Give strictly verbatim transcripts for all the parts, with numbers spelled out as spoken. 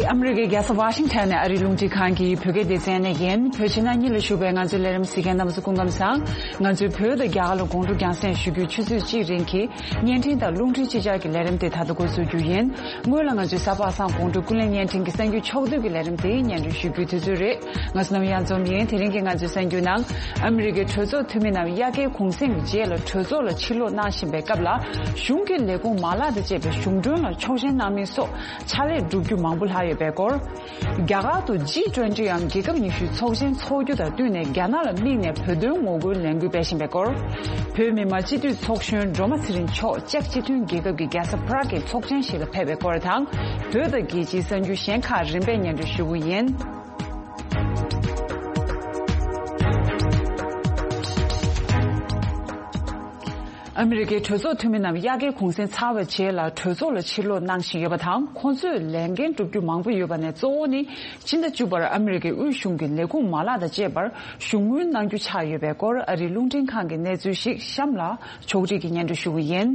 ཨ་མི་རི་ཀའི་རྒྱལ་ས་ཝ་ཤིང་ཊོན་ནས་ཨ་རིའི་རླུང་འཕྲིན་ཁང་གི་བོད་སྐད་སྡེ་ཚན་ནས་ཡིན། བོད་ཕྱི་ནང་གཉིས་ལ་བཞུགས་པའི་ང་ཚོའི་ལས་རིམ་གཟིགས་མཁན་རྣམ་པ་ཚོ་སྐུ་ཁམས་བཟང་། ང་ཚོས་བོད་དང་རྒྱ་གར་ལ་དགོང་དྲོ་རྒྱང་སྲིང་ཞུ་རྒྱུའི་ཆུ་ཚོད་གཅིག་རིང་གི་བརྙན་འཕྲིན་དང་རླུང་འཕྲིན་ཕྱི་གྱར་གྱི་ལས་རིམ་དེ་ད་ལྟ་འགོ་འཛུགས་རྒྱུ་ཡིན། སྔོན་ལ་ང་ཚོའི་གཟའ་པ་སངས་དགོང་དྲོ་ཀུན་གླེང་བརྙན་འཕྲིན་གྱི་གསར་འགྱུར་ཕྱོགས་བསྡུས་ཀྱི་ལས་རིམ་དེ་སྙན་སྒྲོན་ཞུ་རྒྱུའི་དུས་ཚོད་རེད། ང་ཚོ་རྣམས་ཡང་འཛོམས་ཡིན། དེ་རིང་གི་ང་ཚོའི་གསར་འགྱུར་ནང་། ཨ་མི་རི་ཀའི་གྲོས་ཚོགས་འཐུས་མི་རྣམས་དབྱར་ཁའི་གུང་སེང་གི་རྗེས་ལ་གྲོས་ཚོགས་ལ་ཕྱིར་ལོག་གནང་བཞིན་པའི་སྐབས་ལ། གཞུང་གི་ལས་ཁུངས་མ་ལག་དང་བཅས་པའི་གཞུང་གྲོན་ལ་ཆོག་མཆན་གནང་མིན་སོགས་ཕྱག་ལས་བསྒྲུབ་རྒྱུ་མང་པོ་ལྷག་ཡོད་པའི་སྐོར། རྒྱ་གར་དུ་ཇི་ཊུ་ཝེན་ཊི་འམ་རྒྱལ་ཁབ་ཉི་ཤུའི་ཚོགས་ཆེན་འཚོགས་རྒྱུ་དང་བསྟུན་ནས་རྒྱ་ནག་ལ་དམིགས་ནས་བོད་དོན་ངོ་རྒོལ་ལས་འགུལ་སྤེལ་བཞིན་པའི་སྐོར། བོད་མི་མང་སྤྱི་འཐུས་ཚོགས་གཞོན་སྒྲོལ་མ་ཚེ་རིང་མཆོག་ཅེཀ་སྤྱི་མཐུན་རྒྱལ་ཁབ་ཀྱི་རྒྱལ་ས་པ་རག་གི་ཚོགས་ཆེན་ཞིག་ལ་ཕེབས་པའི་སྐོར་དང་། བོད་དང་རྒྱལ་སྤྱིའི་གསར་འགྱུར་གཞན་ཁག་རིམ་པས་སྙན་སྒྲོན་ཞུ་གི་ཡིན། ཨ་མི་རི་ཀའི་གྲོས་ཚོགས་འཐུས་མི་རྣམས་དབྱར་ཁའི་གུང་སེང་ཚར་བའི་རྗེས་ལ་གྲོས་ཚོགས་ལ་ཕྱིར་ལོག་གནང་བཞིན་ཡོད་པ་དང་། ཁོང་ཚོས་ལས་འགན་བསྒྲུབ་རྒྱུ་མང་པོ་ཡོད་པ་ནས། གཙོ་བོ་ནི་སྤྱི་ཟླ་བཅུ་པར་ཨ་མི་རི་ཀའི་དབུས་གཞུང་གི་ལས་ཁུངས་མ་ལག་དང་བཅས་པར་གཞུང་དངུལ་གནང་རྒྱུ་ཆགས་ཡོད་པའི་སྐོར། ཨ་རིའི་རླུང་འཕྲིན་ཁང་གི་གནས་ཚུལ་ཞིག་གཤམ་ལ་ཕྱོགས་སྒྲིག་གིས་སྙན་སྒྲོན་ཞུ་གི་ཡིན།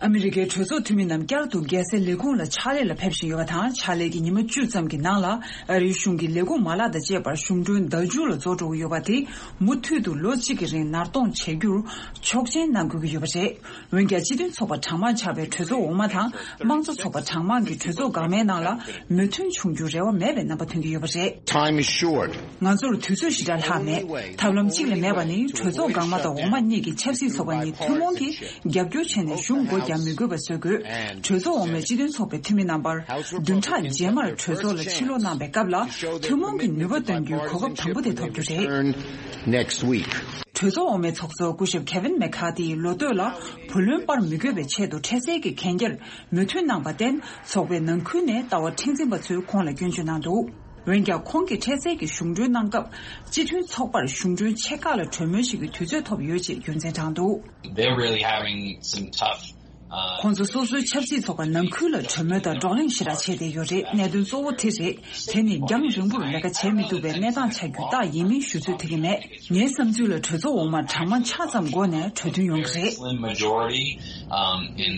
ཨ་མི་རི་ཀའི་གྲོས་ཚོགས་འཐུས་མི་རྣམས་བསྐྱར་དུ་རྒྱལ་སའི་ལས་ཁུངས་ལ་ཕྱག་ལས་ལ་ཕེབས་བཞིན་ཡོད་པ་དང་། ཕྱག་ལས་ཀྱི་ཉི་མ་བཅུ་ཙམ་གྱི་ནང་ལ་ཨ་རིའི་གཞུང་གི་ལས་ཁུངས་མ་ལག་དང་བཅས་པར་གཞུང་གྲོན་བརྡར་འགྱུར་ལ་རྫོགས་འགྲོ་གི་ཡོད་པ་དེ་མུ་མཐུད་དུ་ལོ་གཅིག་གི་རིང་ནར་གཏོང་བྱེད་རྒྱུར་ཆོག་མཆན་གནང་དགོས་ཀྱི་ཡོད་པ་རེད། འོན་ཀྱང་སྤྱི་མཐུན་ཚོགས་པ་གྲངས་མང་ཆགས་པའི་གྲོས་ཚོགས་འོག་མ་དང་། དམངས་གཙོ་ཚོགས་པ་གྲངས་མང་གིས་གྲོས་ཚོགས་འགག་མའི་ནང་ལ་མོས་མཐུན་བྱུང་རྒྱུར་རེ་བ་མེད་པའི་རྣམ་པ་ཐོན་གྱི་ཡོད་པ་རེད། Time is short. ང་ཚོར་དུས་ཚོད་ཞེ་དྲག་ལྷག་མེད། ཐབས་ལམ་གཅིག་ལས་མེད་པ་ནི། གྲོས་ཚོགས་འགག་མ་དང་འོག་མ་གཉིས་ཀྱི་ཆབ་སྲིད་ཚོགས་པ་གཉིས་ཐུན་མོང་གིས་རྒྱབ་སྐྱོར་བྱས་ནས་གཞུང་སྒོ་རྒྱག་མི་དགོས་པ་བཟོ་དགོས། གྲོས་ཚོགས་འོག་མའི་སྤྱི་མཐུན་ཚོགས་པའི་འཐུས་མི་རྣམ་པར་བདུན་ཕྲག་རྗེས་མར་གྲོས་ཚོགས་ལ་ཕྱིར་ལོག་གནང་པའི་སྐབས་ལ། ཐུན་མོང་གི་ནུས་པ་འདོན་རྒྱུའི་གོ་སྐབས་དང་པོ་དེ་ཐོབ་རྒྱུ་རེད། Turn next week. གྲོས་ཚོགས་འོག་མའི་ཚོགས་གཙོ་སྐུ་ཞབས་Kevin McCarthy ཡིས་ལོ་སྟོད་ལ་བུ་ལོན་སྤར་མི་དགོས་པའི་ཆེད་དུ་འཕྲལ་སེལ་གྱི་གན་རྒྱར་མོས་མཐུན་གནང་བར་བརྟེན། ཚོགས་པའི་ནང་ཁུལ་ནས་ལྟ་བ་མཁྲེགས་འཛིན་པ་ཚོས་ཁོང་ལ་སྐྱོན་བརྗོད་གནང་འདུག། འོན་ཀྱང་། ཁོང་གིས་འཕྲལ་སེལ་གྱི་གཞུང་གྲོན་གནང་སྐབས། སྤྱི་མཐུན་ཚོགས་པར་གཞུང་གྲོན་ཆེ་ཁག་ལ་གྲོས་མོལ་བྱེད་རྒྱུའི་དུས་ཚོད་ཐོབ་ཡོད་ཅེས་རྒྱུ་མཚན་དྲངས་འདུག། They're really having some tough, uh, ཁོང་ཚོ་སོ་སོའི་ཆབ་སྲིད་ཚོགས་པ་ནང་ཁུལ་ལ་གྲོས་མོལ་དང་བགྲོ་གླེང་ཞེ་དྲག་བྱས་བསྡད་ཡོད་རེད། གནད་དོན་གཙོ་བོ་དེ་རེད། དེ་ནི་རྒྱང་རིང་པོར་ལས་ཀ་བྱེད་མི་ཐུབ་པའི་གནས་སྟངས་ཆགས་རྒྱུ་རྟགས་ཡིན་མིན་ཞུ་ཚོད་ཐིག་གི་མེད། ངའི་བསམ་ཚུལ་ལ། གྲོས་ཚོགས་འོག་མར་གྲངས་མང་ཆ་ཙམ་སྒོ་ནས་གྲོས་མཐུན་ཡོང་གི་རེད། Slim majority, um, in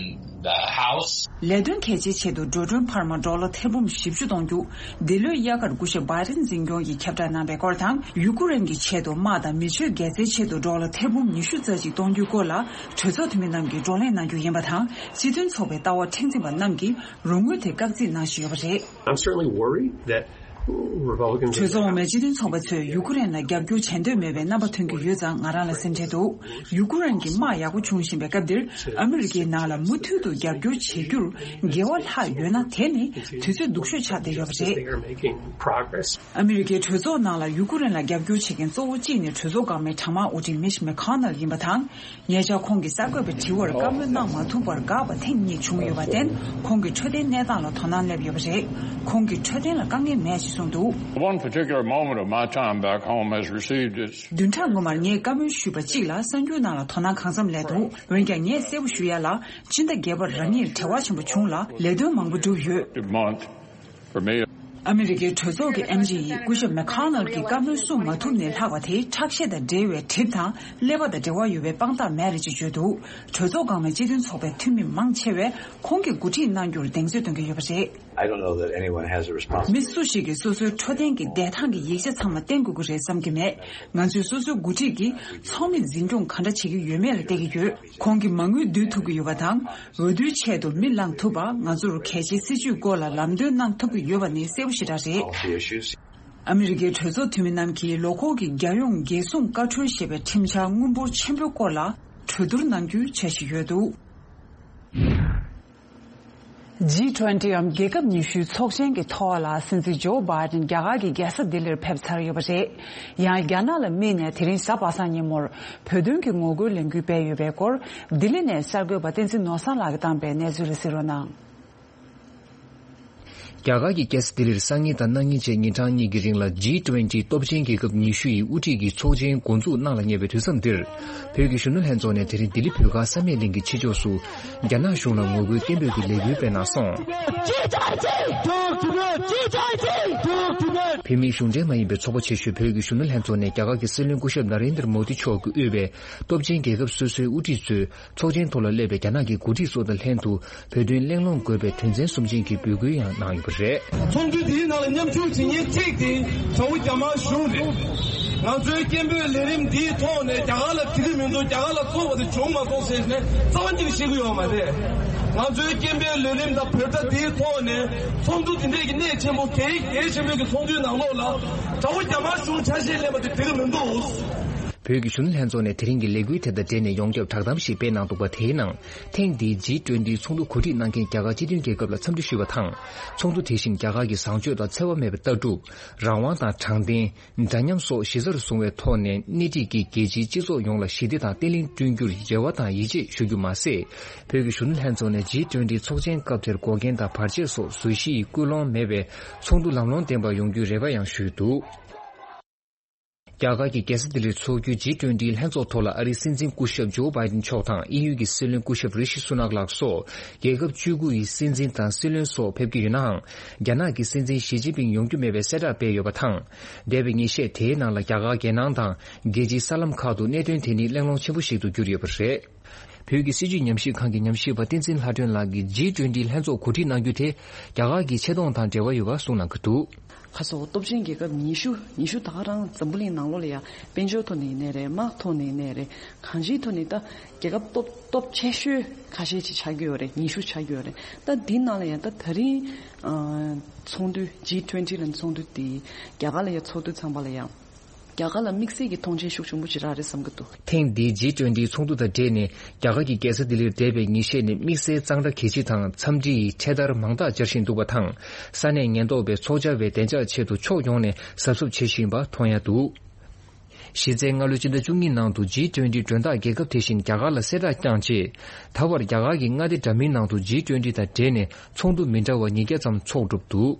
the House. ལས་དོན་གལ་ཆེའི་ཆེད་དུ་འགྲོ་གྲོན་འཕར་མ་ཌོ་ལར་ཐེར་འབུམ་བཞི་བཅུ་གཏོང་རྒྱུ། འདི་ལོའི་དབྱར་ཁར་སྐུ་ཞབས་བྷའི་ཌེན་འཛིན་སྐྱོང་གིས་ཁྱབ་བསྒྲགས་གནང་པའི་སྐོར་དང་། ཡུ་ཀུ་རེན་གྱི་ཆེད་དུ་དམག་དང་མི་ཆོས་རྒྱལ་རྩེའི་ཆེད་དུ་ཌོ་ལར་ཐེར་འབུམ་ཉི་ཤུ་རྩ་གཅིག་གཏོང་རྒྱུའི་སྐོར་ལ། གྲོས་ཚོགས་འཐུས་མི་རྣམས་ཀྱིས་བགྲོ་གླེང་གནང་རྒྱུ་ཡིན་པ་དང་། སྤྱི་མཐུན་ཚོགས་པའི་ལྟ་བ་མཁྲེགས་འཛིན་པ་རྣམས་ཀྱིས་རོགས་དངུལ་དེ་བཀག་རྩིས་གནང་བཞིན་ཡོད་པ་རེད། I'm certainly worried that Republicans གྲོས་ཚོགས་འོག་མའི་སྤྱི་མཐུན་ཚོགས་པ་ཚོས་ཡུ་ཀུ་རེན་ལ་རྒྱབ་སྐྱོར་བྱེད་འདོད་མེད་པའི་རྣམ་པ་ཐོན་གྱི་ཡོད་ཙང་། ང་རང་ལ་སེམས་ཁྲལ་འདུག། ཡུ་ཀུ་རེན་གྱི་དམག་ཡག་པོ་བྱུང་བཞིན་པའི་སྐབས་འདིར། ཨ་མི་རི་ཀའི་ནང་ལ་མུ་མཐུད་དུ་རྒྱབ་སྐྱོར་བྱེད་རྒྱུར་འགལ་བ་ལྷག་ཡོད་ན། དེ་ནི་དུས་ཚོད་སྡུག་ཤོས་ཆགས་བསྡད་ཡོད་པ་རེད། They are making progress. ཨ་མི་རི་ཀའི་གྲོས་ཚོགས་ནང་ལ་ཡུ་ཀུ་རེན་ལ་རྒྱབ་སྐྱོར་བྱེད་མཁན་གཙོ་བོ་གཅིག་ནི་གྲོས་ཚོགས་འགག་མའི་གྲངས་མང་དབུ་ཁྲིད་མིཆ་མེ་ཁོ་ནལ་ཡིན་པ་དང་། ཉེ་ཆར་ཁོང་གིས་གསར་འགོད་པའི་དྲི་བར་བཀའ་མོལ་གནང་མ་ཐུབ་པར་འགག་པ་ཐེངས་གཉིས་བྱུང་ཡོད་པར་བརྟེན། ཁོང་གི་འཕྲོད་བསྟེན་གནས་སྟངས་ལ་དོ་སྣང་སླེབས་ཡོད་པ་རེད། ཁོང་གིས་འཕྲོད་བསྟེན་ལ་དཀའ་ངལ་མེད་ཅེས་གསུངས་འདུག། One particular moment of my time back home has received its བདུན་ཕྲག་སྔོན་མར་ངས་བཀའ་མོལ་ཞུས་པ་གཅིག་ལ་གསར་འགྱུར་ནང་ལ་དོ་སྣང་གང་འཚམ་སླེབས་འདུག། འོན་ཀྱང་ངས་གསལ་པོ་ཞུ་ཡ་ལ། ཕྱི་ཟླ་བརྒྱད་པར་རང་ཉིད་བྲེལ་བ་ཆེན་པོ་བྱུང་ལ། ལས་དོན་མང་པོ་བསྒྲུབས་ཡོད། Month for me. ཨ་མི་རི་ཀའི་གྲོས་ཚོགས་ཀྱི་ཨེམ་ཆི་ཡིས་སྐུ་ཞབས་མེ་ཁོ་ནལ་གྱི་བཀའ་མོལ་གསུང་མ་ཐུབ་ནས་ལྷག་པ་དེ། ཁྲག་ཤེད་དང་འབྲེལ་བའི་གྲིབ་དང་ཀླད་པ་དང་འབྲེལ་བ་ཡོད་པའི་དཔང་རྟགས་མེད་རེད་ཅེས་བརྗོད་འདུག། གྲོས་ཚོགས་འགག་མའི་སྤྱི་མཐུན་ཚོགས་པའི་འཐུས་མི་མང་ཆེ་བས་ཁོང་གིས་འགོ་ཁྲིད་གནང་རྒྱུར་གདེང་ཚོད་སྟོན་གྱི་ཡོད་པ་རེད། I don't know that anyone has a responsibility. མི་སུ་ཞིག་གིས་སོ་སོའི་འཕྲོད་བསྟེན་གྱི་བདེ་ཐང་གི་ཡིག་ཆ་ཚང་མ་བསྟན་དགོས་ཀྱི་རེད་བསམ་གྱི་མེད། ང་ཚོས་སོ་སོའི་འགོ་ཁྲིད་ཀྱིས་ཚོགས་མི་འཛིན་སྐྱོང་ག་འདྲ་བྱེད་ཀྱི་ཡོད་མེད་ལ་བལྟ་གི་ཡོད། ཁོང་གིས་མ་དངུལ་བསྡུ་ཐུབ་ཀྱི་ཡོད་པ་དང་། འོས་བསྡུའི་ཆེད་དུ་མི་བླངས་ཐུབ་པ། ང་ཚོར་གལ་ཆེའི་སྲིད་ཇུས་སྐོར་ལ་ལམ་སྟོན་གནང་ཐུབ་ཀྱི་ཡོད་པ་ནི་གསལ་པོ་ཞེ་དྲག་རེད། Policy issues. ཨ་མི་རི་ཀའི་གྲོས་ཚོགས་འཐུས་མི་རྣམས་ཀྱིས་ལོ་འཁོར་གྱི་རྒྱལ་ཡོངས་རྒྱལ་སྲུང་བཀའ་འཁྲོལ་ཞེས་པའི་ཁྲིམས་འཆར་དངུལ་འབོར་ཆེན་པོའི་སྐོར་ལ་གྲོས་བསྡུར་གནང་རྒྱུའི་འཆར་གཞི་ཡོད་འདུག། ཇི་ཊུ་ཝེན་ཊི་འམ་རྒྱལ་ཁབ་ཉི་ཤུའི་ཚོགས་ཆེན་གྱི་ཐོག་ལ། སྲིད་འཛིན་ཇོ་བྷའི་ཌེན་རྒྱ་གར་གྱི་རྒྱལ་ས་ལྡི་ལིར་ཕེབས་ཚར་ཡོད་པ་རེད། ཡང་རྒྱ་ནག་ལ་དམིགས་ནས་དེ་རིང་གཟའ་པ་སངས་ཉིན་མོར་བོད་དོན་གྱི་ངོ་རྒོལ་ལས་འགུལ་སྤེལ་ཡོད་པའི་སྐོར། ལྡི་ལི་ནས་གསར་འགོད་པ་བསྟན་འཛིན་ནོར་བཟང་ལགས་ཀྱིས་བཏང་པའི་གནས་ཚུལ་ལ་གཟིགས་རོགས་གནང་། རྒྱ་གར་གྱི་རྒྱལ་ས་ལྡི་ལིར་སང་ཉིན་དང་གནངས་ཉིན་བཅས་ཉིན་གྲངས་གཉིས་ཀྱི་རིང་ལ་ཇི་ཊུ་ཝེན་ཊི་སྟོབས་ཆེན་རྒྱལ་ཁབ་ཉི་ཤུ་ཡི་དབུ་ཁྲིད་ཀྱི་ཚོགས་ཆེན་འགོ་འཛུགས་གནང་ལ་ཉེ་བའི་དུས་མཚམས་འདིར། བོད་ཀྱི་གཞོན་ནུ་ལྷན་ཚོགས་ནས་དེ་རིང་ལྡི་ལི་བོད་སྒར་བསམ་ཡས་གླིང་གི་ཕྱི་ཕྱོགས་སུ། རྒྱ་ནག་གཞུང་ལ་ངོ་རྒོལ་སྐད་འབོད་ཀྱི་ལས་འགུལ་སྤེལ་གནང་སོང་། བོད་མིའི་གཞུང་འབྲེལ་མ་ཡིན་པའི་ཚོགས་པ་ཆེ་ཤོས་བོད་ཀྱི་གཞོན་ནུ་ལྷན་ཚོགས་ནས་རྒྱ་གར་གྱི་སྲིད་བློན་སྐུ་ཞབས་ན་རེན་དར་མོ་དི་མཆོག་གིས་དབུས་པའི་སྟོབས་ཆེན་རྒྱལ་ཁབ་སོ་སོའི་དབུ་ཁྲིད་ཚོས། ཚོགས་ཆེན་ཐོག་ལ་སླེབས་པའི་རྒྱ་ནག་གི་འགོ་ཁྲིད་ཚོ་དང་ལྷན་དུ་བོད་དོན་གླེང་སློང་དགོས་པའི་དོན་ཚན་གསུམ་ཅན་གྱི་འབོད་སྐུལ་ཡང་གནང་ཡོད་པ་རེད། ཚོགས་འདུ་འདིའི་ནང་ལ་མཉམ་ཞུགས་བྱེད་མཁན་གཅིག་དེ་དགྲ་བོ་རྒྱ་དམར་གཞུང་རེད། ང་ཚོའི་སྐད་འབོད་ལས་རིམ་འདིའི་ཐོག་ནས་རྒྱ་གར་ལ་དེ་གི་མི་འདུག་རྒྱ་གར་ལ་བཙོག་པ་དེ་བྱུང་མ་སོང་ཟེར་ནས་རྩ་བ་ཉིད་ནས་བཤད་ཀྱི་ཡོད་མ་རེད། ང་ཚོའི་སྐད་འབོད་ལས་རིམ་དང་བོད་སྒྲ་འདིའི་ཐོག་ནས་ཚོགས་འདུ་འདི་འདྲས་ཀྱི་གནད་ཆེན་པོ་གལ་གལ་ཆེན་པོའི་གི་ཚོགས་འདུའི་ནང་ལོགས་ལ་དགྲ་བོ་རྒྱ་དམར་གཞུང་ཆ་ཤས་ལེན་པ་དེ་དེ་གི་མི་འདུག་བོད་ཀྱི་གཞོན་ནུ་ལྷན་ཚོགས་ནས་དེ་རིང་གི་ལས་འགུལ་དེ་དང་འབྲེལ་ནས་ཡོངས་ཁྱབ་བསྒྲགས་གཏམ་ཞིག་སྤེལ་གནང་འདུག་པ། དེའི་ནང་ཐེངས་འདིའི་ཇི་ཊུ་ཝེན་ཊི་ཚོགས་འདུ་གོ་སྒྲིག་གནང་མཁན་རྒྱ་གར་སྤྱི་མཐུན་རྒྱལ་ཁབ་ལ་འཚམས་འདྲི་ཞུས་པ་དང་། ཚོགས་འདུ་དེ་བཞིན་རྒྱ་གར་གྱི་བཟང་སྤྱོད་དང་འཚེ་བ་མེད་པའི་ལྟ་གྲུབ། རང་དབང་དང་དྲང་བདེན། འདྲ་མཉམ་སོགས་གཞི་རྩར་བཟུང་བའི་ཐོག་ནས་སྣེ་ཁྲིད་ཀྱིས་རྒྱལ་སྤྱིའི་སྤྱི་ཚོགས་ཡོངས་ལ་ཞི་བདེ་དང་བརྟན་ལྷིང་བསྐྲུན་རྒྱུར་རེ་བ་དང་ཡིད་ཆེས་ཞུ་རྒྱུ་མ་ཟད། བོད་ཀྱི་གཞོན་ནུ་ལྷན་ཚོགས་ནས་ཇི་ཊུ་ཝེན་ཊི་ཚོགས་ཆེན་སྐབས་དེར་འགོག་རྐྱེན་དང་བར་ཆད་སོགས་བཟོ་གཞི་ཡི་སྐུལ་སློང་མེད་པའི་ཚོགས་འདུ་ལམ་ལྷོང་ལྡན་པ་ཡོང་རྒྱུའི་རེ་བ་ཡང་ཞུས་འདུག་རྒྱ་གར་གྱི་རྒྱལ་ས་ལྡི་ལིར་འཚོགས་རྒྱུའི་ཇི་ཊུ་ཝེན་ཊི་ལྷན་ཚོགས་ཐོག་ལ་ཨ་རིའི་སྲིད་འཛིན་སྐུ་ཞབས་ཇོ་བྷའི་ཏིན་མཆོག་དང་དབྱིན་ཡུལ་གྱི་སྲིད་བློན་སྐུ་ཞབས་རི་ཤི་སུ་ནག་ལགས་སོགས་རྒྱལ་ཁབ་བཅུ་དགུ་ཡི་སྲིད་འཛིན་དང་སྲིད་བློན་སོགས་ཕེབས་ཀྱི་ཡོད་ནའང་། རྒྱ་ནག་གི་སྲིད་འཛིན་ཞི་ཅིན་ཕིང་ཡོང་རྒྱུ་མེད་པའི་གསལ་བསྒྲགས་སྤེལ་ཡོད་པ་དང་། འདས་པའི་ཉིན་ཤས་དེའི་ནང་ལ་རྒྱ་གར་རྒྱལ་ནང་དང་རྒྱལ་སྤྱིའི་གསར་ལམ་ཁག་ཏུ་གནད་དོན་དེ་ནི་གླེང་སློང་ཆེན་པོ་ཞིག་ཏུ་གྱུར་ཡོད་པ་རེད། བོད་ཀྱི་སྲིད་བྱུས་ཉམས་ཞིབ་ཁང་གི་ཉམས་ཞིབ་པ་བསྟན་འཛིན་ལྷ་སྒྲོན་ལགས་ཀྱིས་ཇི་ཊུ་ཝེན་ཊི་ལྷན་ཚོགས་གོ་སྒྲིག་གནང་རྒྱུ་དེ་རྒྱ་གར་གྱི་ཆེ་མཐོང་དང་འབྲེལ་བ་ཡོད་པ་གསུངས་གནང་གི་འདུག་ཁ་སང་སྟོབས་ཆེན་རྒྱལ་ཁབ་ཉི་ཤུ། ཉི་ཤུ་ད་ག་རང་འཛམ་བུ་གླིང་ནང་ལོགས་ལ་ཡང་དཔལ་འབྱོར་ཐོག་ནས་ཡིན་ནའི་རེད། དམག་ཐོག་ནས་ཡིན་ནའི་རེད། གང་ཅིའི་ཐོག་ནས་ད་རྒྱལ་ཁབ་སྟོབས་སྟོབས་ཆེ་ཤོས་ཁ་ཤས་ཅིག་ཆགས་ཀྱི་ཡོད་རེད། ཉི་ཤུ་ཆགས་ཀྱི་ཡོད་རེད། ད་འདི་ནང་ལ་ཡང་ད་ད་རིང་ཚོགས་འདུ་ཇི་ཊུ་ཝེན་ཊི་ལ་ཚོགས་འདུ་དེ་རྒྱ་གར་ལ་ཡང་ཚོགས་དུས་ཙམ་པ་ལ་ཡང་། རྒྱ་གར་ལ་དམིགས་བསལ་གྱི་མཐོང་མཆན་ཤུགས་ཆེན་པོ་ཅིག་རག་རེད་བསམ་གྱི་འདུག་ཐེངས་འདིའི་ཇི་ཊུ་ཝེན་ཊི་ཚོགས་འདུ་དང་འབྲེལ་ནས་རྒྱ་གར་གྱི་རྒྱལ་ས་ལྡི་ལིར་འདས་པའི་ཉིན་ཤས་ནས་དམིགས་བསལ་གཙང་སྦྲ་གལ་ཆེ་དང་འཚམས་འདྲི་ཡི་འཕྲེད་དར་མང་དག་སྦྱར་བཞིན་འདུག་པ་དང་། ས་གནས་ཉེན་རྟོག་པས་ཚོགས་བཅར་བའི་བདེ་འཇགས་ཆེད་དུ་ཕྱོགས་ཡོངས་ནས་གཟབ་གཟབ་བྱེད་བཞིན་པ་མཐོང་ཡ་འདུག་གཞི་རྩའི་སྔ་ལོའི་སྤྱི་ཟླ་བཅུ་གཉིས་ནང་དུ་ཇི་ཊུ་ཝེན་ཊི་མགྲོན་བདག་རྒྱལ་ཁབ་དེ་བཞིན་རྒྱ་གར་ལ་གསལ་བསྒྲགས་བསྐྱངས་རྗེས། ད་བར་རྒྱ་གར་གྱི་མངའ་སྡེ་འདྲ་མིན་ནང་དུ་ཇི་ཊུ་ཝེན་ཊི་དང་འབྲེལ་ནས་ཚོགས་འདུ་མི་འདྲ་བ་ཉིས་བརྒྱ་ཙམ་འཚོགས་གྲུབ་འདུག་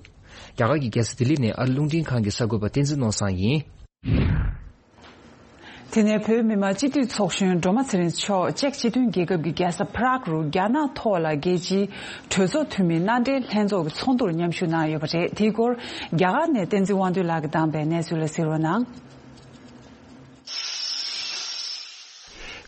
རྒྱ་གར་གྱི་རྒྱལ་ས་ལྡི་ལི་ནས་ཨ་རི་རླུང་འཕྲིན་ཁང་གི་གསར་འགོད་པ་བསྟན་འཛིན་ནོར་བཟང་ཡིན། དེ་ནས་བོད་མི་མང་སྤྱི་འཐུས་ཚོགས་གཞོན་སྒྲོལ་མ་ཚེ་རིང་མཆོག་ཅེཀ་སྤྱི་མཐུན་རྒྱལ་ཁབ་ཀྱི་རྒྱལ་ས་པ་རག་རུ་རྒྱ་ནག་ཐོག་ལ་རྒྱལ་སྤྱིའི་གྲོས་ཚོགས་འཐུས་མི་མནའ་འབྲེལ་ལྷན་ཚོགས་ཀྱི་ཚོགས་འདུར་མཉམ་ཞུགས་གནང་ཡོད་པ་རེད། དེའི་སྐོར་རྒྱ་གར་ནས་བསྟན་འཛིན་དབང་འདུས་ལགས་ཀྱིས་བདམས་པའི་གནས་ཚུལ་ལ་གཟིགས་རོགས་གནང་།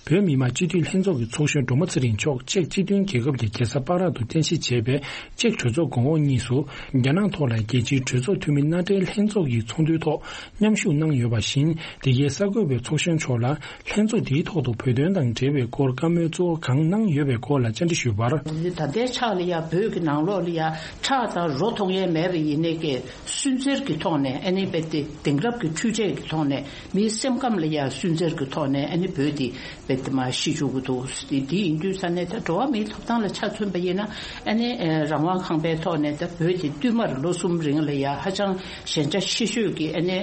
བོད་མི་མང་སྤྱི་འཐུས་ལྷན་ཚོགས་ཀྱི་ཚོགས་གཞོན་སྒྲོལ་མ་ཚེ་རིང་མཆོག་ཅེཀ་སྤྱི་མཐུན་རྒྱལ་ཁབ་ཀྱི་རྒྱལ་ས་པ་རག་ཏུ་རྟེན་གཞི་བྱས་པའི་ཅེཀ་གྲོས་ཚོགས་གོང་འོག་གཉིས་སུ་རྒྱ་ནག་ཐོག་ལ་རྒྱལ་སྤྱིའི་གྲོས་ཚོགས་འཐུས་མི་མནའ་འབྲེལ་ལྷན་ཚོགས་ཀྱི་ཚོགས་འདུའི་ཐོག་མཉམ་ཞུགས་གནང་ཡོད་པ་བཞིན། འདི་གའི་གསར་འགོད་པས་ཚོགས་གཞོན་མཆོག་ལ་ལྷན་ཚོགས་འདིའི་ཐོག་ཏུ་བོད་དོན་དང་འབྲེལ་བའི་སྐོར་བཀའ་མོལ་གཙོ་བོ་གང་གནང་ཡོད་པའི་སྐོར་ལ་བཅར་འདྲི་ཞུས་པར། ད་ལྟའི་ཆ་ལ་ཡ་བོད་ཀྱི་ནང་ལོགས་ལ་ཡ་ཁྲག་དང་རོ་མཐོང་ཡས་མེད་པ་ཡིན་ནའི་ཀྱི་སུན་གཙེར་གྱི་ཐོག་ནས་ཨ་ནི་རྦད་དེ་དེང་རབས་ཀྱི་འཕྲུལ་ཆས་ཀྱི་ཐོག་ནས་མིའི་སེམས་ཁམས་ལ་ཡ་སུན་གཙེར་གྱི་ཐོག་ནས་ཨ་ནི་བོད་འདི་རྦད་དེ་མར་ཤི་བཅུག་གི་འདུག་དེ་དེ་ཡིན་དུས་ས་ནས་ད་འགྲོ་བ་མིའི་ཐོབ་ཐང་ལ་ཆ་མཚོན་པ་ཡིན་ན་ཨ་ནི་རང་དབང་ཁང་པའི་ཐོག་ནས་ད་བོད་འདི་བསྟུད་མར་ལོ་གསུམ་རིང་ལ་ཡ་ཧ་ཅང་ཞན་ཆ་ཆེ་ཤོས་ཀྱི་ཨ་ནི་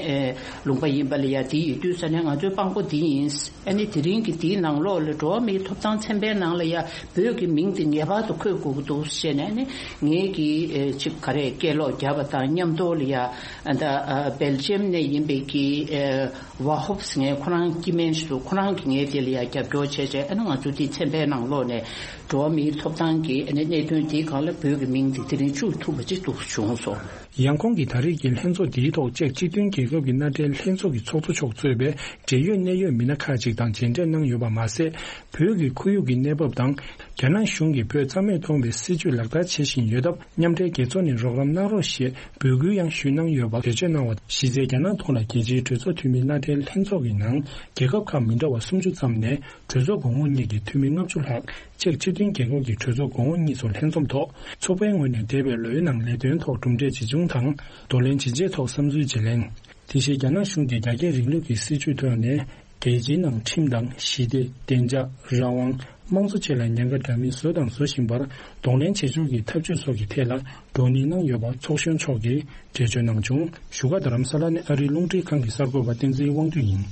ལུང་པ་ཡིན་པ་ལ་ཡ་དེ་ཡིན་དུས་ས་ནས་ང་ཚོའི་དཔང་པོ་འདི་ཡིན། ཨ་ནི་དེ་རིང་གི་དེའི་ནང་ལོགས་ལ་འགྲོ་བ་མིའི་ཐོབ་ཐང་ཚན་པའི་ནང་ལ་ཡ་བོད་ཀྱི་མིང་དེ་ངེས་པར་དུ་འཁོད་དགོས་ཀྱི་འདུག་ཟེར་ནས་ཨ་ནི་ངེད་ཀྱིས་ཨེ་ཅིག་ག་རེ་སྐད་ལོག་བརྒྱབ་པ་དང་མཉམ་དུ་ལ་ཡ་ཨ་ད་ཨ་སྦེལ་ཇམ་ནས་ཡིན་པའི་གི་ཨེ་ཝ་ཧོབ་ཟེར་མཁན་ཁོ་རང་སྐྱེ་དམན་ཞིག་འདུག་ཁོ་རང་གིས་ངའི་དེ་ལ་ཡ་རྒྱབ་སྐྱོར་བྱས་བྱས་ཨ་ནི་ང་ཚོ་དེ་ཚན་པའི་ནང་ལོགས་ནས་འགྲོ་བ་མིའི་ཐོབ་ཐང་གི་ཨ་ནི་གནད་དོན་དེའི་སྒང་ལ་བོད་ཀྱི་མིང་དེ་དེ་རིང་བཅུག་ཐུབ་པ་ཅིག་འདུག་བྱུང་སོང་། ཡང་ཁོང་གིས་ད་རེས་ཀྱི་ལྷན་ཚོགས་འདིའི་ཐོག་ཅེཀ་སྤྱི་མཐུན་རྒྱལ་ཁབ་ཀྱི་མནའ་འབྲེལ་ལྷན་ཚོགས་ཀྱི་ཚོགས་གཙོ་མཆོག་གཙོས་པའི་འབྲེལ་ཡོད་གནད་ཡོད་མི་སྣ་ཁག་ཅིག་དང་མཇལ་འཕྲད་གནང་ཡོད་པ་མ་ཟད། བོད་ཀྱི་ཁོར་ཡུག་གི་གནས་བབ་དང་། རྒྱ་ནག་གཞུང་གིས་བོད་རྩ་མེད་གཏོང་བའི་སྲིད་བྱུས་ལག་བསྟར་བྱེད་བཞིན་ཡོད་སྟབས། མཉམ་འབྲེལ་རྒྱལ་ཚོགས་ནས་རོགས་རམ་གནང་རོགས་ཞེས་འབོད་སྐུལ་ཡང་ཞུས་གནང་ཡོད་པ་འགྲེལ་བརྗོད་གནང་བ། གཞི་རྩའི་རྒྱ་ནག་ཐོག་ལ་རྒྱལ་སྤྱིའི་གྲོས་ཚོགས་འཐུས་མི་མནའ་འབྲེལ་ལྷན་ཚོགས་ཀྱི་ནང་རྒྱལ་ཁབ་ཁག་མི་འདྲ་བ་སུམ་ཅུ་ཙམ་ནས་གྲོས་ཚོགས་གོང་འོག་གཉིས་ཀྱི་འཐུས་མི་ལྔ་བཅུ་ལྷག་ཅེཀ་སྤྱི་མཐུན་རྒྱལ་ཁབ་ཀྱི་གྲོས་ཚོགས་གོང་འོག་གཉིས་སུ་ལྷན་འཛོམས་ཐོག་ཚོགས་པའི་ངོས་ནས་འདས་པའི་ལོའི་ནང་ལས་དོན་ཐོག་གྲུབ་འབྲས་ཇི་བྱུང་དང་། གདོང་ལེན་ཇི་བྱས་ཐོག་བསམ་ཚུལ་བརྗེ་ལེན། དེ་བཞིན་རྒྱ་ནག་གཞུང་གིས་རྒྱ་སྐྱེད་རིང་ལུགས་ཀྱི་སྲིད་བྱུས་ཐོག་ནས་རྒྱལ་སྤྱིའི་ནང་ཁྲིམས་དང་ཞི་བདེ། བདེ་འཇགས། རང་དབང་། དམངས་གཙོ་བཅས་ལ་ཉེན་ཁ་འདྲ་མིན་བཟོས་དང་བཟོ་བཞིན་པར་གདོང་ལེན་བྱེད་ཕྱོགས་ཀྱི་ཐབས་ཇུས་སོགས་ཀྱི་ཐད་ལ་བགྲོ་གླེང་གནང་ཡོད་པ་ཚོགས་གཞོན་མཆོག་གིས་འགྲེལ་བརྗོད་གནང་བྱུང་། བཞུགས་སྒར་རྡ་རམ་ས་ལ་ནས་ཨ་རིའི་རླུང་འཕྲིན་ཁང་གི་གསར་འགོད་པ་བསྟན་འཛིན་དབང་འདུས་ཡིན།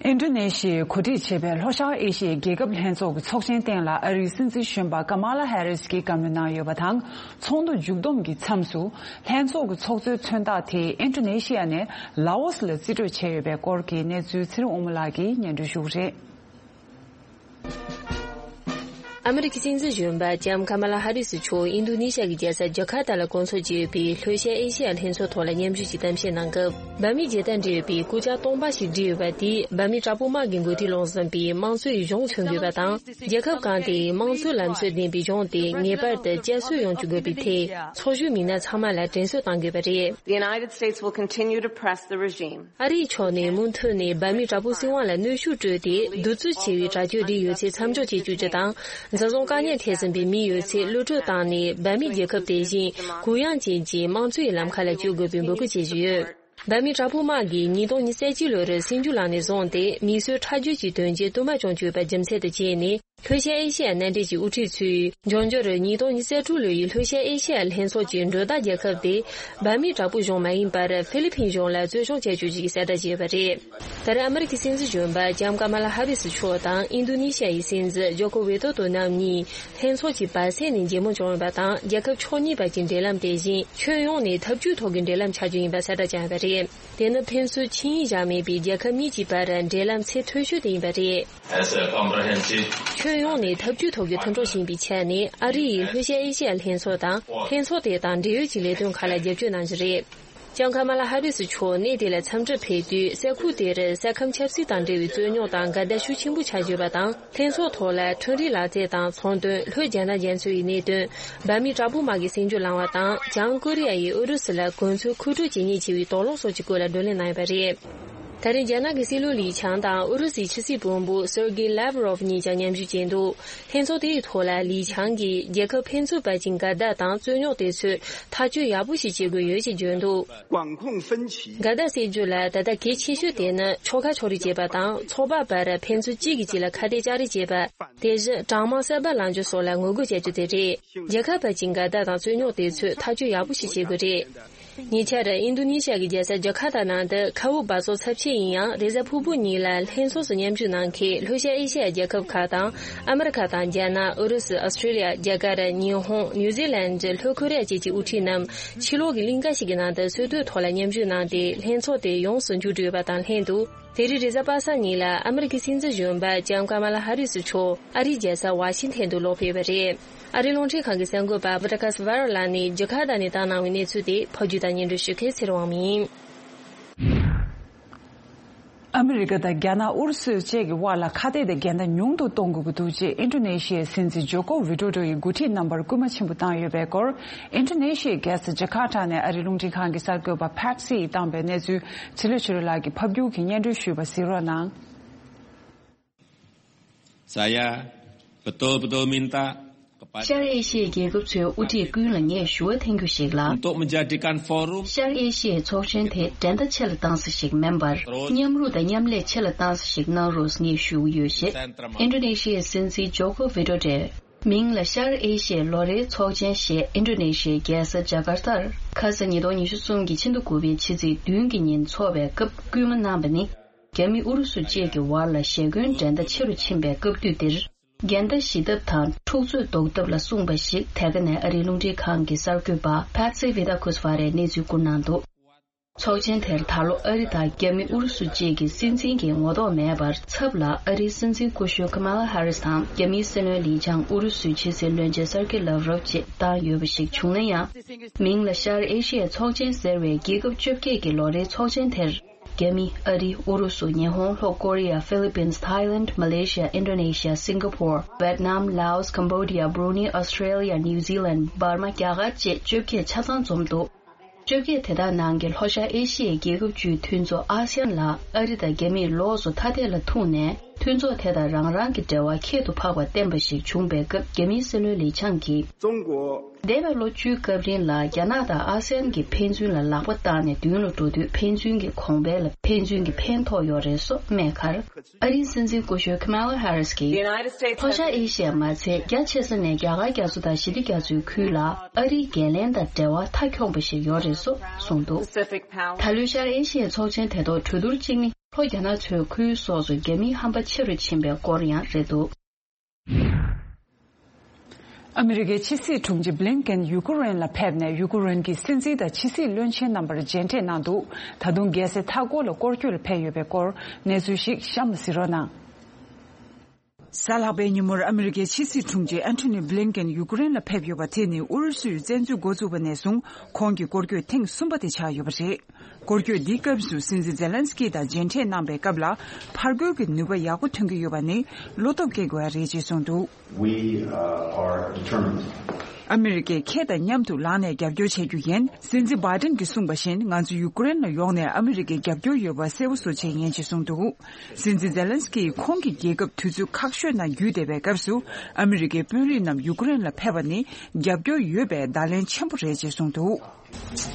ཨིན་ཌོ་ནེ་ཤི་ཡས་གོ་སྒྲིག་བྱས་པའི་ལྷོ་ཤར་ཨེ་ཤི་ཡའི་རྒྱལ་ཁབ་ལྷན་ཚོགས་ཀྱི་ཚོགས་ཆེན་སྟེང་ལ་ཨ་རིའི་སྲིད་འཛིན་གཞོན་པ་ཀ་མ་ལ་ཧེ་རིས་ཀྱིས་བཀའ་མོལ་གནང་ཡོད་པ་དང་། ཚོགས་འདུ་མཇུག་བསྡོམས་ཀྱི་མཚམས་སུ། ལྷན་ཚོགས་ཀྱི་ཚོགས་གཙོའི་མཚོན་རྟགས་དེ་ཨིན་ཌོ་ནེ་ཤི་ཡ་ནས་ལའོ་སི་ལ་རྩིས་སྤྲོད་བྱས་ཡོད་པའི་སྐོར་གྱི་གནས་ཚུལ་ཚེ་རིང་དབང་མོ་ལགས་ཀྱིས་སྙན་སྒྲོན་ཞུ་གི་རེད། ཨ་མི་རི་ཀའི་སྲིད་འཛིན་གཞོན་པ་ལྕམ་ཀ་མ་ལ་ཧ་རི་སི་མཆོག་ཨིན་རྡུ་ནི་ཤ་གི་རྒྱལ་ས་ཇ་ཁར་ཏ་ལ་སྐོང་ཚོགས་བྱས་ཡོད་པའི་ལྷོ་ཤར་ཨེ་ཤེ་ཡ་ལྷན་ཚོགས་ཐོག་ལ་མཉམ་ཞུགས་ཀྱི་གཏམ་བཤད་གནང་སྐབས། འབར་མའི་རྒྱལ་དར་འབྲི་ཡོད་པའི་སྐུ་ཕྱྭ་སྟོང་པ་ཞིག་བསྒྲིགས་ཡོད་པ་དེས་འབར་མའི་དྲག་པོ་དམག་གི་འགོ་ཁྲིད་ལུང་བསྟན་པའི་དམངས་གཙོའི་གཞུང་མཚོན་དགོས་པ་དང་། རྒྱལ་ཁབ་གང་དེའི་དམངས་གཙོའི་ལམ་སྲོལ་ལྡན་པའི་གཞུང་དེ་ངེས་པར་དུ་བསྐྱར་གསོ་ཡོང་བཅུག་དགོས་པའི་ཐད། ཚོགས་ཞུགས་མི་སྣ་ཚང་མ་ལ་དྲན་གསོ་གཏང་དགོས་པ་རེད། The United States will continue to press the regime. ཨ་རིའི་ཕྱོགས་ནས་མུ་མཐུད་ནས་འབར་མའི་དྲག་པོའི་སྲིད་དབང་ལ་གནོན་ཤུགས་སྤྲོད་དེ། གདུག་རྩུབ་ཆེ་བའི་དྲག་སྤྱོད་འདི་ཡོད་ཚད་མཚམས་འཇོག་བྱེད་བཅུག་རྒྱུ་དང་། འཛིན་བཟུང་བཀག་ཉར་ཐེབས་ཟིན་པའི་མི་ཡོད་ཚད་གློད་བཀྲོལ་བཏང་ནས། འབར་མའི་རྒྱལ་ཁབ་དེ་བཞིན་གུ་ཡངས་ཅན་གྱི་དམངས་གཙོའི་ལམ་ཁ་ལ་བསྐྱོད་དགོས་པའི་འབོད་སྐུལ་བྱེད་བཞིན་ཡོད། འབར་མའི་དྲག་པོ་དམག་གིས་ཉིས་སྟོང་ཉི་ཤུ་རྩ་གཅིག་ལོར་སྲིད་འགྱུར་ལངས་ནས་བཟུང་སྟེ། མིས་བཟོས་ཁྲག་རྒྱུད་ཀྱི་དོན་རྐྱེན་དུ་མ་བྱུང་བཅུག་པ་རྒྱུ་མཚན་དུ་བྱས་ནས། ལྷོ་ཤར་ཨེ་ཤེ་ཡ་མནའ་འབྲེལ་གྱི་དབུ་ཁྲིད་ཚོས་འབྱུང་འགྱུར་ཉིས་སྟོང་ཉི་ཤུ་རྩ་དྲུག་ལོའི་ལྷོ་ཤར་ཨེ་ཤེ་ཡ་ལྷན་ཚོགས་ཀྱི་མགྲོན་བདག་རྒྱལ་ཁབ་དེ་འབར་མའི་དྲག་པོ་གཞུང་མ་ཡིན་པར་ཧྥི་ལི་ཕིན་གཞུང་ལ་བཙན་བྱོལ་བྱ་རྒྱུ་ཞིག་གསལ་བསྒྲགས་བྱས་ཡོད་པ་རེད། ད་རེས་ཨ་མི་རི་ཀའི་སྲིད་འཛིན་གཞོན་པ་ལྕམ་ཀ་མ་ལ་ཧ་རི་སི་མཆོག་དང་ཨིན་རྡུ་ནི་ཤ་ཡི་སྲིད་འཛིན་ཇོ་ཀོ་ཝེ་ཏོ་ཏོ་རྣམ་གཉིས་ལྷན་ཚོགས་ཀྱི་བར་གསེང་ནས་མཇལ་མོལ་བྱུང་ཡོད་པ་དང་། རྒྱལ་ཁབ་ཕྱོགས་གཉིས་བར་གྱི་འབྲེལ་ལམ་དེ་བཞིན་ཁྱོན་ཡོངས་ནས་འཐབ་ཇུས་ཐོག་གི་འབྲེལ་ལམ་ཆགས་རྒྱུ་ཡིན་པ་གསལ་བསྒྲགས་བྱུང་ཡོད་པ་རེད། དེ་ནི་ཕན་ཚུན་ཆིངས་ཡིག་བཞག་མེད་པའི་རྒྱལ་ཁབ་གཉིས་ཀྱི་བར་འབྲེལ་ལམ་ཚད་མཐོ་ཤོས་དེ་ཡིན་པ་རེད། As a comprehensive ཁྱོན་ཡོངས་ནས་འཐབ་ཇུས་ཐོག་གི་མཐུན་གྲོགས་ཡིན་པའི་ཆ་ནས། ཨ་རི་ཡིས་ལྷོ་ཤར་ཨེ་ཤེ་ཡ་ལྷན་ཚོགས་དང་ལྷན་ཚོགས་དེ་དང་འབྲེལ་ཡོད་ཀྱི་ལས་དོན་ཁག་ལ་རྒྱབ་སྐྱོར་གནང་རྒྱུ་རེད། ལྕམ་ཀ་མ་ལ་ཧ་རི་སི་མཆོག་གནས་དེ་ལ་འཚམས་འདྲིར་ཕེབས་དུས། ས་ཁུལ་དེར་ས་ཁམས་ཆབ་སྲིད་དང་འབྲེལ་བའི་རྩོད་རྙོག་དང་འགལ་ཟླ་ཤུགས་ཆེན་པོ་ཆགས་ཡོད་པ་དང་། ལྷན་ཚོགས་ཐོག་ལ་ཁྲིམས་རིག་ལག་རྩལ་དང་ཚོང་དོན། ལྷོ་རྒྱ་ནག་རྒྱ་མཚོ་ཡི་གནད་དོན། འབར་མའི་དྲག་པོ་དམག་གི་སྲིད་འགྱུར་ལངས་པ་དང་། བྱང་ཀོ་རི་ཡ་ཡིས་ཨུ་རུ་སུ་ལ་གོ་མཚོན་མཁོ་སྤྲོད་བྱེད་ཉེན་ཆེ་བའི་དོགས་སློང་སོགས་ཀྱི་སྐོར་ལ་བགྲོ་གླེང་གནང་ཡོད་པ་རེད། ད་རེས་རྒྱ་ནག་གི་སྲིད་བློན་ལི་ཆང་དང་ཨུ་རུ་སུའི་ཕྱི་སྲིད་བློན་པོ་སེར་གེ་ལེབ་རོབ་གཉིས་ཀྱང་མཉམ་ཞུགས་བྱས་འདུག་ལྷན་ཚོགས་དེའི་ཐོག་ལ་ལི་ཆང་གིས། རྒྱལ་ཁབ་ཕན་ཚུན་བར་གྱི་འགལ་ཟླ་དང་རྩོད་རྙོག་དེ་ཚོའི་ཐག་གཅོད་ཡག་པོ་ཞིག་བྱེད་དགོས་ཡོད་ཅེས་བརྗོད་འདུག 管控分歧འགལ་ཟླ་སེལ་རྒྱུ་ལ་ད་ལྟ་གལ་ཆེ་ཤོས་དེ་ནི་ཕྱོགས་ཁག་ཕྱོགས་རིས་བྱེད་པ་དང་། ཚོགས་པ་བར་ཕན་ཚུན་གཅིག་གིས་གཅིག་ལ་ཁ་གཏད་གཅིག་གིས་བྱེད་པ། དེ་བཞིན་གྲངས་མང་གསར་པ་ལངས་རྒྱུ་སོགས་ལ་ངོ་རྒོལ་བྱ་རྒྱུ་དེ་རེད། རྒྱལ་ཁབ་བར་གྱི་འགལ་ཟླ་དང་རྩོད་རྙོག་དེ་ཚོའི་ཐག་གཅོད་ཡག་པོ་ཞིག་བྱེད་དགོས་རེད། ཉེ་ཆར་ཨིན་རྡུ་ནི་ཤ་གི་རྒྱལ་ས་ཇ་ཁར་ཏ་ནང་དུ་མཁའ་དབུགས་འབག་བཙོག་ཚབས་ཆེ་ཡིན་ཡང་། རེས་གཟའ་ཕུར་བུ་ཉིན་ལ་ལྷན་ཚོགས་སུ་མཉམ་ཞུགས་གནང་མཁན་ལྷོ་ཤར་ཨེ་ཤེ་ཡ་རྒྱལ་ཁབ་ཁག་དང་། ཨ་མི་རི་ཁ་དང་རྒྱ་ནག་ཨུ་རུ་སུ། ཨོ་སི་ཀྲི་ལི་ཡ། རྒྱ་གར། ཉི་ཧོང་། ནིའུ་ཛི་ལན། ལྷོ་ཁོ་རེ་ཡ་བཅས་ཀྱི་དབུ་ཁྲིད་རྣམས་ཕྱི་ལོགས་ཀྱི་གླིང་ག་ཞིག་གི་ནང་དུ་འཚོལ་སྡུད་ཐོག་ལ་མཉམ་ཞུགས་གནང་སྟེ། ལྷན་ཚོགས་དེ་ཡོངས་སུ་མཇུག་བསྒྲིལ་ཡོད་པ་དང་ལྷན་དུ། དེ་རིང་རེས་གཟའ་པ་སངས་ཉིན་ལ་ཨ་མི་རི་ཀའི་སྲིད་འཛིན་གཞོན་པ་ལྕམ་ཀ་མ་ལ་ཧ་རི་སི་མཆོག་ཨ་རིའི་རྒྱལ་ས་ཝ་ཤིང་ཐན་དུ་ལོག་ཕེབས་པ་རེད། ཨ་རིའི་རླུང་འཕྲིན་ཁང་གི་གསར་འགོད་པ་ཨ་བྷ་ཏ་ཁ་སི་ཝ་ར་ལགས་ནས་ཇ་ཁར་ཏ་ནས་བཏང་གནང་བའི་གནས་ཚུལ་དེ་ཕབ་སྒྱུར་དང་སྙན་སྒྲོན་ཞུ་མཁན་ཚེ་རིང་དབང་མོ་ཡིན། ཨ་མི་རི་ཀ་དང་རྒྱ་ནག་ཨུ་རུ་སུ་བཅས་ཀྱི་དབར་ལ་ཁ་གཏད་དེ་འགལ་ཟླ་ཉུང་དུ་གཏོང་དགོས་ཀྱི་འདུག་ཅེས་ཨིན་ཌོ་ནེ་ཤི་ཡའི་སྲིད་འཛིན་ཇོ་ཀོ་ཝི་ཌོ་ཌོ་ཡིས་འགོ་ཁྲིད་རྣམ་པར་སྐུལ་མ་ཆེན་པོ་བཏང་ཡོད་པའི་སྐོར། ཨིན་ཌོ་ནེ་ཤི་ཡའི་རྒྱལ་ས་ཇ་ཁར་ཏ་ནས་ཨ་རིའི་རླུང་འཕྲིན་ཁང་གི་གསར་འགོད་པ་ཕེ་ཊི་སི་ཡིས་བཏང་པའི་གནས་ཚུལ་ཚེ་ལོས་ཆོས་སྒྲོན་ལགས་ཀྱིས་ཕབ་སྒྱུར་གྱིས་སྙན་སྒྲོན་ཞུས་པ་གཟིགས་རོགས་གནང་། Saya betul-betul minta kepada ཤར་ཨེ་ཤི་ཡའི་རྒྱལ་ཁབ་ཚོའི་དབུ་ཁྲིད་ཀུན་ལ་ངས་ཞུ་བ་འཐེན་རྒྱུ་ཞིག་ལ། Untuk menjadikan forum ཤར་ཨེ་ཤི་ཡའི་ཚོགས་ཆེན་དེ་འགྲན་ཟླ་ཆེ་ལ་བཏང་ས་ཞིག་མིན་པར། མཉམ་རུབ་དང་མཉམ་ལས་ཆེ་ལ་བཏང་ས་ཞིག་གནང་རོགས་ངས་ཞུ་གི་ཡོད་ཅེས། ཨིན་ཌོ་ནེ་ཤི་ཡའི་སྲིད་འཛིན་ཇོ་ཀོ་ཝི་ཌོ་ཌོ། མིང་ལ་ཤར་ཨེ་ཤི་ཡའི་ལོ་རེའི་ཚོགས་ཆེན་ཞེས་ཨིན་ཌོ་ནེ་ཤི་ཡའི་རྒྱལ་ས་ཇ་ཀར་ཏར་ཁ་ས་ཉིས་སྟོང་ཉི་ཤུ་གསུམ་གྱི་ཕྱི་ཟླ་དགུ་པའི་ཕྱི་ཚེས་བདུན་གྱི་ཉིན་འཚོགས་པའི་སྐབས་སྐུལ་མ་གནང་བ་ནི། རྒྱ་མི་ཨུ་རུ་སུ་བཅས་ཀྱི་དབར་ལ་ཞེ་འཁོན་འགྲན་ཟླ་ཆེ་རུ་ཕྱིན་པའི་སྐབས་དུས་འདིར། འགལ་ཟླ་ཞི་ཐབས་དང་འཁྲུག་རྩོད་ཟློག་ཐབས་ལ་གསུངས་པ་ཞིག་དེ་ག་ནས་ཨ་རིའི་རླུང་འཕྲིན་ཁང་གི་གསར་འགོད་པ་ཕེ་ཊི་སི་ཝི་ཏཱ་ཁུ་སི་ཝ་རས་གནས་ཚུལ་བསྐུར་གནང་འདུག་ཚོགས་ཆེན་དེར་ད་ལོ་ཨ་རི་དང་རྒྱ་མི་ཨུ་རུ་སུ་བཅས་ཀྱི་སྲིད་འཛིན་གྱི་ངོ་ཐོག་མེད་པར་ཚབ་ལ་ཨ་རིའི་སྲིད་འཛིན་སྐུ་ཞབས་ཁ་མ་ལ་ཧ་རི་སི་དང་རྒྱ་མིའི་སྲིད་བློན་ལི་ཆང་། ཨུ་རུ་སུའི་ཕྱི་སྲིད་བློན་ཆེན་སར་ཀེ་ལབ་རོབ་བཅས་བཏང་ཡོད་པ་ཞིག་བྱུང་ན་ཡང་། མིང་ལ་ཤར་ཨེ་ཤི་ཡའི་ཚོགས་ཆེན་ཟེར་བའི་རྒྱལ་ཁབ་བཅོ་བརྒྱད་ཀྱི་ལོ་རེའི་ཚོགས་ཆེན་དེར། རྒྱ་མི། ཨ་རི། ཨུ་རུ་སུ། ཉི་ཧོང་། ལྷོ་ཀོ་རི་ཡ། ཧྥི་ལི་པིན། ཐའི་ལན། མ་ལེ་ཤི་ཡ། ཨིན་ཌོ་ནེ་ཤི་ཡ། སིང་ག་པོར། ཝེད་ནམ། ལའོ་སི། ཀམ་བོ་ཌི་ཡ། བྷུ་རུ་ནེ། ཨོ་སི་ཀྲེ་ལི་ཡ། ནིའུ་ཛི་ལན། འབར་མ། རྒྱ་གར་བཅས་བཅོ་བརྒྱད་ཆ་ཚང་འཛོམས་འདུག་བཅོ་བརྒྱད་དེ་དག་ནང་གི་ལྷོ་ཤར་ཨེ་ཤི་ཡའི་རྒྱལ་ཁབ་བཅུའི་མཐུན་ཚོགས་ཨ་སི་ཡན་ལ་ཨ་རི་དང་རྒྱ་མིས་ལོགས་སུ་ཐ་དད་ལ་ཐུག་ནས། མཐུན་ཚོགས་དེ་དང་རང་རང་གི་འབྲེལ་བ་ཁྱད་དུ་འཕགས་པ་བསྟན་པ་ཞིག་བྱུང་པའི་སྐབས། རྒྱ་མིའི་སྲིད་བློན་ལི་ཆང་གིས། 中国། འདས་པའི་ལོ་བཅུའི་སྐབས་རིང་ལ་རྒྱ་ནག་དང་ཨ་སི་ཡན་གྱི་ཕན་ཚུན་ལ་ལག་པ་བཏགས་ནས་མདུན་ལ་འགྲོ་དུས། ཕན་ཚུན་གྱི་གོང་འཕེལ་ལ་ཕན་ཚུན་གྱི་ཕན་ཐོགས་ཡོད་རེད་སོགས་སྨྲས་ཁར། ཨ་རིའི་སྲིད་འཛིན་སྐུ་ཞབས་ཁ་མ་ལ་ཧ་རི་སི་གིས། ལྷོ་ཤར་ཨེ་ཤི་ཡ་མ་ཚད། རྒྱ་ཆེ་ས་ནས་རྒྱ་གར་རྒྱ་མཚོ་དང་ཞི་བདེ་རྒྱ་མཚོའི་ཁུལ་ལ་ཨ་རིའི་འགན་ལེན་དང་འབྲེལ་བ་མཐའ་འཁྱོངས་པ་ཞིག་ཡོད་རེད་སོགས་གསུངས་འདུག་ད་ལོའི་ཤར་ཨེ་ཤི་ཡའི་ཚོགས་ཆེན་དེ་ཐོག་གྲོས་བསྡུར་གཅིག་ནི། ལྷོ་རྒྱ་ནག་ཚོའི་ཁུལ་སོགས་སུ་རྒྱ་མིའི་ཧམ་པ་ཆེ་རུ་ཕྱིན་པའི་སྐོར་ཡང་རེད་འདུག། ཨ་མི་རི་ཀའི་ཕྱི་སྲིད་དྲུང་ཆེ་བྷི་ལིན་ཀེན་ཡུ་ཀེ་རེན་ལ་ཕེབས་ནས། ཡུ་ཀེ་རེན་གྱི་སྲིད་འཛིན་དང་ཕྱི་སྲིད་བློན་ཆེན་རྣམ་པར་མཇལ་འཕྲད་གནང་འདུག། ད་དུང་རྒྱལ་སའི་མཐའ་འཁོར་ལ་སྐོར་སྐྱོད་ལ་ཕེབས་ཡོད་པའི་སྐོར། གནས་ཚུལ་ཞིག་གཤམ་ལ་གཟིགས་རོགས་གནང་། གཟའ་ལྷག་པའི་ཉིན་མོར་ཨ་མི་རི་ཀའི་ཕྱི་སྲིད་དྲུང་ཆེ་ཨན་ཐོ་ནི་བྷི་ལིན་ཀེན་ཡུ་ཀེ་རེན་ལ་ཕེབས་ཡོད་པ་དེ་ནི་ཨུ་རུ་སུའི་བཙན་འཛུལ་འགོ་བཙུགས་པ་ནས་བཟུང་ཁོང་གི་སྐོར་སྐྱོད་ཐེངས་གསུམ་པ་དེ་ཆགས་ཡོད་པ་རེད། སྐོར་སྐྱོད་འདིའི་སྐབས་སུ་སྲིད་འཛིན་ཛེ་ལན་སི་ཀི་དང་མཇལ་འཕྲད་གནང་པའི་སྐབས་ལ། ཕར་རྒོལ་གྱི་ནུས་པ་ཡག་པོ་ཐོན་གྱི་ཡོད་པ་ནི་བློ་སྟོབས་སྐྱེ་དགོས་པ་རེད་ཅེས་གསུངས་འདུག། We, uh, are determined. ཨ་མི་རི་ཀས་ཁྱེད་དང་མཉམ་དུ་ལངས་ནས་རྒྱབ་སྐྱོར་བྱེད་རྒྱུ་ཡིན། སྲིད་འཛིན་བྷའི་ཏིན་གྱིས་གསུངས་པ་བཞིན། ང་ཚོ་ཡུ་ཀེ་རེན་ལ་ཡོང་ནས་ཨ་མི་རི་ཀའི་རྒྱབ་སྐྱོར་ཡོད་པ་གསལ་པོ་བཟོ་ཆེད་ཡིན་ཅེས་གསུངས་འདུག། སྲིད་འཛིན་ཛེ་ལན་སི་ཀིས་ཁོང་གི་རྒྱལ་ཁབ་དུས་ཚོད་ཁག་ཤོས་ནང་བརྒྱུད་བསྡད་པའི་སྐབས་སུ། ཨ་མི་རི་ཀའི་དཔོན་རིགས་རྣམས་ཡུ་ཀེ་རེན་ལ་ཕེབས་པ་ནི་རྒྱབ་སྐྱོར་ཡོད་པའི་བརྡ་ལན་ཆེན་པོ་རེད་ཅེས་གསུངས་འདུག།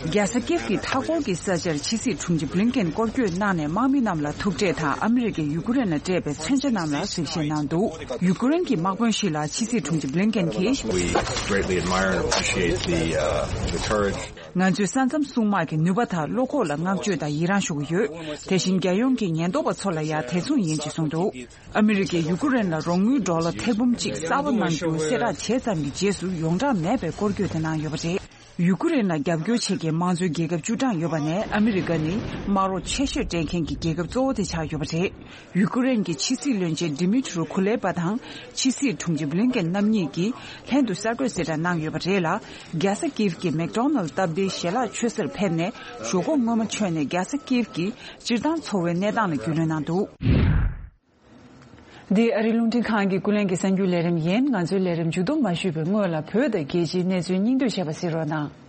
རྒྱལ་ས་ཀིབ་ཀྱི་མཐའ་འཁོར་གྱི་ས་ཆར་ཕྱི་སྲིད་དྲུང་ཆེ་བྷི་ལིན་ཀེན་སྐོར་སྐྱོད་གནང་ནས། དམག་མི་རྣམས་ལ་ཐུག་འཕྲད་དང་། ཨ་མི་རི་ཀས་ཡུ་ཀེ་རེན་ལ་སྤྲད་པའི་མཚོན་ཆ་རྣམས་ལ་གཟིགས་ཞིབ་གནང་འདུག། ཡུ་ཀེ་རེན་གྱི་དམག་དཔོན་ཞིག་ལ་ཕྱི་སྲིད་དྲུང་ཆེ་བྷི་ལིན་ཀེན་གྱིས། We greatly admire and appreciate the, uh, the courage. ང་ཚོས་ས་མཚམས་སྲུང་དམག་གི་ནུས་པ་དང་བློ་ཁོག་ལ་བསྔགས་བརྗོད་དང་ཡི་རངས་ཞུ་གི་ཡོད། དེ་བཞིན་རྒྱལ་ཡོངས་ཀྱི་ཉེན་རྟོག་པ་ཚོ་ལ་ཡང་དེ་མཚུངས་ཡིན་ཅེས་གསུངས་འདུག། ཨ་མི་རི་ཀས་ཡུ་ཀེ་རེན་ལ་རོགས་དངུལ་ཌོ་ལར་ཐེར་འབུམ་གཅིག་གསར་པ་གནང་རྒྱུ་གསལ་བསྒྲགས་བྱས་ཙམ་གྱི་རྗེས་སུ། ཡོངས་གྲགས་མེད་པའི་སྐོར་སྐྱོད་དེ་གནང་ཡོད་པ་རེད། ཡུ་ཀེ་རེན་ལ་རྒྱབ་སྐྱོར་བྱེད་མཁན་དམངས་གཙོའི་རྒྱལ་ཁབ་བཅུ་གྲངས་ཡོད་པ་ནས། ཨ་མི་རི་ཀ་ནི་དམག་རོགས་ཆེ་ཤོས་སྤྲད་མཁན་གྱི་རྒྱལ་ཁབ་གཙོ་བོ་དེ་ཆགས་ཡོད་པ་རེད། ཡུ་ཀེ་རེན་གྱི་ཕྱི་སྲིད་བློན་ཆེན་ཌི་མི་ཊི་རོ་ཁུ་ལེ་པ་དང་ཕྱི་སྲིད་དྲུང་ཆེ་བྷི་ལིན་ཀེན་རྣམ་གཉིས་ཀྱིས་ལྷན་དུ་གསར་འགོད་གསལ་བསྒྲགས་གནང་ཡོད་པ་རེད་ལ། རྒྱལ་ས་ཀིབ་ཀྱི་མེག་ཌོ་ནལ་སྟབས་བདེའི་ཞལ་ལག་མཆོད་སར་ཕེབས་ནས། ཞོགས་ཀོང་སྔོན་མ་མཆོད་ནས། རྒྱལ་ས་ཀིབ་ཀྱི་སྤྱིར་བཏང་འཚོ་བའི་གནས་སྟངས་ལ་རྒྱུས་ལོན་གནང་འདུག། འདི་ཨ་རིའི་རླུང་འཕྲིན་ཁང་གི་ཀུན་གླེང་གི་གསར་འགྱུར་ལས་རིམ་ཡིན། ང་ཚོའི་ལས་རིམ་མཇུག་བསྡོམས་མ་ཞུས་པའི་སྔོན་ལ། བོད་དང་རྒྱལ་སྤྱིའི་གནས་ཚུལ་སྙིང་བསྡུས་བྱས་པ་གཟིགས་རོགས་གནང་།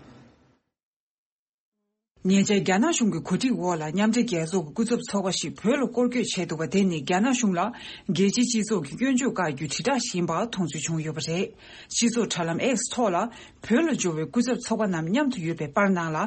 ཉེ་ཆར་རྒྱ་ནག་གཞུང་གི་གོ་སྒྲིག་འོག་ལ། མཉམ་འབྲེལ་རྒྱལ་ཚོགས་ཀྱི་སྐུ་ཚབ་ཚོགས་པ་ཞིག་བོད་ལ་སྐོར་སྐྱོད་བྱས་འདུག་པ་དེ་ནི། རྒྱ་ནག་གཞུང་ལ་རྒྱལ་སྤྱིའི་སྤྱི་ཚོགས་ཀྱི་སྐྱོན་བརྗོད་བཀག་རྒྱུའི་དྲིལ་བསྒྲགས་ཤིག་ཡིན་པ་མཐོང་ཚུལ་བྱུང་ཡོད་པ་རེད། སྤྱི་ཚོགས་དྲ་ལམ་X་ཐོག་ལ། བོད་ལ་འབྱོར་བའི་སྐུ་ཚབ་ཚོགས་པ་རྣམས་མཉམ་དུ་ཡོད་པའི་པར་ནང་ལ།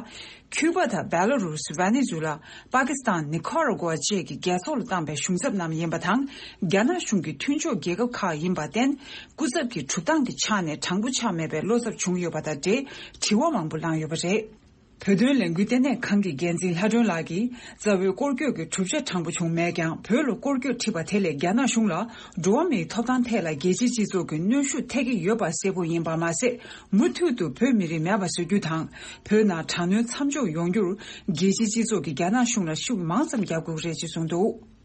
ཁྱུ་པ་དང་བེ་ལ་རུས། ཝེ་ནེ་ཛུ་ལ། པ་ཀི་སི་ཐན། ནི་ཁ་ར་གུ་ཝ་བཅས་ཀྱི་རྒྱལ་ཚོགས་ལ་བཏང་པའི་གཞུང་ཚབ་རྣམས་ཡིན་པ་དང་། རྒྱ་ནག་གཞུང་གི་མཐུན་ཕྱོགས་རྒྱལ་ཁབ་ཁག་ཡིན་པར་བརྟེན། སྐུ་ཚབ་ཀྱི་གྲུབ་སྟངས་ཀྱི་ཆ་ནས་དྲང་པོ་ཆགས་མེད་པའི་བློ་འཚབ་བྱུང་ཡོད་པ་དང་འབྲེལ། དྲི་བ་མང་པོ་བསླངས་ཡོད་པ་རེད། བོད་དོན་ལས་འགུལ་ལྟེ་གནས་ཁང་གི་འགན་འཛིན་ལྷ་སྒྲོན་ལགས་ཀྱིས། རྩ་བའི་སྐོར་སྐྱོད་ཀྱི་གྲུབ་ཆ་དྲང་པོ་བྱུང་མེད་ཀྱང་། བོད་ལ་སྐོར་སྐྱོད་ཁྲིད་པ་དེ་ལས་རྒྱ་ནག་གཞུང་ལ་འགྲོ་བ་མིའི་ཐོབ་ཐང་ཐད་ལ་རྒྱལ་སྤྱིའི་སྤྱི་ཚོགས་ཀྱི་གནོན་ཤུགས་ཐེབས་ཀྱི་ཡོད་པ་གསལ་པོ་ཡིན་པ་མ་ཟད། མུ་མཐུད་དུ་བོད་མི་རིགས་མེད་པ་བཟོ་རྒྱུ་དང་། བོད་ནང་དྲག་གནོན་མཚམས་འཇོག་ཡོང་རྒྱུར། རྒྱལ་སྤྱིའི་སྤྱི་ཚོགས་ཀྱིས་རྒྱ་ནག་གཞུང་ལ་ཤུགས་མང་ཙམ་རྒྱག་དགོས་ཀྱི་རེད་ཅེས་གསུངས་འདུག།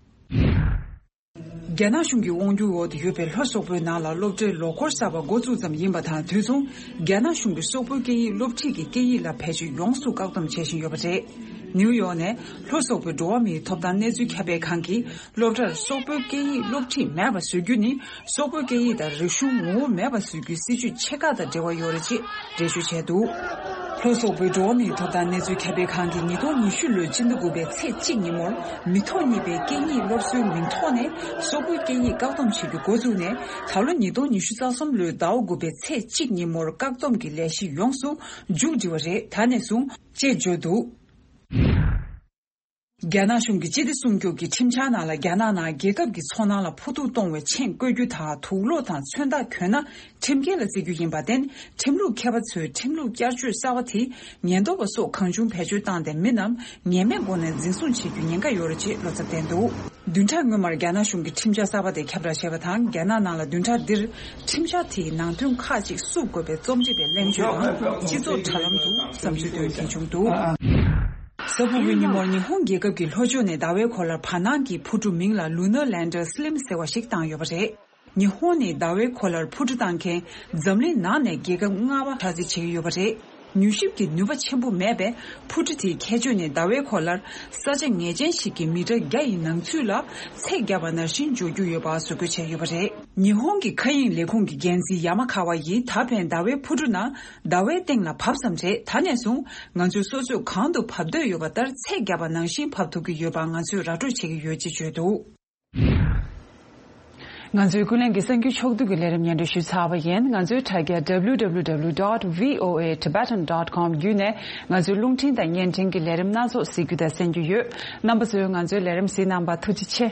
རྒྱ་ནག་གཞུང་གི་དབང་སྒྱུར་འོག་ཏུ་ཡོད་པའི་ལྷོ་སོག་པོའི་ནང་ལ་སློབ་གྲྭའི་ལོ་འཁོར་གསར་པ་འགོ་བཙུགས་ཙམ་ཡིན་པ་དང་། དུས་མཚུངས་རྒྱ་ནག་གཞུང་གིས་སོག་པོའི་སྐད་ཡིག་སློབ་ཁྲིད་ཀྱི་སྐད་ཡིག་ལ་བེད་སྤྱོད་ཡོངས་སུ་བཀག་སྡོམ་བྱེད་བཞིན་ཡོད་པ་རེད། ནིའུ་ཡོག་ནས་ལྷོ་སོག་པོའི་འགྲོ་བ་མིའི་ཐོབ་ཐང་གནས་ཚུལ་ཁྱབ་སྤེལ་ཁང་གིས། སློབ་གྲྭར་སོག་པོའི་སྐད་ཡིག་སློབ་ཁྲིད་མེད་པ་བཟོ་རྒྱུ་ནི། སོག་པོའི་སྐད་ཡིག་དང་རིག་གཞུང་ངོ་བོ་མེད་པ་བཟོ་རྒྱུའི་སྲིད་ཇུས་ཕྱེད་ཀ་དང་འབྲེལ་བ་ཡོད་རེད་ཅེས་འགྲེལ་བརྗོད་བྱས་འདུག། ལྷོ་སོག་པོའི་འགྲོ་བ་མིའི་ཐོབ་ཐང་གནས་ཚུལ་ཁྱབ་སྤེལ་ཁང་གིས་ཉིས་སྟོང་ཉི་ཤུ་ལོའི་སྤྱི་ཟླ་དགུ་པའི་ཚེས་གཅིག་ཉིན་མོར། མི་ཐོག་གཉིས་པའི་སྐད་གཉིས་སློབ་གསོའི་མིང་ཐོག་ནས་སོག་པོའི་སྐད་ཡིག་བཀག་སྡོམ་བྱེད་རྒྱུ་འགོ་བཙུགས་ནས། ད་ལོ་ཉིས་སྟོང་ཉི་ཤུ་རྩ་གསུམ་ལོའི་ཟླ་བ་དགུ་པའི་ཚེས་གཅིག་ཉིན་མོར་བཀག་སྡོམ་གྱི་ལས་གཞི་ཡོངས་སུ་མཇུག་སྒྲིལ་བ་རེད། ད་ནས་བཟུང་། ཅེས་བརྗོད་འདུག། རྒྱ་ནག་གཞུང་གིས་སྤྱི་བདེ་སྲུང་སྐྱོབ་ཀྱི་ཁྲིམས་འཆར་ནང་ལ། རྒྱ་ནག་ནང་རྒྱལ་ཁབ་ཀྱི་ཚོར་སྣང་ལ་ཕོག་ཐུག་གཏོང་བའི་མཆན་བཀོད་རྒྱུ་དང་། དུག་སློག་དང་མཚོན་རྟགས་གྱོན་ན་ཁྲིམས་འགལ་ལ་བརྩི་རྒྱུ་ཡིན་པར་བརྟེན། ཁྲིམས་ལུགས་མཁས་པ་ཚོས་ཁྲིམས་ལུགས་བསྐྱར་བཅོས་གསར་པ་དེས་ཉེན་རྟོག་པ་སོགས་གང་བྱུང་བེད་སྤྱོད་བཏང་སྟེ། མི་རྣམས་ངེས་མེད་སྒོ་ནས་འཛིན་བཟུང་བྱེད་རྒྱུའི་ཉེན་ཁ་ཡོད་རེད་ཅེས་བློ་འཚབ་བསྟན་འདུག། བདུན་ཕྲག་སྔོན་མར་རྒྱ་ནག་གཞུང་གིས་ཁྲིམས་འཆར་གསར་པ་དེ་ཁྱབ་བསྒྲགས་བྱས་པ་དང་། རྒྱ་ནག་ནང་ལ་བདུན་ཕྲག་འདིར་ཁྲིམས་འཆར་དེའི་ནང་དོན་ཁག་ཅིག་བསུབ་དགོས་པའི་རྩོམ་སྒྲིག་པའི་གླེང་བརྗོད་དང་། སྤྱི་ཚོགས་དྲ་ལམ་དུ་བསམ་ཚུལ་བཏོན་མཁན་བྱུང་འདུག། གཟའ་ཕུར་བུའི་ཉིན་མོར་ཉི་ཧོང་རྒྱལ་ཁབ་ཀྱི་ལྷོ་ཕྱོགས་ནས་ཟླ་བའི་གོ་ལར་བར་སྣང་གི་འཕུར་གྲུ་མིང་ལ་Lunar Lander Slim ཟེར་བ་ཞིག་བཏང་ཡོད་པ་རེད། ཉི་ཧོང་ནས་ཟླ་བའི་གོ་ལར་འཕུར་གྲུ་བཏང་མཁན་འཛམ་གླིང་ནང་ནས་རྒྱལ་ཁབ་ལྔ་པ་ཆགས་རྩིས་བྱེད་ཀྱི་ཡོད་པ་རེད། མྱུལ་ཞིབ་ཀྱི་ནུས་པ་ཆེན་པོ་མེད་པས། འཕུར་གྲུ་དེའི་ཁྱད་ཆོས་ནི། ཟླ་བའི་གོ་ལར་ས་ཆ་ངེས་ཅན་ཞིག་གི་མི་ཊར་བརྒྱ་ཡི་ནང་ཚུད་ལ་ཚད་བརྒྱབ་པ་ནང་བཞིན་འབྱོར་རྒྱུ་ཡོད་པ་བཟོ་བཀོད་བྱས་ཡོད་པ་རེད། ཉི་ཧོང་གི་མཁའ་དབྱིངས་ལས་ཁུངས་ཀྱི་འགན་འཛིན་ཡ་མ་ཁ་བ་ཡིས། ད་ཕན་ཟླ་བའི་འཕུར་གྲུ་ནང་ཟླ་བའི་སྟེང་ལ་བབས་ཙམ་རེད། ད་ནས་བཟུང་ང་ཚོས་སོ་སོས་གང་དུ་བབས་འདོད་ཡོད་པ་ལྟར་ཚད་བརྒྱབ་པ་ནང་བཞིན་བབས་ཐུབ་ཀྱི་ཡོད་པ་ང་ཚོས་ར་སྤྲོད་བྱེད་ཀྱི་ཡོད་ཅེས་བརྗོད་འདུག། ང་ཚོའི་ཀུན་གླེང་གི་གསར་འགྱུར་ཕྱོགས་བསྡུས་ཀྱི་ལས་རིམ་སྙན་སྒྲོན་ཞུས་ཚར་བ་ཡིན། ང་ཚོའི་དྲ་རྒྱ་W W W dot V O A Tibetan dot com བརྒྱུད་ནས་ང་ཚོའི་རླུང་འཕྲིན་དང་བརྙན་འཕྲིན་གྱི་ལས་རིམ་སྣ་ཚོགས་གཟིགས་རྒྱུ་དང་གསན་རྒྱུ་ཡོད། རྣམ་པ་ཚོས་ང་ཚོའི་ལས་རིམ་གཟིགས་གནང་བར་ཐུགས་རྗེ་ཆེ།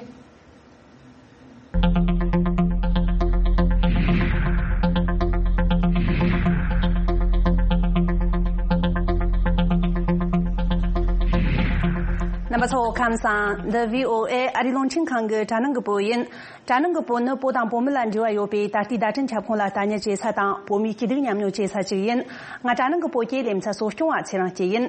རྣམ་པ་ཚོ་ཁམས་བཟང་། འདི་བྷི་ཨོ་ཨེ་ཨ་རིའི་རླུང་འཕྲིན་ཁང་གི་དྲ་ནང་གི་བོད་ཡིན། དྲ་ནང་གི་བོད་ནི་བོད་དང་བོད་མི་ལ་འབྲེལ་བ་ཡོད་པའི་ད་ལྟའི་བརྡ་འཕྲིན་ཁྱབ་ཁོངས་ལ་ལྟ་ཉན་བྱེད་ས་དང་བོད་མིའི་སྐྱིད་སྡུག་མཉམ་མྱོང་བྱེད་ས་ཅིག་ཡིན། ང་དྲ་ནང་གི་བོད་ཀྱི་ལེ་ཚན་གཙོ་སྐྱོང་བ་ཚེ་རིང་སྐྱིད་ཡིན།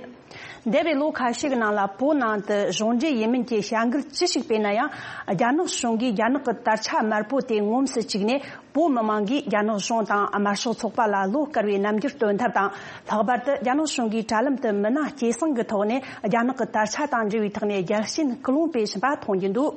འདས་པའི་ལོ་ཁ་ཤས་ཀྱི་ནང་ལ་བོད་ནང་དུ་གཞུང་འབྲེལ་ཡིན་མིན་གྱི་བྱ་འགུལ་ཅི་ཞིག་སྤེལ་ན་ཡང་། རྒྱ་ནག་གཞུང་གིས་རྒྱ་ནག་གི་དར་ཆ་དམར་པོ་དེ་ངོམས་སུ་བཅུག་ནས། བོད་མི་མང་གིས་རྒྱ་ནག་གཞུང་དང་དམར་ཤོག་ཚོགས་པ་ལ་བློ་དཀར་བའི་རྣམ་འགྱུར་སྟོན་ཐབས་དང་། ལྷག་པར་དུ་རྒྱ་ནག་གཞུང་གིས་དྲ་ལམ་དུ་མི་སྣ་སྐྱེད་སྲིང་གི་ཐོག་ནས་རྒྱ་ནག་གི་དར་ཆ་དང་འབྲེལ་བའི་ཐོག་ནས་རྒྱལ་ཞེན་སྐུལ་སློང་སྤེལ་བཞིན་པ་མཐོང་རྒྱུ་འདུག་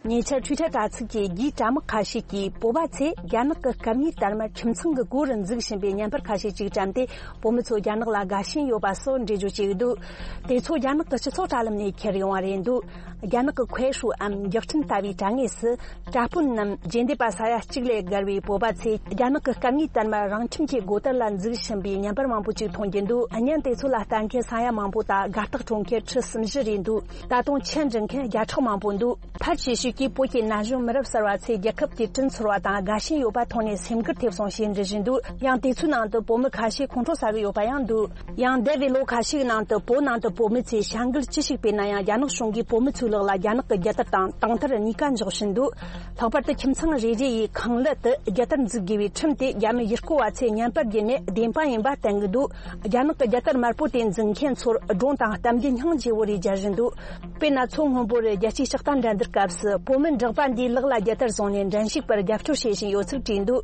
ཉེ་ཆར་Twitter་དྲ་ཚིགས་ཀྱི་རྒྱུད་དྲ་དམག་ཁ་ཤས་ཀྱིས་བོད་པ་ཚོས་རྒྱ་ནག་གི་སྐད་གཉིས་དར་མ་ཁྱིམ་ཚང་གི་སྒོ་རུ་འཛུགས་བཞིན་པའི་བརྙན་པར་ཁ་ཤས་ཅིག་བཀྲམ་སྟེ། བོད་མི་ཚོ་རྒྱ་ནག་ལ་དགའ་ཞེན་ཡོད་པ་སོགས་འགྲེལ་བརྗོད་བྱས་ཡོད་འདུག་དེ་ཚོ་རྒྱ་ནག་གི་སྤྱི་ཚོགས་དྲ་ལམ་ནས་ཁྱེར་ཡོང་བ་རེད་འདུག་རྒྱ་ནག་གི་ཁོའེ་ཧྲུའུ་འམ་རྒྱག་ཕྲན་ལྟ་བུའི་དྲ་ངོས་སུ། དྲ་དཔོན་ནམ་རྗེས་འདེད་པ་ས་ཡ་གཅིག་ལས་བརྒལ་བའི་བོད་པ་ཚོས་རྒྱ་ནག་གི་སྐད་གཉིས་དར་མ་རང་ཁྱིམ་གྱི་སྒོ་དར་ལ་འཛུགས་བཞིན་པའི་བརྙན་པར་མང་པོ་ཅིག་མཐོང་རྒྱུ་འདུག་བརྙན་དེ་ཚོ་ལ་ལྟ་མཁན་ས་ཡ་མང་པོ་དང་དགའ་རྟགས་སྤྲོད་མཁན་ཁྲི་གསུམ་བཞི་རེད་འདུག་ད་དུང་ཆེད་འབྲི་མཁན་བརྒྱ་ཕྲག་མང་པོ་འདུག་ཕལ་ཆེ་ཤོས་ཀྱིས་བོད་ཀྱི་ན་གཞོན་མི་རབས་གསར་བ་ཚོས་རྒྱལ་ཁབ་ཀྱི་དྲིན་ཚོར་བ་དང་དགའ་ཞེན་ཡོད་པ་མཐོང་ནས་སེམས་འགུལ་ཐེབས་སོང་ཞེས་འབྲི་བཞིན་འདུག་ཡང་དེ་ཚོའི་ནང་དུ་བོད་མི་ཁ་ཤས་ཁོང་ཁྲོ་ཟ་གི་ཡོད་པ་ཡང་འདུག་ཡང་འདས་པའི་ལོ་ཁ་ཤས་ནང་དུ་བོད་ནང་དུ་བོད་མི་ཚོས་བྱ་འགུལ་ཅི་ཞིག་སྤེལ་ན་ཡང་རྒྱ་ནག་གཞུང་གིས་བོད་མི་ཚོའི་ལག་ལ་རྒྱ་ནག་གི་རྒྱལ་དར་དང་རྟེན་དར་གཉིས་ཀ་འཇོག་བཞིན་འདུག་ལྷག་པར་དུ་ཁྱིམ་ཚང་རེ་རེ་ཡི་ཁང་གླུ་དུ་རྒྱལ་དར་འཛུགས་དགོས་པའི་ཁྲིམས་དེ་རྒྱ་མི་ཡུལ་སྐོར་བ་ཚོས་བརྙན་པར་བརྒྱུད་ནས་བདེན་དཔང་ཡིན་པ་བསྟན་གྱི་འདུག་རྒྱ་ནག་གི་རྒྱལ་དར་དམར་པོ་དེ་འཛིན་མཁན་ཚོར་སྒྲུང་དང་གཏམ་རྒྱུད་སྙིང་རྗེ་བོ་རེ་སྦྱར་བཞིན་འདུག་དཔེར་ན། མཚོ་སྔོན་པོར་རྒྱལ་སྤྱིའི་ལྕགས་རྟ་འགྲན་བསྡུར་སྐབས་སུ་བོད་མི་འགྲགས་པ་འདིས་ལག་ལ་རྒྱལ་དར་བཟུང་ནས་འགྲན་ཞུགས་པར་རྒྱབ་སྐྱོར་བྱེད་བཞིན་ཡོད་ཚུལ་བྲིས་འདུག་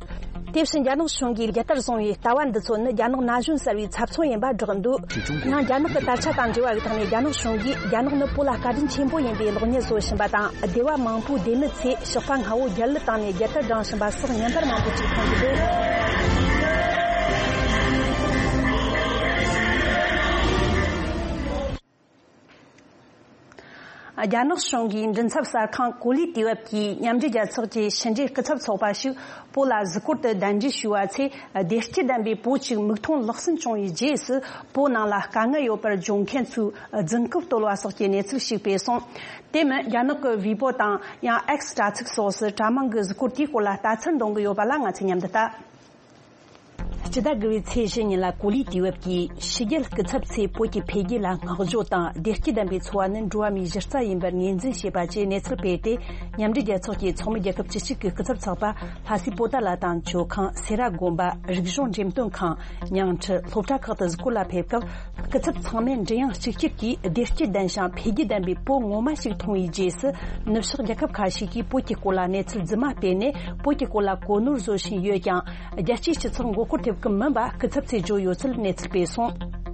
དེ་བཞིན་རྒྱ་ནག་གཞུང་གིས་རྒྱལ་དར་བཟུང་བའི་ལྟ་བ་འདི་ཚོ་ནི་རྒྱ་ནག་ན་གཞོན་གསར་བའི་ཚབ་མཚོན་ཡིན་པ་བསྒྲགས་འདུག་ཡང་རྒྱ་ནག་གི་དར་ཆ་དང་འབྲེལ་བ་ཡོད་ཐོག་ནས་རྒྱ་ནག་གཞུང་གིས་རྒྱ་ནག་ནི་བོད་ལ་བཀའ་དྲིན་ཆེན་པོ་ཡིན་པའི་གློག་བརྙན་བཟོ་བཞིན་པ་དང་། སྡེ་བ་མང་པོའི་སྡེ་མི་ཚོས་ཞགས་པ་སྔ་བོ་རྒྱལ་གླུ་བཏང་ནས་རྒྱལ་དར་བསྒྲེངས་བཞིན་པ་སོགས་བརྙན་པར་མང་པོ་ཅིག་མཐོང་གི་འདུག་རྒྱ་ནག་གཞུང་གིས་མགྲིན་ཚབ་གསར་ཁང་གོ་ལའི་དུས་བབ་ཀྱིས་མཉམ་འབྲེལ་རྒྱལ་ཚོགས་ཀྱི་ཕྱི་འབྲེལ་སྐུ་ཚབ་ཚོགས་པ་ཞིག་བོད་ལ་གཟིགས་སྐོར་དུ་གདན་འདྲེན་ཞུས་པ་ཚེ། བདེ་སྐྱིད་ལྡན་པའི་བོད་ཅིག་མིག་མཐོང་ལག་ཟིན་བྱུང་བའི་རྗེས་སུ། བོད་ནང་ལ་དཀའ་ངལ་ཡོད་པར་བརྗོད་མཁན་ཚོའི་རྫུན་རྐུབ་བརྟོལ་བ་སོགས་ཀྱི་གནས་ཚུལ་ཞིག་སྤེལ་སོང་། དེ་མིན་རྒྱ་ནག་གི་ཝི་པོ་དང་ཡང་ཨེགས་དྲ་ཚིགས་སོགས་སུ་དྲ་མང་གི་གཟིགས་སྐོར་དེའི་སྐོར་ལ་ལྟ་ཚུལ་འདོན་གྱི་ཡོད་པ་ལ་ང་ཚོས་མཉམ་དུ་ལྟ། སྤྱི་ཟླ་དགུ་བའི་ཚེས་བཞི་ཉིན་ལ་གོ་ལའི་དུས་བབ་ཀྱིས་ཕྱི་རྒྱལ་སྐུ་ཚབ་ཚོས་བོད་ཀྱི་འཕེལ་རྒྱས་ལ་བསྔགས་བརྗོད་དང་བདེ་སྐྱིད་ལྡན་པའི་འཚོ་བ་ནི་འགྲོ་བ་མིའི་གཞི་རྩ་ཡིན་པར་ངོས་འཛིན་བྱས་པ་བཅས་གནས་ཚུལ་སྤེལ་ཏེ། མཉམ་འབྲེལ་རྒྱལ་ཚོགས་ཀྱི་ཚོགས་མི་རྒྱལ་ཁབ་བཅུ་གཅིག་གི་སྐུ་ཚབ་ཚོགས་པ་ལྷ་སའི་པོ་ཏཱ་ལ་དང་ཇོ་ཁང་། སེ་ར་དགོན་པ། རིག་གཞུང་འགྲེམས་སྟོན་ཁང་། ཉིང་ཁྲི། སློབ་གྲྭ་ཁག་ཏུ་གཟིགས་སྐོར་ལ་ཕེབས་སྐབས། སྐུ་ཚབ་ཚང་མས་མགྲིན་དབྱངས་གཅིག་གྱུར་གྱིས་བདེ་སྐྱིད་ལྡན་ཞིང་འཕེལ་རྒྱས་ལྡན་པའི་བོད་ངོ་མ་ཞིག་མཐོང་བའི་རྗེས་སུ། ནུབ་ཕྱོགས་རྒྱལ་ཁབ་ཁ་ཤས་ཀྱིས་བོད་ཀྱི་སྐོར་ལ་གནས་ཚུལ་རྫུན་མ་སྤེལ་ནས་བོད་ཀྱི་སྐོར་ལ་གོ་ནོར་བཟོ་བཞིན་ཡོད་ཀྱང་། རྒྱལ་སྤྱིའི་སྤྱི་ཚོགས་མགོ་སྐོར་ཐེབས་ཀྱི་མིན་པ་སྐུ་ཚབ་ཚོས་བརྗོད་ཡོད་ཚུལ་གནས་ཚུལ་སྤེལ་སོང་།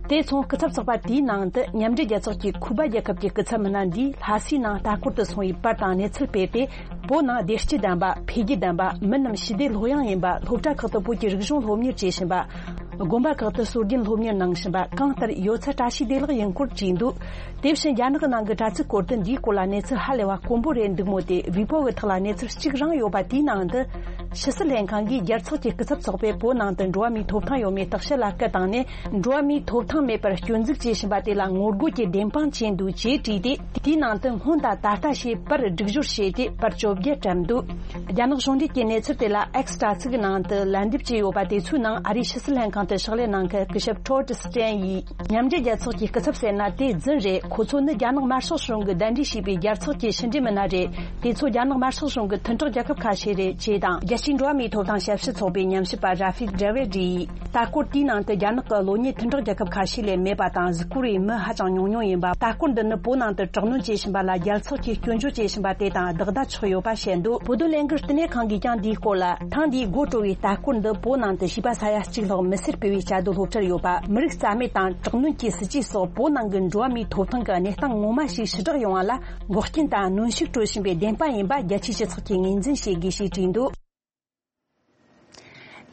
དེ་མཚུངས་སྐུ་ཚབ་ཚོགས་པ་དེའི་ནང་དུ་མཉམ་འབྲེལ་རྒྱལ་ཚོགས་ཀྱི་ཁུ་པ་རྒྱལ་ཁབ་ཀྱི་སྐུ་ཚབ་མི་སྣ་འདིས་ལྷ་སའི་ནང་ལྟ་སྐོར་དུ་སོང་བའི་པར་དང་གནས་ཚུལ་སྤེལ་ཏེ། བོད་ནང་བདེ་སྐྱིད་ལྡན་པ། འཕེལ་རྒྱས་ལྡན་པ། མི་རྣམས་ཞི་བདེ་ལྷོད་ཡངས་ཡིན་པ། སློབ་གྲྭ་ཁག་ཏུ་བོད་ཀྱི་རིག་གཞུང་སློབ་གཉེར་བྱེད་བཞིན་པ། དགོན་པ་ཁག་ཏུ་སྲོལ་རྒྱུན་སློབ་གཉེར་གནང་བཞིན་པ། གང་ལྟར་ཡོད་ཚད་བཀྲ་ཤིས་བདེ་ལེགས་ཡིན་སྐོར་བྲིས་འདུག་དེ་བཞིན་རྒྱ་ནག་ནང་གི་དྲ་ཚིགས་སྐོར་དུ་འདིའི་སྐོར་ལ་གནས་ཚུལ་ཧ་ལས་པ་དཀོན་པོ་རེད་འདུག་མོད་དེ། ཝི་པོ་གི་ཐོག་ལ་གནས་ཚུལ་གཅིག་རང་ཡོད་པ་དེའི་ནང་དུ། ཕྱི་སྲིད་ལྷན་ཁང་གིས་རྒྱལ་ཚོགས་ཀྱི་སྐུ་ཚབ་ཚོགས་པས་བོད་ནང་དུ་འགྲོ་བ་མིའི་ཐོབ་ཐང་ཡོད་མེད་བརྟག་དཔྱད་ལ་སྐུལ་བཏང་ནས། འགྲོ་བ་མིའི་ཐོབ་ཐང་མེད་པར་སྐྱོན་འཛུགས་བྱས་བཞིན་པ་དེ་ལ་ངོ་རྒོལ་གྱི་བདེན་དཔང་བྱས་འདུག་ཅེས་བྲིས་ཏེ། དེའི་ནང་དུ་སྔོན་དང་ད་ལྟ་ཞེས་པར་སྒྲིག་སྦྱོར་བྱས་ཏེ་པར་བཅོ་བརྒྱད་བཀྲམ་འདུག་རྒྱ་ནག་གཞུང་འབྲེལ་གྱི་གནས་ཚུལ་དེ་ལ་ཨེགས་དྲ་ཚིགས་ནང་དུ་ལན་འདེབས་བྱས་ཡོད་པ་དེ་ཚོའི་ནང་ཨ་རིའི་ཕྱི་སྲིད་ལྷན་ཁང་དུ་ཕྱག་ལས་གནང་མཁན་སྐུ་ཞབས་ཊོཌ་སི་ཊན་ཡིས། མཉམ་འབྲེལ་རྒྱལ་ཚོགས་ཀྱི་སྐུ་ཚབ་ཟེར་ན་དེ་རྫུན་རེད། ཁོ་ཚོ་ནི་རྒྱ་ནག་དམར་ཤོག་གཞུང་གིས་གདན་འདྲེན་བྱས་པའི་རྒྱལ་ཚོགས་ཀྱི་ཕྱི་འབྲེལ་མི་སྣ་རེད། དེ་ཚོ་རྒྱ་ནག་དམར་ཤོག་གཞུང་གི་མཐུན་གྲོགས་རྒྱལ་ཁབ་ཁ་ཤས་རེད་ཅེས་དང་། རྒྱལ་སྤྱིའི་འགྲོ་བ་མིའི་ཐོབ་ཐང་ཞབས་ཞུ་ཚོགས་པའི་ཉམས་ཞིབ་པ་ར་ཕིག་ཌེ་ཝི་ཌི་ཡིས། ལྟ་སྐོར་དེའི་ནང་དུ་རྒྱ་ནག་གི་གློག་བརྙན་མཐུན་གྲོགས་རྒྱལ་ཁབ་ཁ་ཤས་ལས་མེད་པ་དང་། གཟིགས་སྐོར་བའི་མི་ཧ་ཅང་ཉུང་ཉུང་ཡིན་པ། ལྟ་སྐོར་འདི་ནི་བོད་ནང་དུ་དྲག་གནོན་བྱེད་བཞིན་པ་ལ་རྒྱལ་ཚོགས་ཀྱིས་སྐྱོན་བརྗོད་བྱེད་བཞིན་པ་དེ་དང་བདག་ཟླ་ཆགས་ཡོད་པ་བཤད་འདུག་བོད་དོན་ལས་འགུལ་བསྟི་གནས་ཁང་གིས་ཀྱང་འདིའི་སྐོར་ལ། ཐེངས་འདིའི་དགོད་བྲོ་བའི་ལྟ་སྐོར་འདི་བོད་ནང་དུ་བྱིས་པ་ས་ཡ་གཅིག་ལྷག་མི་སེར་སྤེལ་བའི་བཅའ་སྡོད་སློབ་གྲྭར་ཡོད་པ། མི་རིགས་རྩ་མེད་དང་དྲག་གནོན་གྱི་སྲིད་ཇུས་སོགས་བོད་ནང་གི་འགྲོ་བ་མིའི་ཐོབ་ཐང་གི་གནས་སྟངས་ངོ་མ་ཞིག་ཕྱི་བསྒྲགས་ཡོང་བ་ལ་འགོག་རྐྱེན་དང་གནོན་ཤུགས་སྤྲོད་བཞིན་པའི་བདེན་དཔང་ཡིན་པ་རྒྱལ་སྤྱིའི་སྤྱི་ཚོགས་ཀྱིས་ངོས་འཛིན་བྱེད་དགོས་ཞེས་བྲིས་འདུག་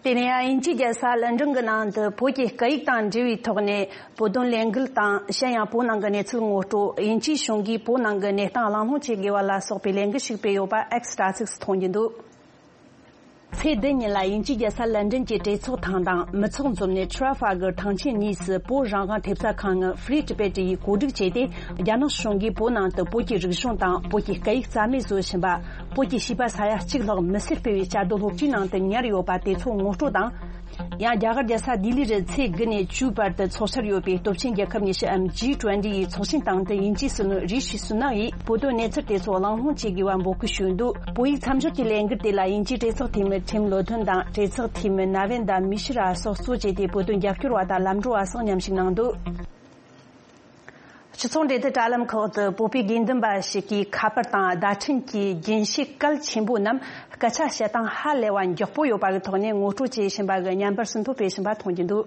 དེ་ནས་དབྱིན་ཇིའི་རྒྱལ་ས་ལན་ཀྲན་གྱི་ནང་དུ་བོད་ཀྱི་སྐད་ཡིག་དང་འབྲེལ་བའི་ཐོག་ནས་བོད་དོན་ལས་འགུལ་དང་། གཞན་ཡང་བོད་ནང་གི་གནས་ཚུལ་ངོ་སྤྲོད། དབྱིན་ཇིའི་གཞུང་གིས་བོད་ནང་གི་གནས་སྟངས་གླེང་སློང་བྱེད་དགོས་པ་ལ་སོགས་པའི་ལས་འགུལ་ཞིག་སྤེལ་ཡོད་པ་ཨེགས་དྲ་ཚིགས་སུ་མཐོང་རྒྱུ་འདུག་ཚེས་བདུན་ཉིན་ལ་དབྱིན་ཇིའི་རྒྱལ་ས་ལན་ཀྲན་གྱི་གྲོས་ཚོགས་ཐང་དང་མི་ཚོགས་འཛོམས་གནས་ཊ་ར་ཕ་གར་ཐང་ཆེན་གཉིས་སུ་བོད་རང་དབང་ཐེབས་རྩ་ཁང་ངི་Free Tibet ཡིས་གོ་སྒྲིག་བྱས་ཏེ། རྒྱ་ནག་གཞུང་གིས་བོད་ནང་དུ་བོད་ཀྱི་རིག་གཞུང་དང་བོད་ཀྱི་སྐད་ཡིག་རྩ་མེད་བཟོ་བཞིན་པ། བོད་ཀྱི་བྱིས་པ་ས་ཡ་གཅིག་ལྷག་མི་སེར་སྤེལ་བའི་བཅའ་སྡོད་སློབ་གྲྭའི་ནང་དུ་ཉར་ཡོད་པ་དེ་ཚོ་ངོ་སྤྲོད་དང་ ཡང་རྒྱ་གར་རྒྱལ་ས་ལྡི་ལི་རུ་ཚེས་དགུ་ནས་བཅུའི་བར་དུ་འཚོགས་འཆར་ཡོད་པའི་སྟོབས་ཆེན་རྒྱལ་ཁབ་ཉི་ཤུའམ་ཇི་ཊུ་ཝེན་ཊི་ཡི་ཚོགས་ཆེན་སྟེང་དུ་དབྱིན་ཇིའི་སྲིད་བློན་རི་ཤི་སུ་ནག་ཡིས་བོད་དོན་གནས་ཚུལ་དེ་ཚོ་གླེང་སློང་བྱེད་དགོས་པ་འབོད་སྐུལ་ཞུས་འདུག་བོད་ཡིག་མཚམས་སྦྱོར་གྱི་ལས་འགུལ་དེ་ལ་དབྱིན་ཇིའི་གྲོས་ཚོགས་འཐུས་མི་ཁྲིམ་བློ་མཐུན་དང་གྲོས་ཚོགས་འཐུས་མི་ན་བན་དཱ་མི་ཤི་ར་སོགས་གཙོ་བྱས་ཏེ་བོད་དོན་རྒྱབ་སྐྱོར་བ་དང་ལམ་གྲོགས་བ་སོགས་མཉམ་ཞུགས་གནང་འདུག་སྤྱི་ཚོགས་འབྲེལ་མཐུད་དྲ་ལམ་ཁག་ཏུ་བོད་པའི་དགེ་འདུན་པ་ཞིག་གིས་ཁ་པར་དང་བརྡ་འཕྲིན་གྱི་རྒྱུན་ཤེས་གལ་ཆེན་པོ་རྣམས་སྐད་ཆ་བཤད་སྟངས་ཧ་ལས་པ་མགྱོགས་པོ་ཡོད་པ་གི་ཐོག་ནས་ངོ་སྤྲོད་བྱེད་བཞིན་པ་གི་བརྙན་པར་ཟིན་ཐོ་སྤེལ་བཞིན་པ་མཐོང་རྒྱུ་འདུག་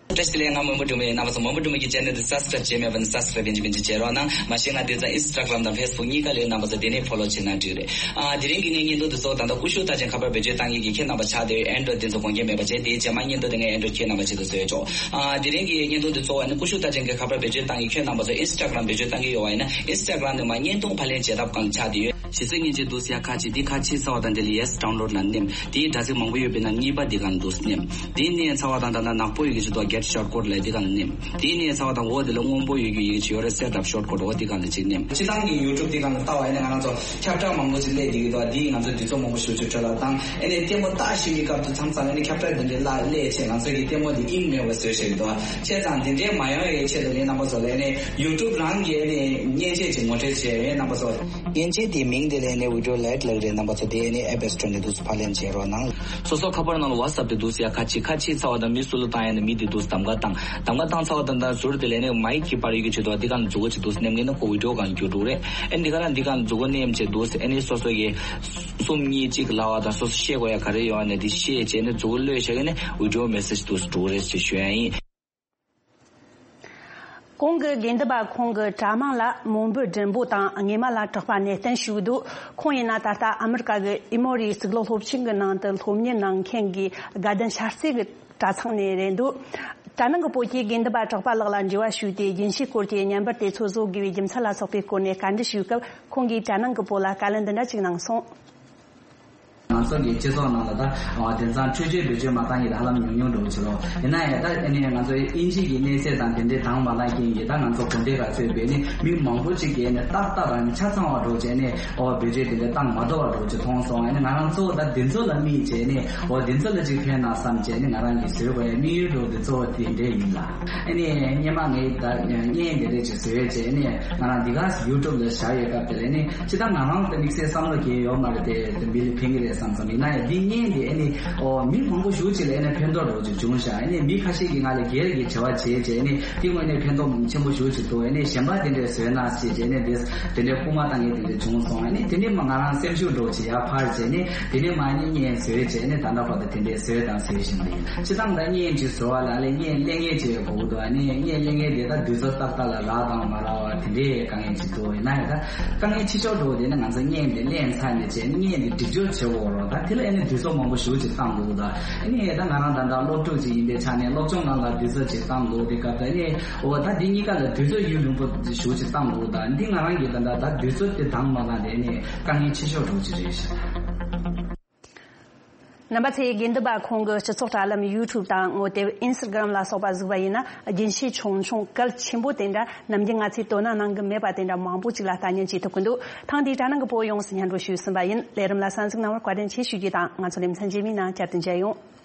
བཀྲ་ཤིས་བདེ་ལེགས། ང་མོན་པོ་སྒྲོལ་མ་ཡིན། རྣམ་པ་ཚོ་མོན་པོ་སྒྲོལ་མ་གི་ཆེ་ནལ་དེ་སབ་སི་ཀ་རབ་བྱས་མེད་པ་ན་སབ་སི་ཀ་རབ་བྱེད་རྒྱུ་བྱེད་རོགས་གནང་། མ་གཞི་ང་དེང་སང་ཨིན་སི་ཊ་གྷ་རམ་དང་ཕེ་སི་བུག་གཉིས་ཀ་ལ་ཡོད། རྣམ་པ་ཚོ་དེ་ནས་ཕོ་ལོ་བྱེད་ན་འགྲིག་རེད། ཨ་དེ་རིང་གི་ངའི་བརྙན་ཐུང་དེ་ཚོ་ད་ལྟ་ཀུ་ཤུ་རྟགས་ཅན་ཁ་པར་བེད་སྤྱོད་བཏང་མཁན་གྱི་ཁྱེད་རྣམ་པ་ཆགས་བསྡད་ཡོད། ཨེན་ཌོ་རོ་ཌི་དེ་ཚོ་གོན་མཁན་མེད་པ་བྱས། དེའི་རྗེས་མ་བརྙན་ཐུང་དེ་ངས་ཨེན་ཌོ་རོ་ཌི་ཁྱེད་རྣམ་པ་ཆེད་དུ་བཟོས་ཆོག་ཨ་དེ་རིང་གི་བརྙན་ཐུང་དེ་ཚོ་ཨ་ནི་ཀུ་ཤུ་རྟགས་ཅན་གྱི་ཁ་པར་བེད་སྤྱོད་བཏང་མཁན་ཁྱེད་རྣམ་པ་ཚོ་ཨིན་སི་ཊ་གྷ་རམ་བེད་སྤྱོད་བཏང་གི་ཡོད་པ་ཡིན་ན་ཨིན་སི་ཊ་གྷ་རམ་ནས་མར་བརྙན་ཐུང་ཕབ་ལེན་བྱེད་ཐབས་སྒང་ལ་ཆགས་བསྡད་ཡོད། གཞི་རྩའི་མཉེན་ཆས་འདུག་སེ་ཡར་ཁ་ཕྱེ། དེ་ཁ་ཕྱེ་ཚར་བ་དང་དེ་ལ་ཡེ་སི་ཌའུན་ལོཌ་ལ་ནེམ། དེའི་དྲ་ཚིགས་མང་པོ་ཡོད་པའི་ནང་གཉིས་པ་འདི་སྒང་ལ་འདུག་སེ་ནེམ། དེ་མནན་ཚར་བ་དང་ད་ལྟ་ནག་པོ་ཡོད་ཀྱི་ཆེད་དུ་གེཊ་ཤོཊ་ཀཊ་ལབ་འདི་སྒང་ལ་ནེམ། དེ་མནན་ཚར་བ་དང་འོག་དེ་ལ་སྔོན་པོ་ཡོད་ཀྱི་ཡོད་ཀྱི་ཆེད་ཡོད་རེད། སེ་ཊ་ཨབ་ཤོཊ་ཀཊ། འོ་འདི་སྒང་ལ་གཅིག་ནེམ། སྤྱིར་བཏང་གི་ཡུ་ཊུབ་འདི་སྒང་ལ་ལྟ་བ་ཡིན་ན་ང་རང་ཚོ་ཁྱབ་བསྒྲགས་མང་པོ་ཞིག་སླེབས་བསྡད་ཀྱི་འདུག་འདིས་ང་ཚོ་དུས་ཚོད་མང་པོ་ཞེ་པོ་ཅིག་འཕྲོ་བརླག་བཏང་། ཨ་ནི་ལྟད་མོ་ལྟ་བཞིན་པའི་སྐབས་དུ་མཚམས་མཚམས་ཨ་ནི་ཁྱབ་བསྒྲགས་འདི་འདྲའི་ལ་སླེབས་བྱས་ང་ཚོ་གི་ལྟད་མོ་འདི་དབྱིངས་མེད་པ་བཟོས་བཞག་གི་འདུག་བྱས་ཙང་འདི་འདྲའི་མ་ཡོང་བའི་ཆེད་དུ་ནི་རྣམ་པ་ཚོ་ལ་ནི་ཡུ་ཊུབ་རང་གི་ནི་མཉེན་ཆས་ཅིག་ངོ་སྤྲོད་བྱས་ཡོད། རྣམ་པ་ཚོ། མཉེན་ཆས་དེའི་མིང་དེ་ལ་ནི་བི་ཌི་ཡོ་ལེཊ་ལབ་རེད། རྣམ་པ་ཚོ་དེ་ནི་ཨེབ་སི་ཊོར་ནས་འདུག་སེ་ཕབ་ལེན་བྱེད་རོགས་གནང་། སོ་སོ་ཁ་པར་ནང་ལ་ཝ་ཊི་སེབ་དེ་འདུག་སེ་ཡར་ཁ་ཕྱེ། ཁ་ཕྱེ་ཚར་བ་དང་མི་སུ་ལ་བཏང་ཡ་ན་མི་དེ་འདུག་སེ་གདམ་ག་བཏང་། གདམ་ག་བཏང་ཚར་བ་དང་ད་ཟུར་དེ་ལ་ནི་མའིག་གི་པར་ཡོད་ཀྱི་ཆེད་དུ་འདི་སྒང་ལ་མཛུབ་གུ་ཅིག་འདུག་སེ་ནེམ་མཁན་ན་ཁོ་བི་ཌི་ཡོ་སྒང་ལ་འགྱུར་འགྲོ་གི་རེད། ཨ་ནི་འདི་ག་ལ་འདི་སྒང་ལ་མཛུབ་གུ་ནེམ་བྱས་འདུག་སེ་ཨ་ནི་སོ་སོ་གི་གསུམ་གཉིས་གཅིག་ལབ་པ་དང་སོ་སོ་བཤད་དགོས་ཡ་ག་རེ་ཡོད་ཨ་ནི་དེ་བཤད་བྱས་ནས་མཛུབ་གུ་གློད་བཞག་གི་ནི་བི་ཌི་ཡོ་མེ་སེ་ཇི་འདུག་སེ་འགྲོ་གི་རེད་ཅེས་ཞུ་ཡ་ཡིན། གོང་གི་དགེ་འདུན་པ་ཁོང་གི་གྲྭ་མང་ལ་མོན་བུ་སྒྲིན་པོ་དང་ངེད་མ་ལ་གྲགས་པ་ནས་བསྟན་ཞུས་འདུག་ཁོང་ཡིན་ན་ད་ལྟ་ཨ་མི་རི་ཀ་གི་ཨི་མོ་རི་གཙུག་ལག་སློབ་ཆེན་གྱི་ནང་དུ་སློབ་གཉེར་གནང་མཁན་གྱི་དགའ་ལྡན་ཤར་རྩེ་གི་གྲྭ་ཚང་ནས་རེད་འདུག་གྲྭ་ནང་གི་བོད་ཀྱི་དགེ་འདུན་པ་གྲགས་པ་ལགས་ལ་འབྲེལ་བ་ཞུས་ཏེ་རྒྱུན་ཤེས་སྐོར་གྱི་བརྙན་པར་དེ་ཚོ་བཟོ་དགོས་པའི་རྒྱུ་མཚན་ལ་སོགས་པའི་སྐོར་ནས་བཀའ་འདྲི་ཞུས་སྐབས་ཁོང་གིས་གྲྭ་ནང་གི་བོད་ལ་བཀའ་ལན་འདི་འདྲ་ཅིག་གནང་སོང་། ང་ཚོ་གི་སྤྱི་ཚོགས་ནང་ལ་ད་དེང་སང་འཕྲུལ་ཆས་བེད་སྤྱོད་མ་བཏང་མཁན་དེ་ཧ་ལམ་ཉུང་ཉུང་འགྲོ་གི་ཕྱིར་རོ། ཡིན་ན་ཡང་ད་ཨ་ནི་ང་ཚོ་དབྱིན་ཇི་གི་གནས་ཚད་དང་དེ་འདྲའི་དྭངས་མ་ལངས་མཁན་གྱི་ད་ང་ཚོ་དགོན་སྡེ་ཁག་ཚུད་པའི་ནི་མི་མང་པོ་ཅིག་གིས་ནི་ཏག་ཏག་རང་ཆ་ཚང་བ་འགྲོ་བྱས་ནས་ཨོ་བེད་སྤྱོད་དེ་འདྲ་བཏང་མ་ཐུབ་པ་འགྲོ་ཅིག་མཐོང་སོང་། ཨ་ནི་ང་རང་གཙོ་བོ་ད་འདི་ཚོ་ལ་དམིགས་བྱས་ནས་ཨོ་འདི་ཚོ་ལ་ཅིག་ཕན་ན་བསམ་བྱས་ནི་ང་རང་གིས་བཟོས་པའི་དམིགས་ཡུལ་འགྲོ་འདི་གཙོ་བོ་དེ་འདྲ་ཡིན་ལ། ཨ་ནི་སྔོན་མ་ངས་ད་བརྙན་དེ་འདྲ་ཅིག་བཟོས་བྱས་ནི་ང་རང་འདི་ག་ཡུ་ཊུབ་ལ་བཞག་ཡོད་སྐབས་དེ་ལ་ནི་ཅི་ད་ང་རང་ད་དམིགས་བསལ་བསམ་བློ་གལ་ཡོད་མ་རེད་དེ་མི་ལ་ཕན་གི་རེད་བསམ་བསམ་ཡིན་ན་ཡང་འདི་བརྙན་དེ་ཨ་ནི་ཨོ་མི་མང་པོ་ཞེ་པོ་ཅིག་ལ་ཨ་ནི་ཕན་ཐོགས་འགྲོ་ཅིག་བྱུང་ཤག་ཨ་ནི་མི་ཁ་ཤས་ཀྱིས་ང་ལ་སྒེར་གྱི་དྲི་བ་བྱས་བྱས་ནི་དེ་དངོས་གནས་ཕན་ཐོགས་ཆེན་པོ་ཞེ་པོ་ཅིག་འདུག་ཨ་ནི་གཞན་པ་དེ་འདྲས་བཟོས་ན་ཞེས་བྱས་ནི་དེ་དེ་འདྲས་སྐུལ་མ་བཏང་མཁན་དེ་འདྲས་བྱུང་སོང་། ཨ་ནི་དེ་ནས་མ་ང་རང་སེམས་ཤུགས་འགྲོ་ཅིག་ཡར་འཕར་བྱས་ནི་དེ་ནས་མ་ཨ་ནི་བརྙན་བཟོས་བྱས་ནི་ད་ལྟ་བར་དུ་དེ་འདྲས་བཟོས་དང་བཟོས་བཞིན་པ་ཡིན། སྤྱིར་བཏང་ད་བརྙན་ཅིག་བཟོ་བ་ལ་ཨ་ལས་བརྙན་ལེན་མཁན་ཅིག་ཡོད་དགོས་ཀྱི་འདུག་ཨ་ནི་བརྙན་ལེན་མཁན་དེ་ད་དུས་ཚོད་ཏག་ཏག་ལ་རག་དང་མ་རག་བ་དེ་འདྲས་དཀའ་ངལ་ཅིག་འདུག་ཡིན་ན་ཡང་ད་དཀའ་ངལ་ཆེ་ཤོས་འགྲོ་བ་དེ་ནི་ང་ཚོ་བརྙན་དེ་ལེན་ཚར་ནས་བྱས་ནས་བརྙན་དེ་སྒྲིག་སྦྱོར་བྱེད་དགོས་རེད། ད་དེ་ལ་ཨ་ནི་དུས་ཚོད་མང་པོ་ཞེ་པོ་ཅིག་བཏང་དགོས་ཀྱི་འདུག་ཨ་ནི་ད་ང་རང་ད་ལྟ་སློབ་ཕྲུག་ཅིག་ཡིན་པའི་ཆ་ནས་སློབ་སྦྱོང་ནང་ལ་དུས་ཚོད་ཅིག་བཏང་དགོས་དེ་སྐབས་དེ་ཨ་ནི་འོ་ད་འདི་གཉིས་ཀ་ལ་དུས་ཚོད་ཡུན་རིང་པོ་ཞེ་པོ་ཅིག་བཏང་དགོས་ཀྱི་འདུག་འདི་ང་རང་གིས་ད་ལྟ་ད་དུས་ཚོད་དེ་འདང་མ་བཏང་དེ་ཨ་ནི་དཀའ་ངལ་ཆེ་ཤོས་འགྲོ་གི་རེད་ཤག་རྣམ་པ་ཚོས་དགེ་འདུན་པ་ཁོང་གི་སྤྱི་ཚོགས་དྲ་ལམ་ཡུ་ཊུབ་དང་ངོ་དེབ་ཨིན་སི་ཊ་གྷ་རམ་ལ་སོགས་པ་གཟིགས་པ་ཡིན་ན་རྒྱུན་ཤེས་ཆུང་ཆུང་གལ་ཆེན་པོ་དེ་འདྲ་ནམ་རྒྱུན་ང་ཚོས་དོ་སྣང་གནང་གི་མེད་པ་དེ་འདྲ་མང་པོ་ཅིག་ལ་ལྟ་ཉན་བྱེད་ཐུབ་ཀྱི་འདུག་ཐེངས་འདིའི་དྲ་ནང་གི་བོད་ཡོངས་སུ་སྙན་སྒྲོན་ཞུས་ཟིན་པ་ཡིན། ལས་རིམ་ལ་གསན་གཟིགས་གནང་བར་བཀའ་དྲིན་ཆེ་ཞུ་རྒྱུ་དང་ང་ཚོ་ལེ་ཚན་རྗེས་མའི་ནང་བསྐྱར་དུ་མཇལ་ཡོང་།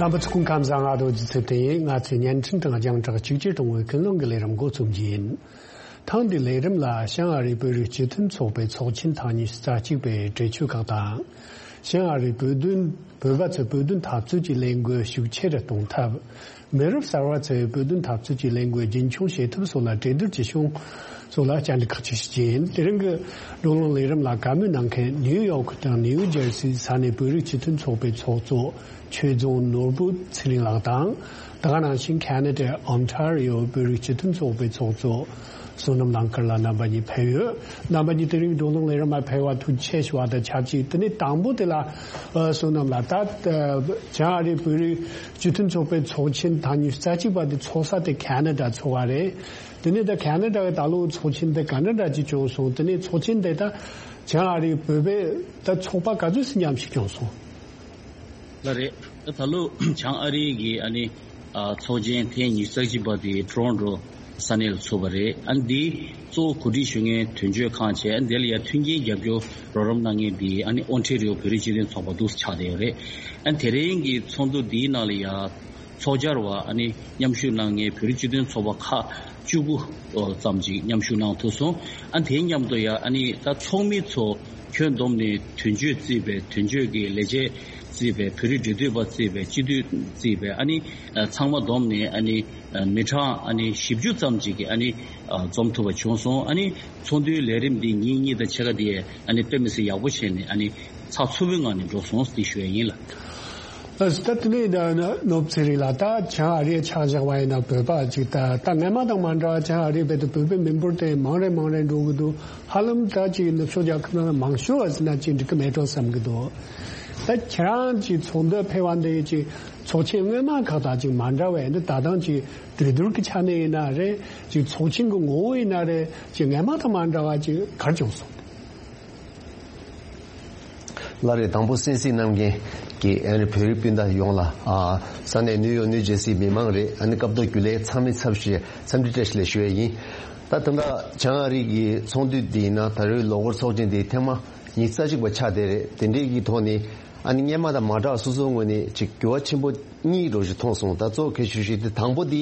རྣམ་པ་ཚོ་སྐུ་ཁམས་བཟང་། ང་རྡོ་རྗེ་ཚེ་བརྟན་ཡིན། ང་ཚོས་བརྙན་འཕྲིན་དང་རྒྱང་བསྒྲགས་གཅིག་གྱུར་གཏོང་བའི་ཀུན་སློང་གི་ལས་རིམ་འགོ་རྩོམ་རྒྱུ་ཡིན། ཐེངས་འདིའི་ལས་རིམ་ལ་བྱང་ཨ་རིའི་བོད་རིགས་སྤྱི་མཐུན་ཚོགས་པའི་ཚོགས་ཆེན་ཐེངས་ཉི་ཤུ་རྩ་གཅིག་པའི་གྲོས་ཆོད་ཁག་དང་། བྱང་ཨ་རིའི་བོད་དོན་བོད་པ་ཚོའི་བོད་དོན་འཐབ་རྩོད་ཀྱི་ལས་འགུལ་ཤུགས་ཆེ་རུ་གཏོང་ཐབས། མི་རབས་གསར་བ་ཚོས་བོད་དོན་འཐབ་རྩོད་ཀྱི་ལས་འགུལ་རྒྱུན་འཁྱོངས་བྱེད་ཐབས་སོགས་ལ་གྲོས་བསྡུར་བྱེད་བྱུང་སོགས་ལ་བཅར་འདྲི་ཁག་ཅིག་ཞུ་རྒྱུ་ཡིན། དེ་རིང་གི་བགྲོ་གླེང་ལས་རིམ་ལ་བཀའ་མོལ་གནང་མཁན་ནིའུ་ཡོག་དང་ནིའུ་ཇར་སི་ས་གནས་བོད་རིགས་སྤྱི་མཐུན་ཚོགས་པའི་ཚོགས་གཙོ་ཆོས་རྫོང་ནོར་བུ་ཚེ་རིང་ལགས་དང་། དེ་ག་ནང་བཞིན་ཁ་ན་ཌའི་ཨོན་ཊ་རི་ཡོ་བོད་རིགས་སྤྱི་མཐུན་ཚོགས་པའི་ཚོགས་གཙོ་བསོད་ནམས་གླིང་དཀར་ལགས་རྣམ་པ་གཉིས་ཕེབས་ཡོད། རྣམ་པ་གཉིས་དེ་རིང་བགྲོ་གླེང་ལས་རིམ་ལ་ཕེབས་པར་ཐུགས་རྗེ་ཆེ་ཞུ་བ་དང་ཆབས་ཅིག་དེ་ནས་དང་པོ་དེ་ལ་ཨ་བསོད་ནམས་ལགས། ད་ཨ་བྱང་ཨ་རིའི་བོད་རིགས་སྤྱི་མཐུན་ཚོགས་པའི་ཚོགས་ཆེན་ཐེངས་ཉི་ཤུ་རྩ་གཅིག་པ་དེ་ཚོགས་ས་དེ་ཁ་ན་ཌ་ཚོགས་པ་རེད། དེ་ནས་ད་ཁ་ན་ཌ་གི་ད་ལོའི་ཚོགས་ཆེན་དེ་ཀ་ན་ཌ་གཅིག་བྱུང་སོང་། དེ་ནས་ཚོགས་ཆེན་དེ་ད་ བྱང་ཨ་རིའི་བོད་པའི་ད་ཚོགས་པ་ག་ཚོད་ཙམ་མཉམ་ཞུགས་བྱུང་སོང་། ལགས་རེད། ད་ད་ལོ་བྱང་ཨ་རིའི་གི་ཨ་ནི་ཨ་ཚོགས་ཆེན་ཐེངས་ཉི་ཤུ་རྩ་གཅིག་པ་དེ་ཊོ་རོན་ཊོ་ས་གནས་ལ་ཚོགས་པ་རེད། ཨ་ནི་འདི་གཙོ་བོ་གོ་སྒྲིག་ཞུ་མཁན་དོན་གཅོད་ཁང་བྱས། ཨ་ནི་དེ་ལ་ཡ་མཐུན་རྐྱེན་རྒྱབ་སྐྱོར་རོགས་རམ་གནང་མཁན་དེ་ཨ་ནི་ཨོན་ཊེ་རི་ཡོ་བོད་རིགས་སྤྱི་མཐུན་ཚོགས་པ་འདུག་ཆགས་བསྡད་ཡོད་རེད། ཨ་ནི་དེ་རིང་གི་ཚོགས་འདུ་འདིའི་ནང་ལ་ཡ་ཚོགས་བཅར་བ་ཨ་ནི་མཉམ་ཞུགས་གནང་མཁན་བོད་རིགས་སྤྱི་མཐུན་ཚོགས་པ་ཁག་བཅུ་དགུ་ཙམ་ཅིག་མཉམ་ཞུགས་གནང་ཐུབ་སོང་། ཨ་ནི་དེའི་མཉམ་དུ་ཡ་ཨ་ནི་ད་ཚོགས་མི་ཚོ་ཁྱོན་བསྡོམས་ནས་དོན་གཅོད་བརྩིས་པའི་དོན་གཅོད་ཀྱི་ལས་བྱེད་བརྩིས་པའི་བོད་རིགས་འབྲེལ་མཐུད་པ་བརྩིས་པའི་སྤྱི་འཐུས་བརྩིས་པའི་ཨ་ནི་ཚང་མ་བསྡོམས་ནས་ཨ་ནི་མི་གྲངས་ཨ་ནི་བཞི་བཅུ་ཙམ་ཅིག་གིས་ཨ་ནི་འཛོམས་ཐུབ་པ་བྱུང་སོང་། ཨ་ནི་ཚོགས་འདུའི་ལས་རིམ་འདི་ཉིན་གཉིས་དང་ཕྱེད་ཀ་དེ་ཨ་ནི་དཔེ་མི་སྲིད་ཡག་པོ་བྱས་ནས་ཨ་ནི་ཚགས་ཚུད་པོའི་ངང་ནས་འགྲོ་སོང་ཟེར་ཞུ་ཡ་ཡིན་ལགས། ཨ་ད་དེ་ནས་ད་ནོར་བུ་ཚེ་རིང་ལགས། ད་བྱང་ཨ་རིའི་ཆ་བཞག་པ་ཡིན་ན་བོད་པ་ཅིག་ད་ད་སྔོན་མ་དང་མ་འདྲ་བ་བྱང་ཨ་རིའི་བོད་དུ་བོད་པའི་མི་འབོར་དེ་མང་རེ་མང་རེ་འགྲོ་གི་འདུག་ཧ་ལམ་ད་ཅིག་ནུབ་ཕྱོགས་རྒྱལ་ཁབ་ནང་མང་ཤོས་བ་ཟེར་ན་ཅིག་འགྲིག་གི་མེད་འགྲོ་བསམ་གི་འདུག་ད་ཁྱེད་རང་ཅིག་ཚོགས་འདུ་ཕེབས་པ་འདི་ཅིག་ཚོགས་ཆེན་སྔོན་མ་ཁག་དང་ཅིག་མ་འདྲ་བས་འདི་ད་དང་ཅིག་གྲོས་བསྡུར་གྱི་ཆ་ནས་ཡིན་ན་རེད། ཅིག་ཚོགས་ཆེན་གྱི་ངོ་བོ་ཡིན་ན་རེད། ཅིག་སྔོན་མ་དང་མ་འདྲ་བ་ཅིག་ག་རེ་བྱུང་སོང་། ལགས་རེད། དང་པོ་གསན་གཟིགས་གནང་མཁན་གྱི་ཨ་ནི་བོད་རིགས་སྤུན་ཟླ་ཡོངས་ལ་ཨ་ས་གནས་ནིའུ་ཡོག་ནིའུ་ཇར་སིའི་མི་མང་རེད། ཨ་ནི་སྐབས་ཐོག་རྒྱུན་ལས་ཚང་མའི་ཚབ་ཞུས་འཚམས་འདྲི་བཀྲ་ཤིས་བདེ་ལེགས་ཞུ་ཡས་ཡིན། ད་ད་ལྟ་བྱང་ཨ་རི་གི་ཚོགས་འདུ་འདི་ཡིན་ན་ད་རེས་ལོ་འཁོར་ཚོགས་ཆེན་འདི་ཐེངས་མ་ཉི་ཤུ་རྩ་གཅིག་པ་ཆགས་བསྡད་རེད། དེ་འདྲའི་གི་ཐོག་ནས་ཨ་ནི་སྔོན་མ་དང་མ་འདྲ་བ་སོ་སོའི་ངོས་ནས་ཅིག་འགྱུར་བ་ཆེན་པོ་གཉིས་རོ་ཞིག་མཐོང་སོང་། ད་གཙོ་གལ་ཆེ་ཤོས་དེ་དང་པོ་འདི་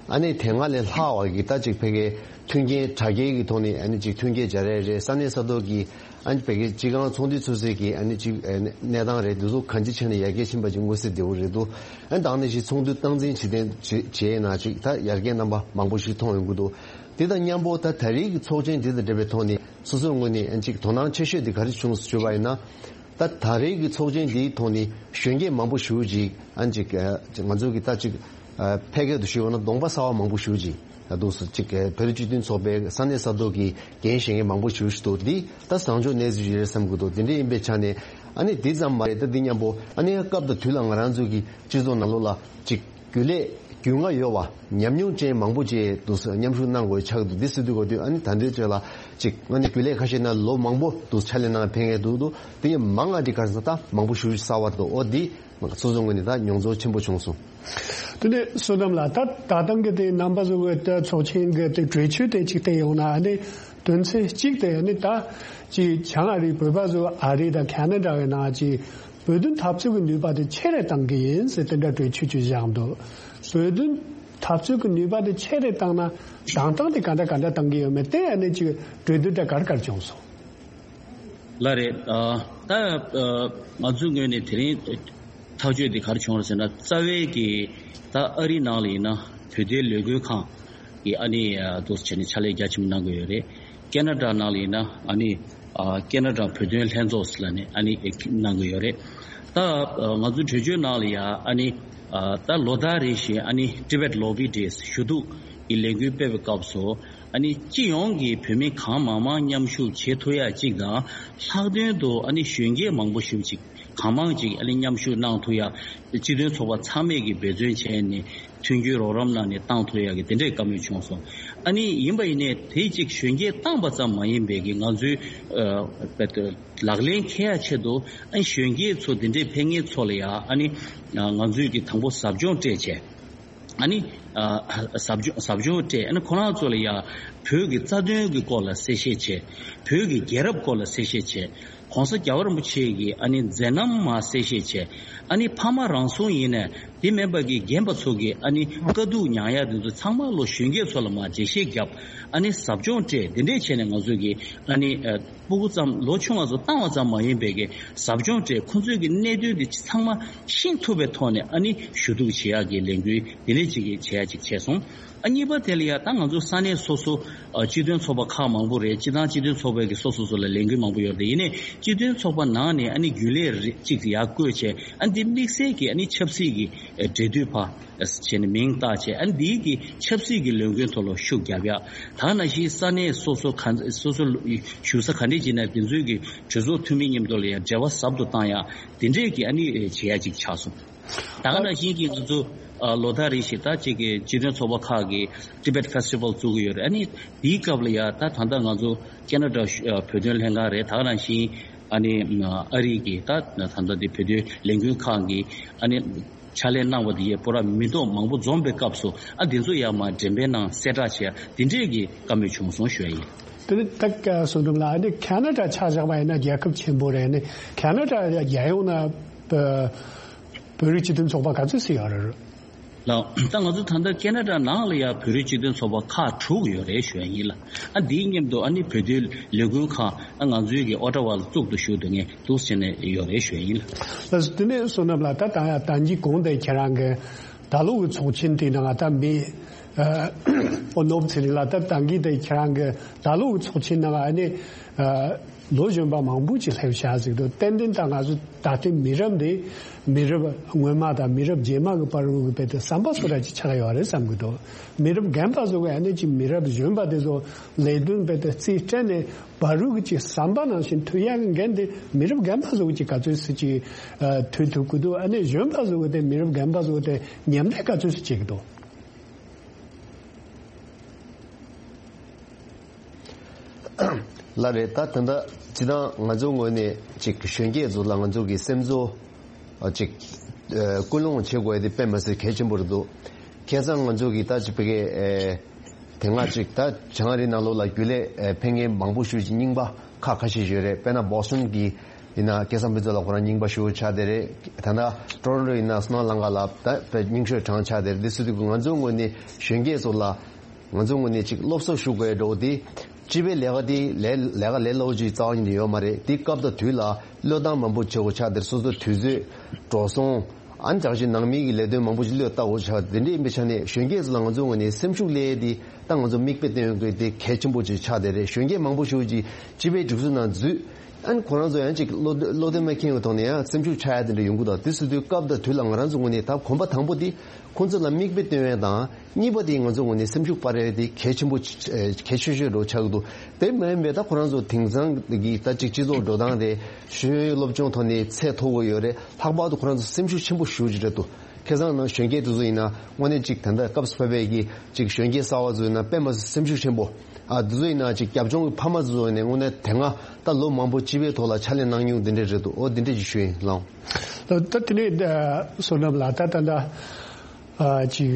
ཨ་ནི་དེ་སྔ་ལས་ལྷག་པ་གི་ད་ཅིག་ཕ་གིའི་མཐུན་རྐྱེན་དྲ་རྒྱའི་གི་ཐོག་ནས་ཨ་ནི་ཅིག་མཐུན་རྐྱེན་སྦྱར་ཡས་རེད། ས་གནས་ས་ཐོག་གི་ཨ་ནི་ཕ་གིའི་སྤྱི་ཁང་ཚོགས་འདུ་ཚོགས་སའི་གི་ཨ་ནི་ཅིག་ཨ་ནི་གནས་སྟངས་རེད། འདི་ཚོ་གང་ཅི་བྱས་ནས་ཡར་རྒྱས་ཕྱིན་པ་ཅིག་མངོན་གསལ་དོད་པོ་རེད་འདུག་ཨ་ནི་ད་ནང་བཞིན་ཚོགས་འདུ་སྟངས་འཛིན་བྱེད་བྱས་ན་ཅིག་ད་ཡར་རྒྱས་རྣམ་པ་མང་པོ་ཞིག་མཐོང་ཡོང་གི་འདུག་དེ་དང་མཉམ་པོ་ད་ད་རེས་ཀྱི་ཚོགས་ཆེན་འདི་དང་འབྲེལ་བའི་ཐོག་ནས་སོ་སོའི་ངོས་ནས་ཨ་ནི་ཅིག་དོ་སྣང་ཆེ་ཤོས་དེ་ག་རེ་བྱུང་ཞུས་པ་ཡིན་ན། ད་ད་རེས་ཀྱི་ཚོགས་ཆེན་འདིའི་ཐོག་ནས་གཞོན་སྐྱེས་མང་པོ་ཞེ་པོ་ཅིག་ཨ་ཅིག་ང་ཚོ་གི་ད་ཅིག་ཕལ་སྐད་དུ་ཞུས་པ་ན་གདོང་པ་གསར་པ་མང་པོ་ཞེ་པོ་ཅིག་འདུག་སེ་ཅིག་བོད་རིགས་སྤྱི་མཐུན་ཚོགས་པའི་ས་གནས་ས་ཐོག་གི་འགན་བཞེས་མཁན་མང་པོ་ཞེ་པོ་ཞིག་འདུག་འདི་ད་བཟང་ཕྱོགས་གནས་ཚུལ་ཞིག་རེད་བསམ་གྱི་འདུག་དེ་འདྲ་ཡིན་པའི་ཆ་ནས་ཨ་ནི་འདི་ཙམ་མ་རེད། ད་འདི་མཉམ་པོ་ཨ་ནི་སྐབས་དང་དུས་ལ་ང་རང་ཚོའི་གི་སྤྱི་ཚོགས་ནང་ལོགས་ལ་ཅིག་རྒྱུན་ལས་རྒྱུས་མངའ་ཡོད་པ་ཉམས་མྱོང་ཅན་མང་པོ་ཅིག་འདུག་སེ་མཉམ་ཞུགས་གནང་དགོས་ཆགས་འདུག་འདི་སྲིད་དུས་གོ་དུས་ཨ་ནི་ད་འདོད་བྱས་ལ་ཅིག་ཨ་ནི་རྒྱུན་ལས་ཁ་ཤས་ན་ལོ་མང་པོ་འདུག་ཕྱག་ལས་གནང་ཕེབས་མཁན་འདུག་འདུག་དེ་ཡིན་མང་ང་འདི་ག་ས་ད་མང་པོ་ཞུ་གསར་བ་འདུག་འོ་འདི་སོ་སོ་ངོས་ནས་ད་མྱོང་ཚོར་ཆེན་པོ་བྱུང་སོང་། དེ་ནས་བསོད་ནམས་ལགས། ད་ད་ཐེངས་ཀྱི་དེ་རྣམ་པ་ཚོ་གི་ད་ཚོགས་ཆེན་གྱི་དེ་གྲོས་ཆོད་དེ་ཅིག་བལྟས་ཡོང་ན་ཨ་ནི་དོན་ཚན་གཅིག་དེ་ཨ་ནི་ད་ཅིག་བྱང་ཨ་རིའི་བོད་པ་ཚོ་ཨ་རི་དང་ཁ་ན་ཌ་གི་ནང་ཅིག་བོད་དོན་འཐབ་རྩོད་ཀྱི་ནུས་པ་དེ་ཆེ་རུ་གཏང་གི་ཡིན་ཟེར་དེ་འདྲ་གྲོས་ཆོད་ཅིག་བཞག་འདུག་བོད་དོན་འཐབ་རྩོད་ཀྱི་ནུས་པ་དེ་ཆེ་རུ་བཏང་ན་དང་ཐོག་དེ་ག་འདྲ་ག་འདྲ་གཏང་གི་ཡོད་མེད་དེ་ཨ་ནི་ཅིག་གྲོས་བསྡུར་དེ་ག་རེ་ག་རེ་བྱུང་སོང་། ལགས་རེད། ཨ་ད་ཨ་ང་ཚོའི་ངོས་ནས་དེ་རིང་ཐག་གཅོད་དེ་ག་རེ་བྱུང་རེད་ཟེར་ན། རྩ་བའི་གི་ད་ཨ་རིའི་ནང་ལ་ཡིན་ན་བོད་དོན་ལས་འགུལ་ཁང་གི་ཨ་ནི་ཨ་འདུག་སེ་བྱས་ནས་ཕྱག་ལས་རྒྱ་ཆེན་པོ་གནང་གི་ཡོད་རེད། ཁེ་ན་ཌ་ནང་ལ་ཡིན་ན་ཨ་ནི་ཨ་ཁེ་ན་ཌ་བོད་དོན་ལྷན་ཚོགས་ཟེར་ལབ་ནས་ཨ་ནི་གནང་གི་ཡོད་རེད། ད་ཨ་ང་ཚོའི་གྲོས་ཆོད་ནང་ལ་ཡ་ཨ་ནི་ཨ་ད་ལོ་ལྟར་རེ་བཞིན་ཨ་ནི་Tibet Lobby Days ཞུ་གཏུག་གི་ལས་འགུལ་སྤེལ་བའི་སྐབས་སུ་ཨ་ནི་སྤྱི་ཡོངས་ཀྱི་བོད་མི་གང་མང་མང་མཉམ་ཞུགས་བྱེད་ཐུབ་ཡ་གཅིག་དང་། ལྷག་དོན་དུ་ཨ་ནི་གཞོན་སྐྱེས་མང་པོ་ཞིག་ཅིག་གང་མང་ཅིག་ཨ་ནི་མཉམ་ཞུགས་གནང་ཐུབ་ཡ། སྤྱི་མཐུན་ཚོགས་པ་ཚང་མས་ཀྱི་འབད་བརྩོན་བྱས་ནས་མཐུན་འགྱུར་རོགས་རམ་གནང་ནས་བཏང་ཐུབ་ཡ་གི་དེ་འདྲའི་བཀའ་མོལ་བྱུང་སོང་། ཨ་ནི་ཡིན་པ་ཡིན་ནའི་དེ་གཅིག་གཞོན་སྐྱེས་བཏང་པ་ཙམ་མ་ཡིན་པའི་གི་ང་ཚོའི་ཨ་ལག་ལེན་འཁེལ་ཡ་ཆེད་དུ་ཨ་ནི་གཞོན་སྐྱེས་ཚོ་དེ་འདྲའི་ཕེབས་མཁན་ཚོ་ལ་ཡ་ཨ་ནི་ང་ཚོས་ཀྱི་དང་པོ་ཟབ་སྦྱོང་སྤྲད་བྱས། ཨ་ནི་ཨ་ཟབ་སྦྱོང་ཟབ་སྦྱོང་སྤྲད། ཨ་ནི་ཁོ་རང་ཚོ་ལ་ཡ་བོད་ཀྱི་རྩ་དོན་གྱི་སྐོར་ལ་གསལ་བཤད་བྱས། བོད་ཀྱི་རྒྱལ་རབས་སྐོར་ལ་གསལ་བཤད་བྱས། ༸གོང་ས་རྒྱལ་བ་རིན་པོ་ཆེ་གི་ཨ་ནི་མཛད་རྣམ་མར་གསལ་བཤད་བྱས། ཨ་ནི་ཕ་མ་རང་སྲུང་ཡིན་ནའི་དེ་མིན་པ་གི་རྒན་པ་ཚོ་གི་ཨ་ནི་དཀའ་སྡུག་མྱངས་ཡ་དེ་ཚོ་ཚང་མ་ལོ་གཞོན་སྐྱེས་ཚོ་ལ་མར་འགྲེལ་བཤད་བརྒྱབ། ཨ་ནི་ཟབ་སྦྱོང་སྤྲད། དེ་འདྲས་བྱས་ནས་ང་ཚོ་གི་ཨ་ནི་ཨ་སྤུ་གུ་ཙམ་ལོ་ཆུང་བ་ཚོ་བཏང་བ་ཙམ་མ་ཡིན་པའི་གི་ཟབ་སྦྱོང་སྤྲད། ཁོ་ཚོའི་གི་གནད་དོན་དེ་ཚང་མ་ཤེས་ཐུབ་པའི་ཐོག་ནས་ཨ་ནི་ཞུ་གཏུག་བྱེད་ཡག་གི་ལས་འགུལ་དེ་འདྲས་ཅིག་གི་བྱེད་ཡག་ཅིག་བྱས་སོང་། ཨ་གཉིས་པ་དེ་ལ་ཡ་ད་ང་ཚོ་ས་གནས་སོ་སོ་ཨ་སྤྱི་མཐུན་ཚོགས་པ་ཁག་མང་པོ་རེད། སྤྱི་བཏང་སྤྱི་མཐུན་ཚོགས་པའི་གི་སོ་སོ་སོ་ལ་ལས་འགུལ་མང་པོ་ཡོད་རེད། ཡིན་ནའི་སྤྱི་མཐུན་ཚོགས་པ་ནང་ནས་ཨ་ནི་རྒྱུན་ལས་རེ་གཅིག་ཡར་བསྐོས་བྱས། ཨ་ནི་འདི་དམིགས་བསལ་གྱི་ཨ་ནི་ཆབ་སྲིད་ཀྱི་ཨ་འབྲེལ་མཐུད་པ་བྱས་ནས་མིང་བཏགས་བྱས། ཨ་ནི་འདིའི་གི་ཆབ་སྲིད་ཀྱི་ལས་འགུལ་ཐོག་ལ་ཤུགས་རྒྱབ་ཡ། ད་ནང་བཞིན་ས་གནས་སོ་སོ་ག་སོ་སོ་བཞུགས་ས་ག་འདྲས་ཅིག་ན་དེ་ཚོའི་གི་གྲོས་ཚོགས་འཐུས་མི་མཉམ་དུ་ལ་ཡང་འབྲེལ་བ་ཟབ་ཏུ་བཏང་ཡ། དེ་འདྲས་ཀྱི་ཨ་ནི་བྱེད་ཡ་ཅིག་ཆགས་སོང་། ད་ག་ནང་བཞིན་གྱི་ང་ཚོ་ཨ་ལོ་ལྟར་རེ་བཞིན་ད་ཅིག་གི་སྤྱི་མཐུན་ཚོགས་པ་ཁག་གིས་Tibet Festival བཙུགས་ཀྱི་ཡོད་རེད། ཨ་ནི་དེའི་སྐབས་ལ་ཡ་ད་ད་ལྟ་ང་ཚོ་ཁེ་ན་ཌ་ཨ་བོད་དོན་ལྷན་ཁང་རེད། ད་ག་ནང་བཞིན་ཨ་ནི་ཨ་རི་གི་ད་ད་ལྟ་དེ་བོད་དོན་ལས་འགུལ་ཁང་གི་ཨ་ནི་ཕྱག་ལས་གནང་བ་དེ་ཡས་པོ་ར་མི་ཐོག་མང་པོ་འཛོམས་པའི་སྐབས་སུ་ཨ་དེ་ཚོ་ཡ་མ་འགྲེམས་སྤེལ་ནང་གསལ་བསྒྲགས་བྱས་དེ་འདྲས་ཀྱི་བཀའ་མོལ་བྱུང་སོང་ཞུ་ཡ་ཡིན། དེ་ནི་ད་ག་བསོད་ནམས་ལགས། ཨ་ནི་ཁེ་ན་ཌ་ཆ་བཞག་པ་ཡིན་ན་རྒྱལ་ཁབ་ཆེན་པོ་རེད། ཨ་ནི་ཁེ་ན་ཌ་རྒྱལ་ཡོངས་ན་བོད་བོད་རིགས་སྤྱི་མཐུན་ཚོགས་པ་ག་ཚོད་ཞིག་ཡོད་རེད། ལགས། ད་ང་ཚོ་ད་ལྟ་ཁེ་ན་ཌ་ནང་ལ་ཡང་བོད་རིགས་སྤྱི་མཐུན་ཚོགས་པ་ཁག་དྲུག་ཡོད་རེད་ཞུ་ཡ་ཡིན་ལ། ཨ་འདིའི་མཉམ་དུ་ཨ་ནི་བོད་དོན་ལས་འགུལ་ཁང་ཨ་ང་ཚོའི་གི་ཨོ་ཊ་ཝ་ལ་བཙུགས་འདུག་ཞུ་འདུག་ངས་འདུག་བྱས་ནས་ཡོད་རེད་ཞུ་ཡ་ཡིན་ལ། ལགས་སོ། དེ་ནས་བསོད་ནམས་ལགས། ད་ད་ད་གིན་གོང་དེ་ཁྱེད་རང་གི་ད་ལོ་གི་ཚོགས་ཆེན་དེ་ནང་ད་མི་ཨ་ཨོ་ནོར་བུ་ཚེ་རིང་ལགས། ད་ད་གིན་དེ་ཁྱེད་རང་གི་ད་ལོ་གི་ཚོགས་ཆེན་ནང་ཨ་ནི་ཨ་ལོ་གཞོན་པ་མང་པོ་ཅིག་སླེབས་བཞག་ཟིག་འདུག་ཏན་ཏན་ད་ང་ཚོ་ད་ལྟའི་མི་རབས་འདི་མི་རབས་སྔོན་མ་དང་མི་རབས་རྗེས་མ་གི་བར་དུ་གི་བེད་དེ་བསམ་པ་སོ་ར་ཅིག་ཆགས་ཡོད་རེད་བསམ་གི་འདུག་མི་རབས་རྒན་པ་ཚོ་གི་ཨ་ནི་ཅིག་མི་རབས་གཞོན་པ་དེ་ཚོ་ལས་དོན་བེད་དེ་རྩིས་སྤྲད་ནས་བར་དུ་གི་ཅིག་བསམ་པ་ནང་བཞིན་མཐུན་ཡག་གི་འགན་དེ་མི་རབས་རྒན་པ་ཚོ་གི་ཅིག་ག་ཚོད་སུ་ཅིག་ཨ་མཐུན་ཐུབ་གི་འདུག་ཨ་ནི་གཞོན་པ་ཚོ་གི་དེ་མི་རབས་རྒན་པ་ཚོ་གི་དེ་མཉམ་འབྲེལ་ག་ཚོད་སུ་བྱེད་གི་འདུག་ལགས་རེད། ད་ད་ལྟ་སྤྱི་བཏང་ང་ཚོའི་ངོས་ནས་ཅིག་གཞོན་སྐྱེས་ཚོ་ལ་ང་ཚོ་གི་སེམས་གསོ་ཨ་ཅིག་ཨ་སྐུལ་སློང་བྱེད་དགོས་ཡ་དེ་དཔེ་མ་སྲིད་གལ་ཆེན་པོ་རེད་འདུག་ཁ་སང་ང་ཚོ་གི་ད་ཅིག་བི་གའི་ཨེ་དེ་སྔ་ཅིག་ད་བྱང་ཨ་རིའི་ནང་ལོགས་ལ་རྒྱུན་ལས་ཨེ་ཕེབས་མཁན་མང་པོ་ཞིག་ཅིག་རྙིང་པ་ཁག་ཁ་ཤས་ཤིག་ཡོད་རེད། དཔེར་ན་བོ་སི་ཊོན་གི་ཡིན་ན་ཁ་སང་ཕུན་ཚོགས་ལགས་ཁོ་རང་རྙིང་པ་ཞེ་པོ་ཆགས་བསྡད་རེད། ད་ལྟ་ཊོ་རོན་ཊོ་ཡིན་ན་སྣང་ལམ་ཁ་ལ་ད་དཔེ་རྙིང་ཤོས་གྲས་ཆགས་བསྡད་རེད། འདི་སུ་དུས་ང་ཚོའི་ངོས་ནས་གཞོན་སྐྱེས་ཚོ་ལ་ང་ཚོའི་ངོས་ནས་ཅིག་སློབ་གསོ་ཞུ་དགོས་འགྲོ་དེ་སྤྱི་པའི་ལས་ཀ་དེ་ལས་ལས་ཀ་ལས་སླ་པོ་ཅིག་རྩ་བ་ཉིད་ནས་ཡོད་མ་རེད། དེ་སྐབས་དང་དུས་ལ་བློས་བཏང་མང་པོ་བྱེད་དགོས་ཆགས་བསྡད་རེད། སོ་སོ་དུས་ཚོད་འགྲོ་སོང་ཨ་ནི་ཅག་ཅིག་ནང་མི་གི་ལས་དོན་མང་པོ་ཞིག་བློས་བཏང་དགོས་ཆགས་དེ་འདྲ་ཡིན་པའི་ཆ་ནས་གཞོན་སྐྱེས་ཚོ་ལ་ང་ཚོའི་ངོས་ནས་སེམས་ཤུགས་སླེབས་ཡས་དེ་ད་ང་ཚོ་མིག་དཔེ་སྟོན་དགོས་དེ་གལ་ཆེན་པོ་ཅིག་ཆགས་བསྡད་རེད། གཞོན་སྐྱེས་མང་པོ་ཞིག་ཅིག་སྤྱི་པའི་སྒྲིག་འཛུགས་ནང་འཛུལ། ཨ་ནི་ཁོ་རང་ཚོ་ཡང་ཅིག་བློ་བློ་དོན་མ་མཁྱེན་པའི་ཐོག་ནས་ཡང་སེམས་ཤུགས་ཆག་ཡ་དེ་འདྲ་ཡོང་གི་འདུག་དེ་སུ་དུས་སྐབས་དང་དུས་ལ་ང་རང་ཚོ་ངོས་ནས་ད་གོམ་པ་དང་པོ་དེ་ཁོང་ཚོ་ལ་མིག་དཔེ་སྟོན་ཡ་དང་། གཉིས་པ་དེ་ང་ཚོ་ངོས་ནས་སེམས་ཤུགས་སྤར་ཡ་དེ་གལ་ཆེན་པོ་ཅིག་གལ་ཆེ་ཤོས་འདྲ་ཆགས་ཀྱི་འདུག་དེ་མ་ཡིན་པའི་ད་ཁོ་རང་ཚོ་དེང་སང་གི་ད་ཅིག་སྤྱི་ཚོགས་འགྲོ་སྟངས་དེ་ཤེས་ཡོན་སློབ་སྦྱོང་ཐོག་ནས་ཚད་མཐོ་པོ་ཡོད་རེད། ལྷག་པར་དུ་ཁོ་རང་ཚོ་སེམས་ཤུགས་ཆེན་པོ་ཞེ་པོ་ཅིག་རེད་འདུག་ཁ་སང་ནང་གཞོན་སྐྱེས་དེ་ཚོ་ཡིན་ན་དངོས་གནས་ཅིག་ད་ལྟ་སྐབས་སུ་བབས་པའི་གི་ཅིག་གཞོན་སྐྱེས་གསར་བ་ཚོ་ཡིན་ན་དཔེ་མ་སྲིད་སེམས་ཤུགས་ཆེན་པོ། ཨ་དེ་ཚོ་ཡིན་ན་ཅིག་རྒྱབ་ལྗོངས་ཀྱི་ཕ་མ་ཚོ་ཡིན་ནའི་དངོས་གནས་དེ་སྔ་ད་ལོ་མང་པོ་སྤྱི་པའི་ཐོག་ལ་ཕྱག་ལས་གནང་མྱོང་དེ་འདྲས་རེད་འདུག་འོ་དེ་འདྲས་ཅིག་ཞུ་ཡིན་ལགས། ད་ད་དེ་ནས་ད་བསོད་ནམས་ལགས། ད་ད་ད་ཨ་ཅིག་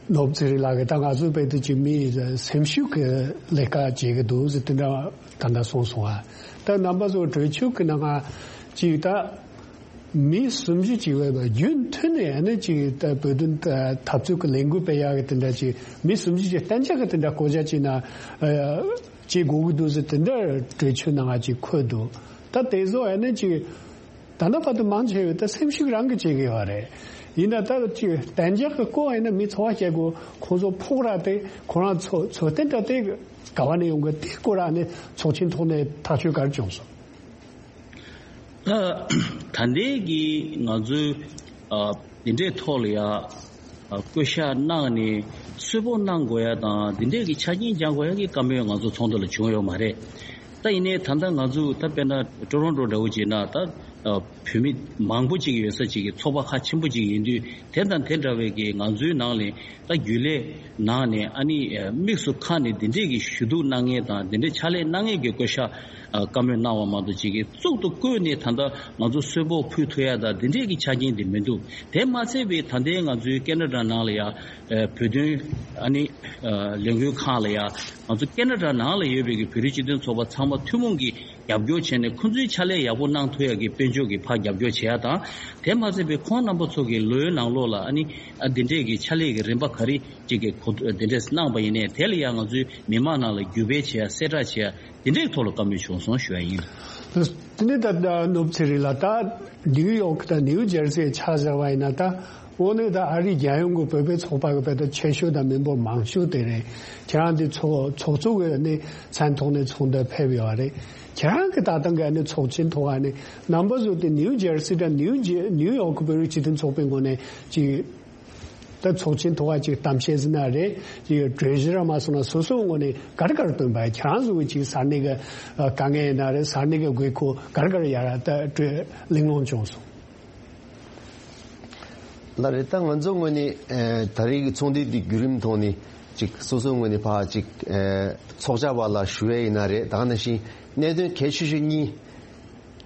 ནོར་བུ་ཚེ་རིང་ལགས་ཀྱིས་ད་ང་ཚོའི་དཔེ་དེ་ཅིག་མི་སེམས་ཤུགས་ཀྱི་ལས་ཀ་བྱེད་ཀྱི་འདུག་ཟེར་དེ་འདྲ་ད་ད་གསུངས་སོང་ཨ། ད་རྣམ་པ་ཚོ་གྲོས་ཆོད་ཀྱི་ནང་ང་ཅིག་ད། མི་སུམ་ཅུ་ཅིག་བས་པ་རྒྱུན་མཐུད་ནས་ཨ་ནི་ཅིག་ད་བོད་དོན་འཐབ་རྩོད་ཀྱི་ལས་འགུལ་སྤེལ་ཡག་གི་དེ་འདྲ་ཅིག་མི་སུམ་ཅུ་ཅིག་གཏན་འཇགས་ཀྱི་དེ་འདྲ་བསྐོ་བཞག་བྱས་ན་ཨ་བྱེད་དགོས་ཀྱི་འདུག་ཟེར་དེ་འདྲ་གྲོས་ཆོད་ནང་ང་ཅིག་འཁོད་འདུག་ད་དེ་ཚོ་ཨ་ནི་ཅིག་ད་ལྟ་བར་དུ་མང་ཆེ་བས་ད་སེམས་ཤུགས་རང་གིས་བྱེད་ཀྱི་ཡོད་རེད། ཡིན་ན་ད་ཅིག་གཏན་འཇགས་ཀྱི་བསྐོ་བ་ཡིན་ན་མི་ཚོ་བ་བྱེད་དགོས། ཁོང་ཚོ་ཕོག་ར་དེ་ཁོ་རང་ཚོ་ཚོ་བརྟན་དྲ་དེ་ག་བ་ནས་ཡོང་གི་དེ་སྐོར་ཨ་ནི་ཚོགས་ཆེན་ཐོག་ནས་ཐག་གཅོད་ག་རེ་བྱུང་སོང་། ད་ད་ལྟའི་གི་ང་ཚོའི་ཨ་འདི་འདྲའི་ཐོག་ལ་ཡ་ཨ་བསྐོ་བཞག་གནང་ནས་གསོལ་ཕོགས་གནང་དགོས་ཡ་དང་འདི་འདྲའི་གི་ཆ་རྐྱེན་སྦྱང་དགོས་ཡ་གི་བཀའ་མོལ་ང་ཚོ་ཚོགས་འདུ་ལ་བྱུང་ཡོད་མ་རེད། ད་ཡིན་ནའི་ད་ལྟ་ང་ཚོ་ད་དཔེར་ན་ཊོ་རོན་ཊོ་འདྲ་བོ་བྱས་ན་ད་ཨ་བོད་མི་མང་པོ་ཅིག་ཡོད་ས་ཅིག་གི་ཚོགས་པ་ཁག་ཆེན་པོ་ཅིག་ཡིན་དུས་དེ་དང་དེ་འདྲ་བའི་གི་ང་ཚོའི་ནང་ལ་ད་རྒྱུན་ལས་ནང་ནས་ཨ་ནི་དམིགས་སུ་ཁ་ནས་འདི་འདྲས་ཀྱི་ཞུ་གཏུག་གནང་མཁན་དང་འདི་འདྲས་ཕྱག་ལས་གནང་མཁན་གྱི་བསྐོ་བཞག་བཀའ་མོལ་གནང་བ་མ་གཏོགས་ཅིག་གིས་གཙུག་ཏུ་བཀོད་ནས་ད་ལྟ་ང་ཚོ་གསོལ་ཕོགས་ཕུལ་ཐུབ་ཡ་དང་འདི་འདྲས་ཀྱི་ཆ་རྐྱེན་དེ་མི་འདུག་དེ་མ་ཚད་པའི་ད་ལྟའི་ང་ཚོའི་ཀེ་ན་ཌ་ནང་ལ་ཡ་བོད་དོན་ཨ་ནི་ལས་འགུལ་ཁང་ལ་ཡ་ང་ཚོ་ཀེ་ན་ཌ་ནང་ལ་ཡོད་པའི་གི་བོད་རིགས་སྤྱི་མཐུན་ཚོགས་པ་ཚང་མ་ཐུན་མོང་གི་རྒྱབ་སྐྱོར་བྱས་ནས་ཁོང་ཚོའི་ཕྱག་ལས་ཡག་པོ་གནང་ཐུབ་ཡ་གི་དཔལ་འབྱོར་གྱི་ཕར་རྒྱབ་སྐྱོར་བྱེད་ཡ་དང་། དེ་མ་ཟད་པའི་ཁོང་རྣམ་པ་ཚོ་གི་ལོའི་ནང་ལོགས་ལ་ཨ་ནི་ཨ་འདི་འདྲས་ཀྱི་ཕྱག་ལས་ཀྱི་རིམ་པ་ག་རེ་ཅིག་གི་གོ་འདི་འདྲས་གནང་པ་ཡིན་ནའི་དེ་ལ་ཡང་ང་ཚོའི་མི་མང་ནང་ལ་བརྒྱུད་སྤེལ་བྱེད་ཡ་གསལ་བསྒྲགས་བྱེད་ཡ་འདི་འདྲས་ཐོག་ལ་བཀའ་མོལ་བྱུང་སོང་ཞུ་ཡ་ཡིན། དེ་ནི་ད་ལྟ་ནོར་བུ་ཚེ་རིང་ལགས། ད་ནིའུ་ཡོག་དང་ནིའུ་ཇར་སི་ཆ་བཞག་པ་ཡིན་ན་ད། འོ་ནི་ད་ཨ་རིའི་རྒྱལ་ཡོངས་ཀྱི་བོད་པའི་ཚོགས་པ་གི་བོད་དོན་ཆེ་ཤོས་དང་མི་འབོར་མང་ཤོས་དེ་རེད། ཁྱེད་རང་དེ་ཚོགས་ཚོགས་གཙོ་གི་ནི་མཚན་ཐོག་ནས་ཚོགས་འདུར་ཕེབས་ཡོད་རེད། ཁྱེད་རང་གི་ད་ལྟ་གི་ནི་ཚོགས་ཆེན་ཐོག་ནི་རྣམ་པ་ཚོ་དེ་ནིའུ་ཇར་སི་དང་ནིའུ་ཇེ་ནིའུ་ཡོག་གི་བོད་རིགས་སྤྱི་མཐུན་ཚོགས་པའི་ངོས་ནས་ཅིག་ད་ཚོགས་ཆེན་ཐོག་ཅིག་གཏམ་བཤད་ཟིན་ན་རེད། ཅིག་གྲོས་གཞི་ར་མ་སོང་ན་སོ་སོའི་ངོས་ནས་ག་རེ་ག་རེ་བཏོན་པ། ཁྱེད་རང་ཚོ་གི་ཅིག་ས་གནས་གི་དཀའ་ངལ་ཡིན་ན་རེད། ས་གནས་གི་དགོས་མཁོ་ག་རེ་ག་རེ་ཡར་ད་གླེང་སློང་བྱུང་སོང་། ལགས་རེད། ད་ང་ཚོ་ངོས་ནས་ཨེ་ད་རེས་ཀྱི་ཚོགས་འདུ་འདི་བརྒྱུད་རིམ་ཐོག་ནས་ཅིག་སོ་སོའི་ངོས་ནས་ཕར་ཅིག་ཨེ་ཚོགས་བཅར་བ་ལ་ཞུ་ཡས་ཡིན་ན་རེད། ད་ག་ནང་བཞིན་གནད་དོན་གལ་ཆེ་ཤོས་གཉིས།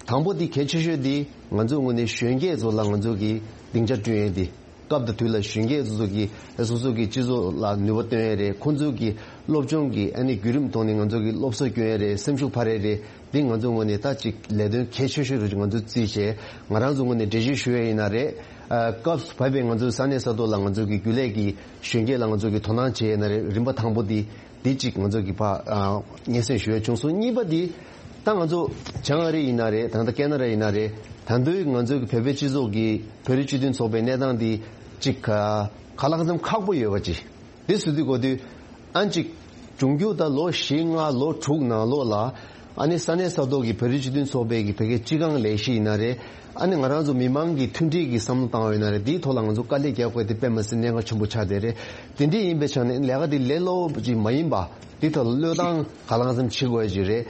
དང་པོ་འདི་གལ་ཆེ་ཤོས་འདི་ང་ཚོའི་ངོས་ནས་གཞོན་སྐྱེས་ཚོ་ལ་ང་ཚོ་གི་སྡིངས་ཆ་བསྐྲུན་ཡས་འདི། སྐབས་དང་དུས་ལ་གཞོན་སྐྱེས་ཚོ་ཚོ་གི་སོ་སོ་གི་སྤྱི་ཚོགས་ལ་ནུས་པ་བཏོན་ཡས་རེད། ཁོང་ཚོ་གི་སློབ་སྦྱོང་གི་ཨ་ནི་བརྒྱུད་རིམ་ཐོག་ནས་ང་ཚོ་གི་སློབ་གསོ་སྐྱོན་ཡས་རེད། སེམས་ཤུགས་འཕར་ཡས་རེད། འདི་ང་ཚོ་ངོས་ནས་ད་ཅིག་ལས་དོན་གལ་ཆེ་ཤོས་རུ་ང་ཚོ་བརྩིས་བྱས། ང་རང་ཚོ་ངོས་ནས་འགྲེལ་བརྗོད་ཞུ་ཡས་ཡིན་ན་རེད། ཨ་སྐབས་སུ་བབས་པའི་ང་ཚོའི་ས་གནས་ས་ཐོག་ལ་ང་ཚོ་གི་རྒྱུན་ལས་ཀྱི་གཞོན་སྐྱེས་ལ་ང་ཚོ་གི་དོ་སྣང་བྱས་ཡས་ན་རེད། རིམ་པ་དང་པོ་འདི་འདི་གཅིག་ང་ཚོ་གི་ཕ་ཨ་སྙན་སེང་ཞུ་ཡས་བྱུང་སོང་། གཉིས་པ་འདི་ད་ང་ཚོ་བྱང་ཨ་རི་ཡིན་ན་རེད། ད་ལྟ་ཀེ་ན་ཌ་ཡིན་ན་རེད། ད་དུང་ང་ཚོ་གི་བོད་པའི་སྤྱི་ཚོགས་ཀྱི་བོད་རིགས་སྤྱི་མཐུན་ཚོགས་པའི་གནས་སྟངས་འདི་གཅིག་ག་ལ་གང་འཚམ་ཁག་པོ་ཡོད་པ་ཅིག་འདི་སུ་དུས་གོ་དུས་ཨ་ཅིག་འབྱུང་འགྱུར་ད་ལོ་བཞི་ལྔ་ལོ་དྲུག་ནང་ལོགས་ལ་ཨ་ནི་ས་གནས་ས་ཐོག་གི་བོད་རིགས་སྤྱི་མཐུན་ཚོགས་པའི་གི་བོད་སྐད་སྤྱི་ཁང་ལས་གཞི་ཡིན་ན་རེད། ཨ་ནི་ང་རང་ཚོ་མི་མང་གི་མཐུན་སྒྲིལ་གྱི་བསམ་བློ་བཏང་བ་ཡིན་ན་རེད། དེའི་ཐོག་ལ་ང་ཚོ་དཀའ་ལས་རྒྱག་དགོས་དེ་དཔེ་མ་སྲིད་གནད་འགག་ཆེན་པོ་ཆགས་བསྡད་རེད། དེ་འདྲ་ཡིན་པའི་ཆ་ནས་ལས་ཀ་དེ་ལས་སླ་པོ་ཅིག་མ་ཡིན་པ་དེ་ཐོག་ལ་བློས་བཏང་ག་ལ་གང་འཚམ་བྱེད་དགོས་ཀྱི་རེད།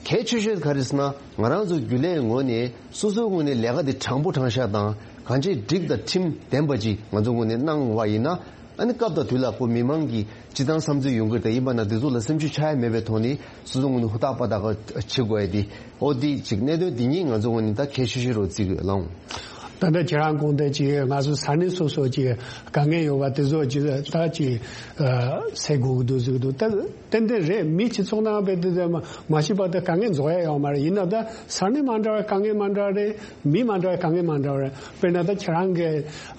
གལ་ཆེ་ཤོས་ག་རེ་ཟེར་ན་ང་རང་ཚོ་རྒྱུན་ལས་ངོས་ནས་སོ་སོའི་ངོས་ནས་ལས་ཀ་དེ་དྲང་པོ་དྲང་བཞག་དང་གང་ཅི་སྒྲིག་དང་ཁྲིམས་ལྡན་པ་ཅིག་ང་ཚོ་ངོས་ནས་གནང་བ་ཡིན་ན། ཨ་ནི་སྐབས་དང་དུས་ལ་ཁོ་མི་མང་གི་སྤྱི་བཏང་བསམ་ཚུལ་ཡོང་གི་རེད། ད་ཡིན་པ་ན་དེ་ཚོ་ལ་སེམས་ཤུགས་ཆག་ཡ་མེད་པའི་ཐོག་ནས་སོ་སོ་ངོས་ནས་ཧུར་ཐག་པ་དག་བྱེད་དགོས་ཡ་དེ་ཨོ་དེ་ཅིག་གནད་དོན་དེ་གཉིས་ང་ཚོ་ངོས་ནས་ད་གལ་ཆེ་ཤོས་རུ་བརྩི་དགོས་ལགས། ད་ལྟ་ཁྱེད་རང་དགོངས་དོན་ཅིག་ང་ཚོ་ས་གནས་སོ་སོ་ཅིག་དཀའ་ངལ་ཡོད་པ་དེ་ཚོ་ཅིག་ད་ཅིག་སེལ་དགོས་ཀྱི་འདུག་ཟེར་གྱི་འདུག་ད་ཏན་ཏན་རེད། མི་སྤྱི་ཚོགས་ནང་བས་དེ་མ་ཤེས་པ་དེ་དཀའ་ངལ་རྫོགས་ཡ་ཡོད་མ་རེད། ཡིན་ན་ད་ས་གནས་མ་འདྲ་བའི་དཀའ་ངལ་མ་འདྲ་བ་རེད། མི་མ་འདྲ་བའི་དཀའ་ངལ་མ་འདྲ་བ་རེད། དཔེར་ན་ད་ཁྱེད་རང་གི་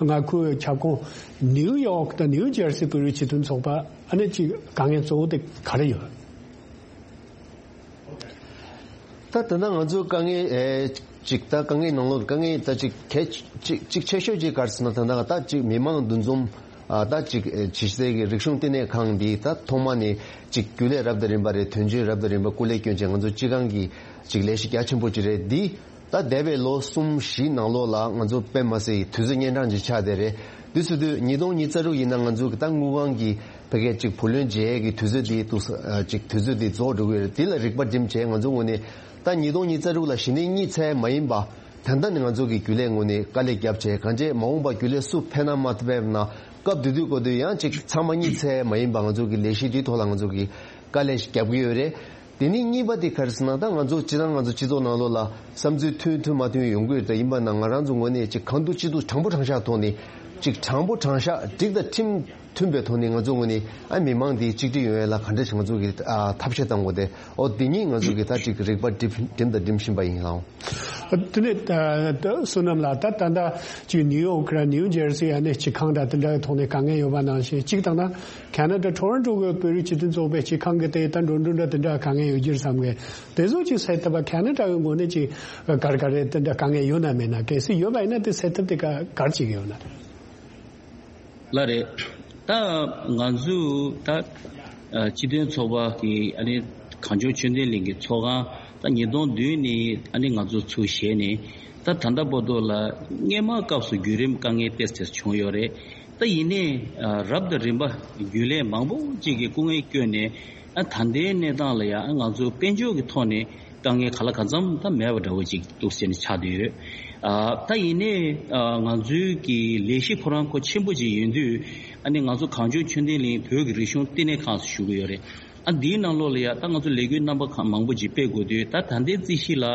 ང་ཁུལ་ཁྱབ་ཁོངས་ནིའུ་ཡོག་དང་ནིའུ་ཇར་སི་བོད་རིགས་སྤྱི་མཐུན་ཚོགས་པ་ཨ་ནི་ཅིག་དཀའ་ངལ་གཙོ་བོ་དེ་ག་རེ་ཡོད། ད་ད་ལྟ་ང་ཚོའི་དཀའ་ངལ་ཨེ་ཅིག་ད་དཀའ་ངལ་ནང་ལོགས་དཀའ་ངལ་ད་ཅིག་གལ་ཅིག་ཅིག་ཆེ་ཤོས་ཅིག་ག་རེ་ཟེར་ན་ད་ལྟ་ད་ཅིག་མི་མང་འདུ་འཛོམས་ཨ་ད་ཅིག་ཨེ་ཇི་སྲིད་ཀྱི་རིག་གཞུང་བསྟི་གནས་ཁང་འདི་ད་ཐོག་མ་ནས་ཅིག་རྒྱུན་ལས་རབ་དང་རིམ་པ་རེད། དོན་གཅོད་རབ་དང་རིམ་པ་སྐུ་ལས་བསྐྱོན་བྱས་ང་ཚོ་སྤྱི་ཁང་གི་ཅིག་ལས་གཞི་རྒྱ་ཆེན་པོ་ཅིག་རེད། འདི་ད་འདས་པའི་ལོ་གསུམ་བཞི་ནང་ལོགས་ལ་ང་ཚོ་དཔེ་མ་སྲིད་དུས་ཚོད་གཉན་འཕྲང་ཅིག་ཆགས་བསྡད་རེད། འདི་ཚོ་དུས་ཉིས་སྟོང་ཉི་ཤུ་རྩ་དྲུག་ཡིན་ན་ང་ཚོ་གི་ད་དངུལ་ཁང་གི་ཕ་གིའི་ཅིག་བུ་ལོན་འཇལ་ཡས་ཀྱི་དུས་ཚོད་འདི་འདུག་ས་ཨ་ཅིག་དུས་ཚོད་འདི་རྫོགས་འགྲོ་གི་རེད། འདི་ལ་རིག་པ་སྒྲིམ་བྱས་ང་ཚོ་ངོས་ནས་ད་ཉིས་སྟོང་ཉི་ཤུ་རྩ་དྲུག་ལ་གཞི་ནས་གཉིད་ཚད་མ་ཡིན་པ་ད་ལྟ་ནས་ང་ཚོ་གི་རྒྱུན་ལས་ངོས་ནས་དཀའ་ལས་བརྒྱབ་བྱས་གང་བྱས་མ་འོངས་པ་རྒྱུན་ལས་སུ་ཕན་ན་མ་ཐུབ་པ་ན་སྐབས་དེ་དུས་གོ་དུས་ཡང་ཅིག་ཚང་མ་གཉིད་ཚད་མ་ཡིན་པ་ང་ཚོ་གི་ལས་གཞི་འདིའི་ཐོག་ལ་ང་ཚོ་གི་དཀའ་ལས་ཤིག་བརྒྱབ་ཀྱི་ཡོད་རེད། དེ་ནས་གཉིས་པ་དེ་ག་རེ་ཟེར་ན་ད་ང་ཚོ་སྤྱི་བཏང་ང་ཚོ་སྤྱི་ཚོགས་ནང་ལོགས་ལ་བསམ་ཚུལ་མཐུན་མཐུན་མ་མཐུན་ཡོང་གི་ཡོད་རེད། ད་ཡིན་པ་ན་ང་རང་ཚོ་ངོས་ནས་ཅིག་གང་ཐུབ་ཅི་ཐུབ་དྲང་པོ་དྲང་བཞག་ཐོག་ནས་ཅིག་དྲང་པོ་དྲང་བཞག་སྒྲིག་དང་ཁྲིམས་མཐུན་པའི་ཐོག་ནས་ང་ཚོ་ངོས་ནས་ཨ་མི་མང་འདི་གཅིག་སྒྲིལ་ཡོང་ཡ་ལ་ག་འདྲ་ཞིག་ང་ཚོ་གི་ཨ་ཐབས་ཤེས་བཏང་དགོས་ཏེ་ཨོ་འདི་གཉིས་ང་ཚོ་གི་ད་ཅིག་རིག་པ་སྒྲིམ་སྒྲིམ་དང་སྒྲིམ་བཞིན་པ་ཡིན་ལགས། དེ་ནས་ད་ད་བསོད་ནམས་ལགས་ད་ད་ལྟ་ཅིག་ནིའུ་ཡོག་ར་ནིའུ་ཇར་སི་ཨ་ནི་སྤྱི་ཁང་འདྲ་དེ་འདྲ་གི་ཐོག་ནས་དཀའ་ངལ་ཡོད་པ་ནང་བཞིན་གཅིག་དང་ན་ཁེ་ན་ཌ་ཊོ་རོན་ཊོ་གི་བོད་རིགས་སྤྱི་མཐུན་ཚོགས་པའི་སྤྱི་ཁང་གི་དེ་ད་འགྲོ་འགྲོ་འདྲ་དེ་འདྲ་དཀའ་ངལ་ཡོད་རྒྱུ་རེད་བསམ་གི། དེ་ཚོ་ཅིག་སེལ་ཐུབ་པ་ཁེ་ན་ཌ་གི་ངོས་ནས་ཅིག་ག་རེ་ག་རེ་དེ་འདྲ་དཀའ་ངལ་ཡོད་ན་མེད་ན། གལ་སྲིད་ཡོད་པ་ཡིན་ན་དེ་སེལ་ཐབས་དེ་ག་ག་རེ་བྱེད་ཀྱི་ཡོད་ན། ལགས་རེད། ད་ང་ཚོས་ད་ཨ་སྤྱི་མཐུན་ཚོགས་པ་གི་ཨ་ནི་གངས་ལྗོངས་ཆོས་ལྡན་གླིང་གི་ཚོགས་ཁང་ད་ཉིས་སྟོང་བདུན་ནས་ཨ་ནི་ང་ཚོ་ཚུགས་བྱས་ནས་ད་ད་ལྟ་བར་དུ་ལ་སྔོན་མ་སྐབས་སུ་བརྒྱུད་རིམ་དཀའ་ངལ་ཏོག་ཙམ་བྱུང་ཡོད་རེད། ད་ཡིན་ནའི་ཨ་རབ་དང་རིམ་པ་རྒྱུན་ལས་མང་པོ་ཅིག་གིས་སྐུ་ངལ་བསྐྱོན་ནས་ཨ་ད་ལྟའི་གནས་སྟངས་ལ་ཡང་ང་ཚོ་དཔལ་འབྱོར་གྱི་ཐོག་ནས་དཀའ་ངལ་ག་ལ་གང་འཚམ་ད་མེད་པ་འདྲ་བོ་ཅིག་འདུག་ཟེར་ནས་ཆགས་བསྡད་ཡོད། ཨ་ད་ཡིན་ནའི་ཨ་ང་ཚོའི་གི་ལས་གཞི་ཁོ་རང་ཁོ་ཆེན་པོ་ཅིག་ཡིན་དུས་ཨ་ནི་ང་ཚོ་གངས་ལྗོངས་ཆོས་ལྡན་གླིང་བོད་ཀྱི་རིག་གཞུང་བསྟི་གནས་ཁང་ཟེར་ཞུ་གི་ཡོད་རེད། ཨ་འདིའི་ནང་ལོགས་ལ་ཡ་ད་ང་ཚོ་ལས་འགུལ་རྣམ་པ་ཁག་མང་པོ་ཅིག་སྤེལ་དགོས་དུས་ད་ད་ལྟའི་རྩིས་གཞི་ལ་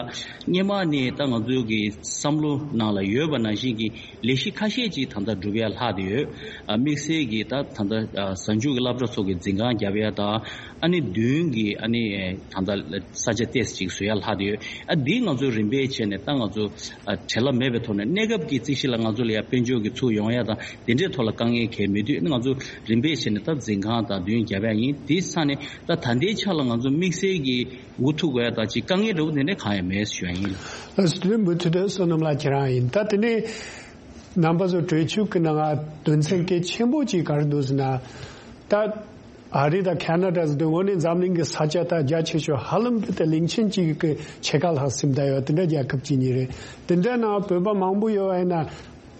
སྔོན་མ་ནས་ད་ང་ཚོའི་གི་བསམ་བློ་ནང་ལ་ཡོད་པ་ནང་བཞིན་གྱི་ལས་གཞི་ཁ་ཤས་ཅིག་ད་ལྟ་སྒྲུབ་ཡ་ལྷག་བསྡད་ཡོད། ཨ་དམིགས་བསལ་གྱི་ད་ད་ལྟ་ཨ་གཟའ་མཇུག་གི་སློབ་གྲྭ་ཚོ་གི་འཛིན་ཁང་རྒྱབ་ཡ་དང་ཨ་ནི་མདུན་གྱི་ཨ་ནི་ད་ལྟ་ས་ཆ་ཏོག་ཙམ་ཅིག་བཟོ་ཡ་ལྷག་བསྡད་ཡོད། ཨ་འདིའི་ང་ཚོ་རིམ་པས་བྱས་ནས་ད་ང་ཚོ་ཨ་བྲེལ་བ་མེད་པའི་ཐོག་ནས་གནས་སྐབས་ཀྱི་རྩིས་གཞི་ལ་ང་ཚོ་ལ་ཡ་དཔལ་འབྱོར་གྱི་ཚུར་ཡོང་ཡ་དང་དེ་འདྲའི་ཐོག་ལ་དཀའ་ངལ་གང་ཡང་མེད་དུས་ང་ཚོ་རིམ་པས་བྱས་ནས་ད་འཛིན་ཁང་དང་མདུན་རྒྱབ་ཡ་ཡིན། དེའི་ས་ནས་ད་ད་ལྟའི་ཆ་ལ་ང་ཚོ་དམིགས་བསལ་གྱི་འགོ་ཐུག་དགོས་ཡ་དང་ཅིག་དཀའ་ངལ་འདྲ་བོ་དེ་འདྲ་གང་ཡང་མེད་ཞུ་ཡ་ཡིན། ལགས་སོ། དེ་མུ་མཐུད་དུ་བསོད་ནམས་ལགས་ཁྱེད་རང་ཡིན། ད་དེ་ནས་རྣམ་པ་ཚོ་གྲོས་ཆོད་ཀྱི་ནང་དོན་ཚན་གལ་ཆེན་པོ་ཅིག་ག་རེ་འདུག་ཟེར་ན། ད་ཨ་རི་དང་ཁེ་ན་ཌ་ཟེར་དུས་དངོས་གནས་འཛམ་གླིང་གི་ས་ཆ་ད་རྒྱ་ཆེ་ཤོས་ཧ་ལམ་དེ་ད་གླིང་ཆེན་གཅིག་གི་ཕྱེད་ཀ་ལྷག་ཟིན་བསྡད་ཡོད། དེ་འདྲ་རྒྱལ་ཁབ་གཅིག་གཉིས་རེད། དེ་འདྲ་ནང་བོད་པ་མང་པོ་ཡོད་པ་ཡིན་ན་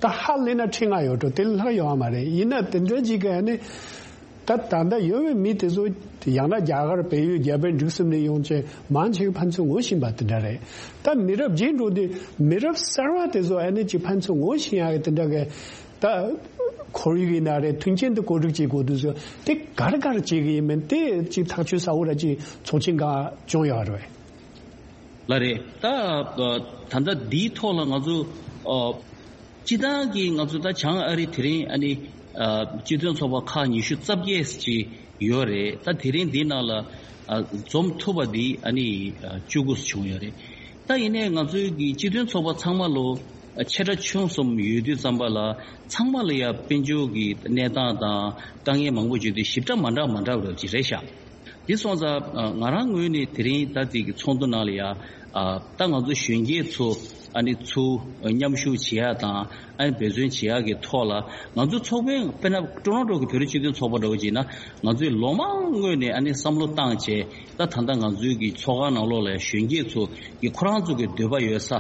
ད་ཧ་ལས་ན་ཁྲི་ལྔ་ཡོད་འགྲོ། དེ་ལས་ལྷག་ཡོད་མ་རེད། ཡིན་ན་དེ་འདྲ་གཅིག་གི་ཨ་ནི་ ད་ད་ལྟ་ཡོད་པའི་མི་དེ་ཚོ་ཡང་ན་རྒྱ་གར་བལ་ཡུལ་རྒྱ་བལ་འབྲུག་གསུམ་ནས་ཡོང་ཅེས་མང་ཆེ་བའི་ཕན་ཚུན་ངོ་ཤེས་པ་དེ་འདྲ་རེད། ད་མི་རབས་རྗེས་འགྲོ་དུས་མི་རབས་གསར་བ་དེ་ཚོ་ཨ་ནི་ཅིག་ཕན་ཚུན་ངོ་ཤེས་ཡག་གི་དེ་འདྲ་གི་ད་ཁོར་ཡུག་ཡིན་ན་རེད། མཐུན་རྐྱེན་དུ་བཀོད་སྒྲིག་བྱེད་དགོས་དུས་ཚོད་དེ་ག་རེ་ག་རེ་བྱེད་གི་ཡིན་མིན་དེ་ཅིག་ཐག་གཅོད་ས་འོག་ར་ཅིག་ཚོགས་ཆེན་ག་བྱུང་ཡོད་རེད། ལ་རེད། ད་ད་ལྟ་འདིའི་ཐོག་ལ་ང་ཚོ་སྤྱི་བཏང་གི་ང་ཚོ་ད་བྱང་ཨ་རི་དེ་རིང་ཨ་ནི་སྤྱི་མཐུན་ཚོགས་པ་ཁག་ཉི་ཤུ་རྩ་བརྒྱད་ཅིག་ཡོད་རེད། ད་དེ་རིང་འདི་ནང་ལ་འཛོམས་ཐུབ་པ་འདི་ཨ་ནི་བཅུ་དགུ་བྱུང་ཡོད་རེད། ད་ཡིན་ནའི་ང་ཚོའི་གི་སྤྱི་མཐུན་ཚོགས་པ་ཚང་མ་ལོ་ཆེ་ཕྲ་ཆུང་གསུམ་ཡོད་དུས་ཙམ་པ་ལ་ཚང་མ་ལ་ཡ་དཔལ་འབྱོར་གྱི་གནས་སྟངས་དང་དཀའ་ངལ་མང་པོ་བརྗོད་དུས་ཞིབ་ཕྲ་མ་འདྲ་མ་འདྲ་བ་ཅིག་རེད་ཤག་འདི་སོང་ཙང་ང་རང་ངོས་ནས་དེ་རིང་ད་ཅིག་གི་ཚོགས་འདུ་ནང་ལ་ཡ་ད་ང་ཚོ་གཞོན་སྐྱེས་ཚོ་ཨ་ནི་ཚུར་མཉམ་ཞུགས་བྱེད་ཡ་དང་ཨ་ནི་འབད་བརྩོན་བྱེད་ཡ་གི་ཐོག་ལ་ང་ཚོ་ཚོགས་པའི་དཔེར་ན་ཀྲོ་རོན་ཀྲོ་གི་བོད་རིགས་སྤྱི་མཐུན་ཚོགས་པ་འདྲ་བོ་བྱས་ན་ང་ཚོས་ལོ་མང་སྔོན་ནས་ཨ་ནི་བསམ་བློ་བཏང་བྱས་ད་ད་ལྟ་ང་ཚོའི་གི་ཚོགས་ཁང་ནང་ལོགས་ལ་གཞོན་སྐྱེས་ཚོ་གི་ཁོ་རང་ཚོ་གི་འདོད་པ་ཡོད་ས།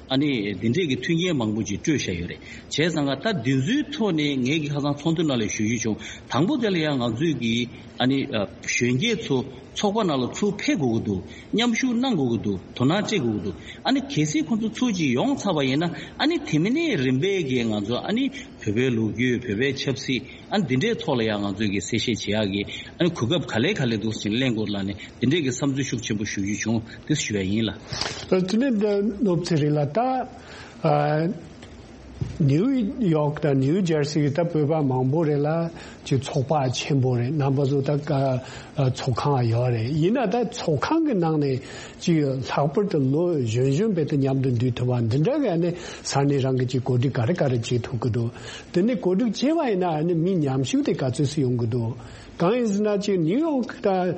ཨ་ནི་འདི་འདྲས་ཀྱི་མཐུན་རྐྱེན་མང་པོ་ཅིག་སྤྲོད་བཞག་ཡོད་རེད། བྱས་ཙང་ད་འདི་ཚོའི་ཐོག་ནས་ངེད་ཀྱི་ཁ་སང་ཚོགས་འདུ་ནང་ལ་ཞུ་རྒྱུ་བྱུང་། དང་པོ་དེ་ལ་ཡང་ང་ཚོས་ཀྱི་ཨ་ནི་གཞོན་སྐྱེས་ཚོ་ཚོགས་པ་ནང་ལ་ཚུར་ཕེབས་དགོས་ཀྱི་འདུག་མཉམ་ཞུགས་གནང་དགོས་ཀྱི་འདུག་དོ་སྣང་སྤྲད་དགོས་ཀྱི་འདུག་ཨ་ནི་གལ་སྲིད་ཁོང་ཚོ་ཚུར་ཅིག་ཡོང་ཚར་བ་ཡིན་ན་ཨ་ནི་དེ་མིན་ནས་རིམ་པས་ཀྱི་ང་ཚོ་ཨ་ནི་བོད་པའི་ལོ་རྒྱུས་བོད་པའི་ཆབ་སྲིད། ཨ་འདི་འདྲའི་ཐོག་ལ་ཡང་ང་ཚོས་ཀྱི་གསལ་བཤད་བྱེད་ཡག་གི་ཨ་ནི་གོ་སྐབས་ག་ལེ་ག་ལེ་འདུག་ཟེར་གླེང་དགོས་ལ་ནི་འདི་འདྲའི་གི་བསམ་ཚུལ་ཤུགས་ཆེན་པོ་ཞུ་རྒྱུ་བྱུང་དེ་ཞུ་ཡ་ཡིན་ལ། དེ་ནས་འདི་ནོར་ཚེ་རིང་ལགས་ད་ཨ་ནིའུ་ཡོག་དང་ནིའུ་ཇར་སི་གི་ད་བོད་པ་མང་པོ་རེད་ལ་ཅིག་ཚོགས་པ་ཆེན་པོ་རེད། རྣམ་པ་ཚོ་ད་ཨ་ཚོགས་ཁང་ཡོད་རེད། ཡིན་ན་ད་ཚོགས་ཁང་གི་ནང་ནས། ཅིག་ལྷག་པར་དུ་ལོ་གཞོན་གཞོན་བས་དུ་མཉམ་དུ་འདུས་ཐུབ་པ་འདི་འདྲ་གི་ཨ་ནི་ས་གནས་རང་གི་ཅིག་གོ་སྒྲིག་ག་རེ་ག་རེ་བྱེད་ཐུབ་ཀྱི་འདུག་དེ་ནས་གོ་སྒྲིག་བྱས་པ་ཡིན་ན་ཨ་ནི་མི་མཉམ་ཞུགས་དེ་ག་ཚོད་སུ་ཡོང་གི་འདུག་གང་ཡིན་ཟེར་ན་ཅིག་ནིའུ་ཡོག་དང་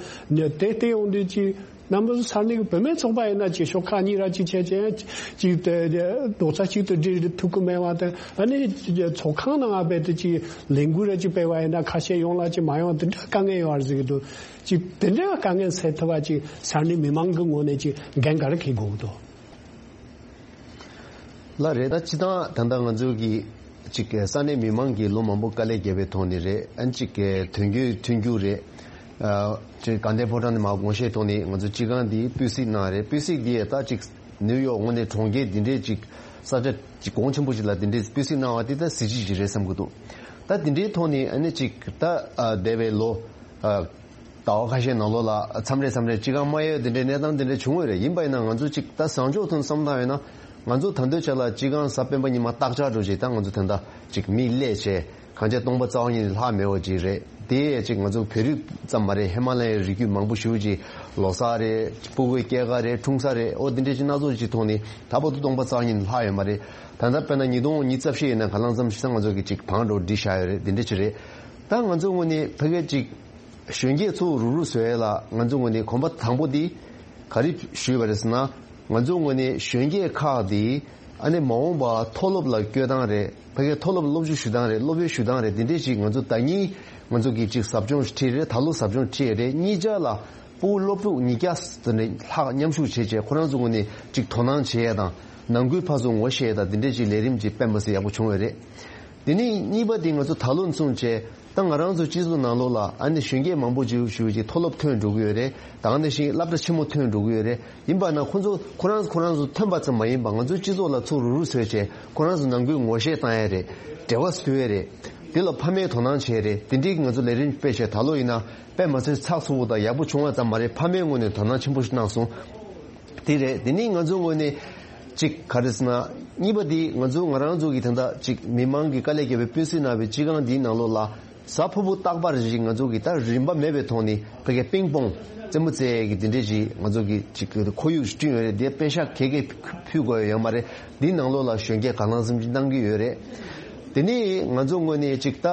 དེ་ལྟ་ཡོང་དུས་ཅིག་རྣམ་པ་ཚོ་ས་གནས་ཀྱི་བུད་མེད་ཚོགས་པ་ཡིན་ན་ཅིག་ཤོག་ཁག་གཉིས་ར་ཅིག་བྱས་བྱས་ཅིག་རྡོག་རྩ་གཅིག་ཏུ་སྒྲིལ་ཐུབ་ཀྱི་མེད་པ་དང་ཨ་ནི་ཚོགས་ཁང་ནང་ང་བས་དུ་ཅིག་ལས་འགུལ་ར་ཅིག་སྤེལ་བ་ཡིན་ན་ཁ་ཤས་ཡོང་ལ་ཅིག་མ་ཡོང་དེ་འདྲ་དཀའ་ངལ་ཡོད་རེད་ཟེར་གྱི་འདུག་ཅིག་དེ་འདྲའི་དཀའ་ངལ་སེལ་ཐུབ་པ་ཅིག་ས་གནས་མི་མང་གི་ངོས་ནས་ཅིག་འགན་ག་རེ་འཁྱེར་དགོས་ཀྱི་འདུག་ལགས་རེད། ད་སྤྱི་བཏང་ད་ལྟ་ང་ཚོའི་གི་ཅིག་ས་གནས་མི་མང་གིས་ལོ་མང་པོ་དཀའ་ལས་བརྒྱབ་པའི་ཐོག་ནས་རེད། ཨ་ནི་ཅིག་དོན་འཁྱོལ་མཐུན་འགྱུར་རེད། ཨ་ཅིག་དགའ་ལྡན་ཕོ་བྲང་ནས་མར་དགོངས་བཞེས་ཐོག་ནས་ང་ཚོ་སྤྱི་ཁང་འདི་སྤུས་གཟིགས་གནང་རེད། སྤུས་གཟིགས་འདི་ཡས་ད་ཅིག་ནིའུ་ཡོག་དངོས་གནས་གྲོང་ཁྱེར་འདི་འདྲའི་ཅིག་ས་ཆ་ཅིག་གོང་ཆེན་པོ་ཞིག་ལ་འདི་འདྲའི་སྤུས་གཟིགས་གནང་བ་འདི་ད་གཟི་བརྗིད་ཅིག་རེད་བསམ་གྱི་འདུག་ད་འདི་འདྲའི་ཐོག་ནས་ཨ་ནི་ཅིག་ད་ཨ་འདས་པའི་ལོ་ཨ་ཟླ་བ་ཁ་ཤས་ནང་ལོགས་ལ་མཚམས་རེ་མཚམས་རེ་སྤྱི་ཁང་མ་ཡོད་འདི་འདྲའི་གནས་སྟངས་འདི་འདྲ་བྱུང་བ་རེད། ཡིན་པ་ཡིན་ན་ང་ཚོ་ཅིག་ད་བཟང་ཕྱོགས་ཐོག་བསམ་བློ་བཏང་ཡོད་ན་ང་ཚོ་ད་འདོད་ཆགས་ལ་སྤྱི་ཁང་གཟའ་སྤེན་པ་ཉི་མ་སྟག་ལྕགས་འགྲོ་ཅིག་ད་ང་ཚོ་ད་ལྟ་ཅིག་མི་སླེབས་བྱས་གང་ཆེ་སྟོང་པ་རྩ་བ་ཉིད་ནས་ལྷག་མེད་པ་ཅིག་རེད། དེ་ཡས་ཅིག་ང་ཚོ་བོད་རིགས་ཙམ་མ་རེད། ཧི་མ་ལ་ཡའི་རི་རྒྱུད་མང་པོ་ཞེ་པོ་ཅིག་ལོ་གསར་རེད། སྤུ་གུའི་སྐྱེས་སྐར་རེད། འཁྲུངས་ས་རེད། ཨོ་འདི་འདྲའི་ཅིག་སྣ་ཚོགས་ཅིག་ཐོག་ནས་ད་བར་དུ་སྟོང་པ་རྩ་བ་ཉིད་ནས་ལྷག་ཡོད་མ་རེད། ད་ལྟ་དཔེར་ན་ཉིས་སྟོང་ཉི་ཤུ་རྩ་བཞི་ཡིན་ན་ག་ལང་ཙམ་ཞིག་ས་ང་ཚོ་གི་ཅིག་བང་འགྲོ་སྒྲིག་བཞག་ཡོད་རེད། འདི་འདྲ་ཅིག་རེད། ད་ང་ཚོ་ངོས་ནས་ཕ་གིར་ཅིག་གཞོན་སྐྱེས་ཚོ་རུག་རུག་བཟོ་ཡས་ལ་ང་ཚོ་ངོས་ནས་གོམ་པ་དང་པོ་འདི་ག་རེ་ཞུས་པ་རེད་ཟེར་ན། ང་ཚོ་ངོས་ནས་གཞོན་སྐྱེས་ཁག་འདི་ཨ་ནི་མ་འོངས་པ་མཐོ་སློབ་ལ་བསྐྱོད་སྟངས་རེད། ཕ་གིའི་མཐོ་སློབ་སློབ་སྦྱོང་ཞུ་སྟངས་རེད། སློབ་ཡོན་ཞུ་སྟངས་རེད། འདི་འདྲས་ཅིག་ང་ཚོ་ཟླ་གཉིས་ང་ཚོ་གིས་ཅིག་ཟབ་སྦྱོང་ཁྲིད་རེད། ད་ལོ་ཟབ་སྦྱོང་ཁྲིད་རེད། གཉིས་ཆ་ལ་སྤུ་གུ་སློབ་ཕྲུག་ཉིས་བརྒྱ་ཙམ་ནས་ལྷག་མཉམ་ཞུགས་བྱས་བྱས་ཁོ་རང་ཚོ་ངོས་ནས་ཅིག་དོ་སྣང་བྱེད་ཡས་དང་ནང་ཁུལ་ཕར་ཚུར་ངོ་ཤེས་ཡས་དང་འདི་འདྲས་ཅིག་ལས་རིམ་ཅིག་སྤེལ་མ་ཟེར་ཡག་པོ་བྱུང་བ་རེད། དེ་ནས་གཉིས་པ་དེ་ང་ཚོ་ད་ལོ་མཚུངས་བྱས། ད་ང་རང་ཚོ་སྤྱི་ཚོགས་ནང་ལོགས་ལ་ཨ་ནི་གཞོན་སྐྱེས་མང་པོ་ཅིག་ཞུ་ཅིག་མཐོ་སློབ་ཐོན་འགྲོ་གི་ཡོད་རེད། ད་ག་ནང་བཞིན་སློབ་གྲྭ་ཆེན་མོ་ཐོན་འགྲོ་གི་ཡོད་རེད། ཡིན་པ་ན་ཁོ་ཚོ་ཁོ་རང་ཁོ་རང་ཚོ་ཐོན་པ་ཙམ་མ་ཡིན་པ་ང་ཚོའི་སྤྱི་ཚོགས་ལ་ཚུར་རུག་རུག་བཟོས་བྱས་ཁོ་རང་ཚོ་ནང་ཁུལ་ངོ་ཤེས་བཏང་ཡ་རེད། འབྲེལ་བ་བཟོ་ཡ་རེད། དེ་ལ་ཕ་མས་དོ་སྣང་བྱེད་ཡ་རེད། དེ་འདྲའི་ང་ཚོ་ལས་རིམ་སྤེལ་བྱས་ད་ལོ་ཡིན་ན་དཔེ་མ་ཚད་ཚགས་ཚུད་པོ་དང་ཡག་པོ་བྱུང་བ་ཙམ་མ་རེད། ཕ་མའི་ངོས་ནས་དོ་སྣང་ཆེན་པོ་ཞིག་གནང་སོང་། དེ་རེད། དེ་ནས་ང་ཚོའི་ངོས་ནས་གཅིག་ག་རེ་ཟེར་ན། གཉིས་པ་དེ་ང་ཚོ་ང་རང་ཚོ་གི་ད་ལྟ་གཅིག་མི་མང་གི་དཀའ་ལས་བརྒྱབ་པའི་སྤུས་གཟིགས་གནང་བའི་སྤྱི་ཁང་འདིའི་ནང་ལོགས་ལ་གཟའ་ཕུར་བུ་རྟག་པར་ཅིག་ང་ཚོ་གི་ད་རིན་པ་མེད་པའི་ཐོག་ནས་ཕ་གིའི་པིང་པོང་རྩེད་མོ་རྩེ་ཡས་ཀྱི་འདི་འདྲས་ཅིག་ང་ཚོ་གི་ཅིག་ཁོར་ཡུག་ཅིག་བསྐྲུན་ཡོད་རེད། དེ་པེ་ཤག་ག་གེ་ཕུལ་དགོས་ཡོད་མ་རེད། འདིའི་ནང་ལོགས་ལ་གཞོན་སྐྱེས་གང་ལ་གང་འཚམ་ཅིག་གནང་གི་ཡོད་རེད། དེ་ནས་ང་ཚོ་ངོས་ནས་ཅིག་ད་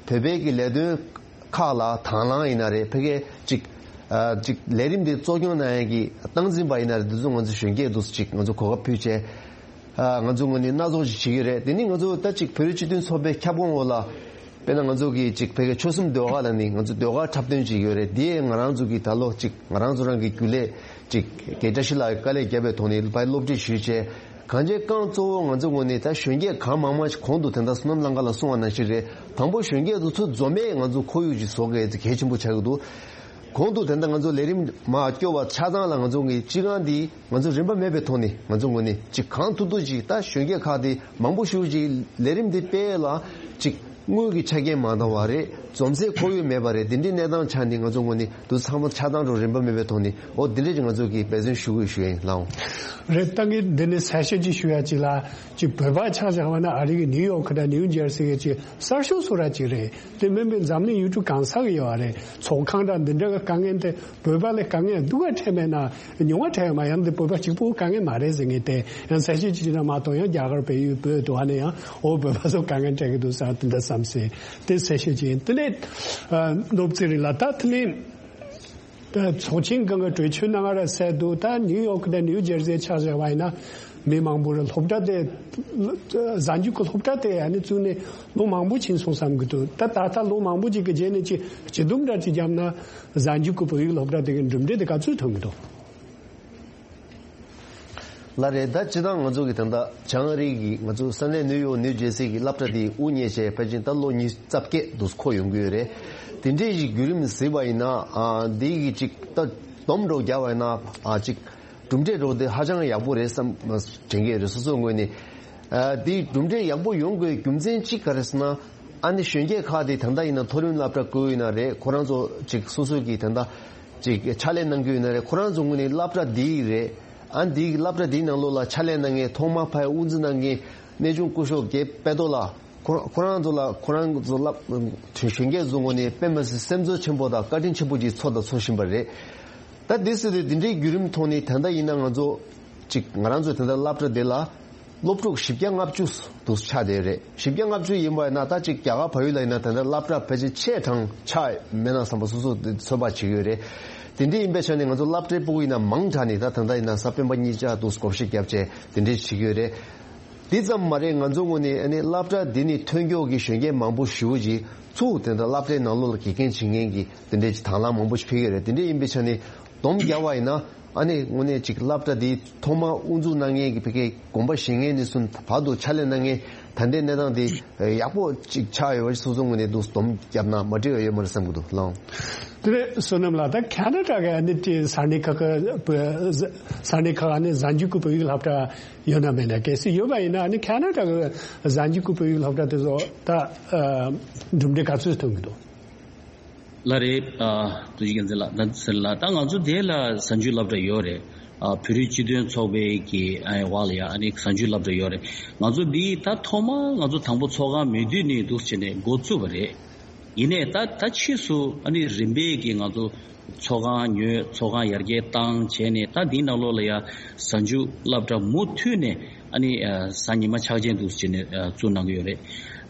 བོད་པའི་གི་ལས་དོན་ཁག་ལ་དང་བླངས་ཡིན་ན་རེད། ཕ་གིའི་ཅིག་ཨ་ཅིག་ལས་རིམ་འདི་གཙོ་སྐྱོང་གནང་ཡས་ཀྱི་སྟངས་འཛིན་པ་ཡིན་ན་རེད། འདི་ཚོ་ང་ཚོ་གཞོན་སྐྱེས་འདུག་སེ་ཅིག་ང་ཚོ་གོ་སྐབས་ཕུལ་བྱས། ཨ་ང་ཚོ་ངོས་ནས་སྣ་ཚོགས་ཤིག་བྱེད་ཀྱི་རེད། དེ་ནི་ང་ཚོ་ད་ཅིག་བོད་རིགས་སྤྱི་མཐུན་ཚོགས་པའི་ཁྱབ་ཁོངས་འོག་ལ་དཔེར་ན་ང་ཚོ་གི་ཅིག་ཕ་གིའི་ཆོལ་གསུམ་ཟློས་གར་ལ་ནི་ང་ཚོ་ཟློས་གར་འཁྲབ་སྟོན་ཅིག་ཡོད་རེད། དེ་ང་རང་ཚོ་གི་ད་ལོ་ཅིག་ང་རང་ཚོ་རང་གི་རྒྱུན་ལས་ཅིག་རྒན་བཀྲ་ཤིས་ལགས་ཀྱི་དཀའ་ལས་བརྒྱབ་པའི་ཐོག་ནས་ཕར་སློབ་ཁྲིད་ཞུས་བྱས། གང་ཅི་རྐང་གཙོ་བོ་ང་ཚོ་ངོས་ནས་ད་གཞོན་སྐྱེས་གང་མང་མང་ཞིག་གོང་དུ་དེ་འདྲ་བསོད་ནམས་གླང་དཀར་ལགས་གསུངས་པ་ནང་བཞིན་རེད། དང་པོ་གཞོན་སྐྱེས་དེ་ཚོ་འཛོམས་པས་ང་ཚོ་ཁོར་ཡུག་ཅིག་བཟོ་དགོས་ཡ་གལ་ཆེན་པོ་ཆགས་ཀྱི་འདུག་གོང་དུ་དེ་འདྲ་ང་ཚོ་ལས་རིམ་མར་སྐྱོད་པ་ཆ་ཚང་ལ་ང་ཚོ་གི་སྤྱི་ཁང་འདི་ང་ཚོ་རིན་པ་མེད་པའི་ཐོག་ནས་ང་ཚོ་ངོས་ནས་ཅིག་གང་ཐུབ་ཐུབ་ཅིག་ད་གཞོན་སྐྱེས་ཁག་དེ་མང་པོ་ཞེ་པོ་ཅིག་ལས་རིམ་འདི་སྤེལ་ལ་ཅིག་དངུལ་གྱི་ཆ་རྐྱེན་མ་འདང་བ་རེད། འཛོམས་སའི་ཁོར་ཡུག་མེད་པ་རེད། འདི་འདྲའི་གནས་སྟངས་ཆགས་ནས་ང་ཚོ་ངོས་ནས་དུ་ཚང་མ་ཆ་ཚང་འགྲོ་རིན་པ་མེད་པའི་ཐོག་ནས་འོ་འདི་འདྲ་ཅིག་ང་ཚོ་གི་འབད་བརྩོན་ཞུ་དགོས་ཞུ་ཡ་ཡིན་ལགས། རེད། ད་ངས་འདི་ནས་གསལ་བཤད་ཅིག་ཞུ་ཡ་ཅིག་ལ་ཅིག་བོད་པ་ཆ་བཞག་པ་ན་ཨ་རི་གི་ནིའུ་ཡོག་དང་ནིའུ་ཇར་སི་གི་ཅིག་གསར་ཤོག་སུ་ར་ཅིག་རེད། དེ་མིན་པའི་འཛམ་གླིང་ཡུལ་གྲུ་གང་ས་གི་ཡོད་རེད། ཚོགས་ཁང་དང་འདི་འདྲ་གི་དཀའ་ངལ་དེ་བོད་པ་ལ་དཀའ་ངལ་སྡུག་ག་འཕྲད་མེད་ན་ཉུང་བ་འཕྲད་ཡོད་མ་ཡང་འདི་བོད་པ་གཅིག་པོ་དཀའ་ངལ་མ་རེད་ཟེར་ངེས་ཏེ་ཡང་གསལ་བཤད་ཅིག་བྱས་ན་མ་གཏོགས་ཡང་རྒྱ་གར་བལ་ཡུལ་བོད་དུ་ཨ་ནི་ཡང་འོ་བོད་པ་ཚོ་དཀའ་ངལ་འཕྲད་ཀྱི་འདུག་ཟེར་དེ་འདྲ་བསམ་སྲིད། དེ་གསལ་བཤད་ཅིག་ཡིན། དེ་ནས་ཨ་ནོར་བུ་ཚེ་རིང་ལགས། ད་དེ་ནས་ད་ཚོགས་ཆེན་སྒང་གི་གྲོས་ཆོད་གནང་བ་ར་གསལ་འདུག་ད་ནིའུ་ཡོག་དང་ནིའུ་ཇར་སི་ཆ་བཞག་པ་ཡིན་ན་མི་མང་པོ་རེད། སློབ་གྲྭ་དེ་གཟའ་མཇུག་གི་སློབ་གྲྭ་དེ་ཨ་ནི་བཙུགས་ནས་ལོ་མང་པོ་ཕྱིན་སོང་བསམ་གྱི་འདུག་ད་ད་ལྟ་ལོ་མང་པོ་ཅིག་གི་རྗེས་ནས་ཅིག་སྤྱི་སྡོམ་འདྲ་ཅིག་བརྒྱབ་ན་གཟའ་མཇུག་གི་བོད་ཡིག་སློབ་གྲྭ་དེ་གི་གྲུབ་འབྲས་དེ་ག་ཚོད་ཐོན་གྱི་འདུག་ལགས་རེད། ད་སྤྱིར་བཏང་ང་ཚོ་གི་ད་ལྟ་བྱང་ཨ་རི་གི་ང་ཚོ་ས་གནས་ནིའུ་ཡོག་ནིའུ་ཇར་སི་གི་སློབ་གྲྭ་དེ་དབུ་བརྙེས་བྱས་ཕལ་ཆེར་ད་ལོ་ཉི་ཤུ་རྩ་བརྒྱད་དུ་འཁོར་ཡོང་གི་ཡོད་རེད། དེ་འདྲའི་ཞིག་བརྒྱུད་རིམ་གཟིགས་པ་ཡིན་ན་ཨ་འདི་གི་ཅིག་ད་སྡོམ་འགྲོ་རྒྱག་པ་ཡིན་ན་ཨ་ཅིག་གྲུབ་འབྲས་འགྲོ་དེ་ཧ་ཅང་ཡག་པོ་རེད་བསམ་དྲན་གྱི་ཡོད་རེད། སོ་སོའི་ངོས་ནས་ཨ་འདི་གྲུབ་འབྲས་ཡག་པོ་ཡོང་དགོས་རྒྱུ་མཚན་གཅིག་ག་རེ་ཟེར་ན། ཨ་ནི་གཞོན་སྐྱེས་ཁག་དེ་ད་ལྟ་ཡིན་ན་མཐོ་རིམ་སློབ་གྲྭ་བཀོད་ཡིན་ན་རེད། ཁོ་རང་ཚོ་ཅིག་སོ་སོ་གི་ད་ལྟ་ཅིག་ཕྱག་ལས་གནང་རྒྱུ་ཡིན་ན་རེད། ཁོ་རང་ཚོ་ངོས་ནས་སློབ་གྲྭ་འདི་རེད། ཨ་འདི་སློབ་གྲྭ་འདིའི་ནང་ལོགས་ལ་ཕྱག་ལས་གནང་མཁན་ཐོག་མ་ཕར་དབུ་འཛུགས་གནང་མཁན་གནས་ཆུང་སྐུ་ཞབས་དགེ་དཔལ་རྡོ་ལགས། ཁོ་ཁོ་རང་ཚོ་ལ་ཁོ་རང་ཚོ་སློབ་གཞོན་སྐྱེས་ཚོ་ངོས་ནས་དཔེ་མི་སྲིད་སེམས་ཚོར་ཆེན་པོ་དང་བཀའ་དྲིན་ཆེན་པོ་ཅིག་ཚོར་དང་ཚོར་བཞིན་པ་རེད། ད་འདི་སྲིད་དེ་འདི་འདྲའི་བརྒྱུད་རིམ་ཐོག་ནས་ད་ལྟ་ཡིན་ན་ང་ཚོ་ཅིག་ང་རང་ཚོ་ད་ལྟ་སློབ་གྲྭ་འདི་ལ་སློབ་ཕྲུག་བཞི་བརྒྱ་ལྔ་བཅུ་འདུག་ཆགས་བསྡད་རེད། བཞི་བརྒྱ་ལྔ་བཅུ་ཡིན་པ་ཡིན་ན་ད་ཅིག་རྒྱ་གར་བལ་ཡུལ་ལ་ཡིན་ན་ད་ལྟ་སློབ་གྲྭ་ཕལ་ཆེར་ཆེ་གྲངས་ཆགས་མེད་ན་བསམ་པ་སོ་སོ་ཚོད་དཔག་བྱེད་ཀྱི་ཡོད་རེད། དེ་འདྲའི་ཡིན་པའི་ཆ་ནས་ང་ཚོ་སློབ་གྲྭའི་སྤུ་གུ་ཡིན་ན་མང་དྲགས་ནས་ད་ད་ལྟ་ཡིན་ན་གཟའ་སྤེན་པ་གཉིས་ཆ་འདུག་བགོ་བཤའ་བརྒྱབ་བྱས་དེ་འདྲའི་བྱེད་ཀྱི་ཡོད་རེད། འདི་ཙམ་མ་རེད། ང་ཚོ་ངོས་ནས་ཨ་ནི་སློབ་གྲྭ་འདི་ནས་ཐོན་མཁན་གྱི་གཞོན་སྐྱེས་མང་པོ་ཞེ་པོ་ཅིག་ཚུར་དེ་འདྲ་སློབ་གྲྭའི་ནང་ལོགས་ལ་དགེ་རྒན་བྱེད་མཁན་གྱི་དེ་འདྲའི་ཅིག་དང་བླངས་མང་པོ་ཞིག་ཕེབས་ཀྱི་རེད། དེ་འདྲ་ཡིན་པའི་ཆ་ནས་སྡོམ་རྒྱག་པ་ཡིན་ན་ཨ་ནི་དངོས་གནས་ཅིག་སློབ་གྲྭ་འདི་ཐོག་མར་དབུ་འཛུགས་གནང་མཁན་གྱི་ཕ་གིའི་དགོངས་པ་བཞེས་མཁན་ནས་བཟུང་བར་དུ་ཕྱག་ལས་གནང་མཁན་ད་ལྟའི་གནས་སྟངས་འདི་ཡག་པོ་ཅིག་ཆགས་ཡོད་པ་སོ་སོ་ངོས་ནས་འདུག་སྡོམ་བརྒྱབ་ན་མ་འགྲིག་པ་ཡོད་མ་རེད་བསམ་གྱི་འདུག་ལགས། དེ་ནས་བསོད་ནམས་ལགས། ད་ཁ་ན་ཌ་གི་ཨ་ནི་ཅིག་ས་གནས་ཁག་གི་ས་གནས་ཁག་ཨ་ནི་གཟའ་མཇུག་གི་བོད་ཡིག་སློབ་གྲྭ་ཡོད་ན་མེད་ན། གལ་སྲིད་ཡོད་པ་ཡིན་ན་ཨ་ནི་ཁ་ན་ཌ་གི་གཟའ་མཇུག་གི་བོད་ཡིག་སློབ་གྲྭ་དེ་ཚོ་ད་གྲུབ་འབྲས་ག་ཚོད་ཐོན་གྱི་འདུག་ལགས་རེད། ཨ་ཐུགས་རྗེ་བཀའ་དྲིན་ལགས། ད་ཟེར་ལ་ད་ང་ཚོ་དེ་ལ་གཟའ་མཇུག་སློབ་གྲྭ་ཡོད་རེད། ཨ་བོད་རིགས་སྤྱི་མཐུན་ཚོགས་པའི་གི་ཨ་འོག་ལ་ཡ་ཨ་ནི་གཟའ་མཇུག་སློབ་གྲྭ་ཡོད་རེད། ང་ཚོ་འདི་ད་ཐོག་མ་ང་ཚོ་དང་པོ་ཚོགས་ཁང་མེད་དུས་ནས་འདུག་བྱས་ནས་འགོ་བཙུགས་པ་རེད། ཡིན་ནའི་ད་ད་ཕྱིས་སུ་ཨ་ནི་རིམ་པས་ཀྱི་ང་ཚོ་ཚོགས་ཁང་ཉོས། ཚོགས་ཁང་ཡར་རྒྱས་བཏང་བྱས་ནས་ད་འདིའི་ནང་ལོགས་ལ་ཡ་གཟའ་མཇུག་སློབ་གྲྭ་མུ་མཐུད་ནས་ཨ་ནི་ཨ་གཟའ་ཉི་མ་ཆག་ཅན་འདུག་བྱས་ནས་ཨ་བཙུགས་གནང་གི་ཡོད་རེད།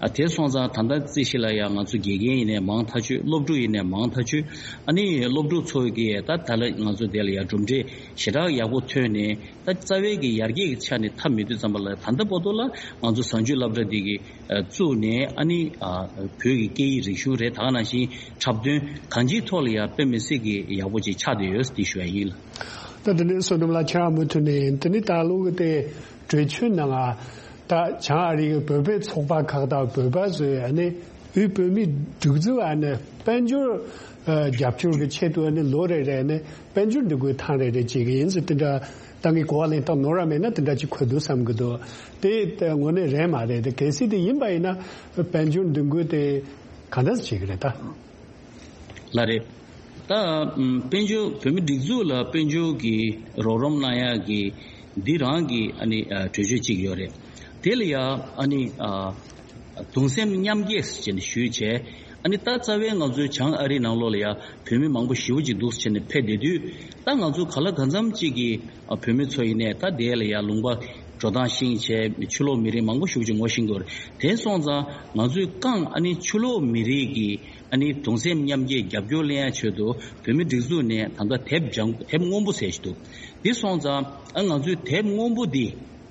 ཨ་དེ་སོང་ཙང་ད་ལྟ་རྩིས་གཞི་ལ་ཡ་ང་ཚོ་དགེ་རྒན་ཡིན་ནའི་མང་ཐག་ཆོད། སློབ་ཕྲུག་ཡིན་ནའི་མང་ཐག་ཆོད། ཨ་ནི་སློབ་ཕྲུག་ཚོ་གིས་ད་ད་ལ་ང་ཚོ་དེ་ལ་ཡ་གྲུབ་འབྲས་ཞེ་དྲག་ཡག་པོ་ཐོན་ནས་ད་རྩ་བའི་གི་ཡར་རྒྱས་ཀྱི་ཆ་ནས་ཐབས་མེད་དུས་ཙམ་པ་ལ་ད་ལྟ་བར་དུ་ལ་ང་ཚོ་གཟའ་མཇུག་སློབ་གྲྭ་འདི་གི་བཙུགས་ནས་ཨ་ནི་ཨ་བོད་ཀྱི་སྐད་ཡིག་རིག་གཞུང་རེད། ད་ག་ནང་བཞིན་འཁྲབ་སྟོན་གང་ཅིའི་ཐོག་ལ་ཡང་དཔེ་མི་སྲིད་ཀྱི་ཡག་པོ་ཅིག་ཆགས་བསྡད་ཡོད་འདི་ཞུ་ཡ་ཡིན་ལགས། ད་དེ་ནས་བསོད་ནམས་ལགས་ཁྱེད་རང་མུ་མཐུད་ནས་དེ་ནས་ད་ལོ་གི་དེ་གྲོས་ཆོད་ནང་ང་ད་བྱང་ཨ་རི་གི་བོད་པའི་ཚོགས་པ་ཁག་དང་བོད་པ་ཚོས་ཨ་ནི་དབུས་བོད་མིའི་སྒྲིག་འཛུགས་ཨ་ནི་དཔལ་འབྱོར་ཨ་རྒྱབ་སྐྱོར་གྱི་ཆེད་དུ་ཨ་ནི་ལོ་རེ་རེ་ཨ་ནི་དཔལ་འབྱོར་འདེགས་སྐྱོར་ཐེངས་རེ་རེ་བྱེད་ཀྱི་ཡིན་ཟེར་དེ་འདྲ་ད་ངས་གོ་བ་ལེན་སྟངས་ནོར་བ་མེད་ན་དེ་འདྲ་ཅིག་འཁོད་འདུག་བསམ་གྱི་འདུག་དེ་ད་དངོས་གནས་རེད་མ་རེད། དེ་གལ་སྲིད་དེ་ཡིན་པ་ཡིན་ན་དཔལ་འབྱོར་འདེགས་སྐྱོར་དེ་ག་འདྲ་བྱེད་ཀྱི་རེད་ད། ལགས་རེད། ད་ཨམ་དཔལ་འབྱོར་བོད་མི་སྒྲིག་འཛུགས་ལ་དཔལ་འབྱོར་གྱི་རོགས་རམ་གནང་ཡག་གི་འདི་རང་གི་ཨ་ནི་ཨ་གྲོས་ཆོད་ཅིག་ཡོད་རེད། དེ་ལ་ཡ་ཨ་ནི་ཨ་གདུང་སེམས་མཉམ་སྐྱེད་ཟེར་ནས་ཞུས་བྱས། ཨ་ནི་ད་རྩ་བའི་ང་ཚོའི་བྱང་ཨ་རིའི་ནང་ལོགས་ལ་ཡ་བོད་མི་མང་པོ་ཞེ་པོ་ཅིག་འདུག་ཟེར་ནས་ཕེབས་བསྡད་དུས་ད་ང་ཚོ་ག་ལ་གང་འཚམ་ཅིག་གི་ཨ་བོད་མི་ཚོ་ཡིན་ནའི་ད་དེ་ལ་ཡ་ལུང་པ་འགྲོ་སྟངས་ཤེས་བྱས་ཕྱི་ལོགས་མི་རིགས་མང་པོ་ཞེ་པོ་ཅིག་ངོ་ཤེས་ཀྱི་ཡོད་རེད། དེ་སོང་ཙང་ང་ཚོའི་རྐང་ཨ་ནི་ཕྱི་ལོགས་མི་རིགས་ཀྱི་ཨ་ནི་གདུང་སེམས་མཉམ་སྐྱེད་རྒྱབ་སྐྱོར་ལེན་ཡ་ཆེད་དུ་བོད་མི་སྒྲིག་འཛུགས་ནས་ད་ལྟ་དེབ་ལྗང་དེབ་སྔོན་པོ་ཟེར་ཞིག་འདུག་འདི་སོང་ཙང་ཨ་ང་ཚོའི་དེབ་སྔོན་པོ་འདི་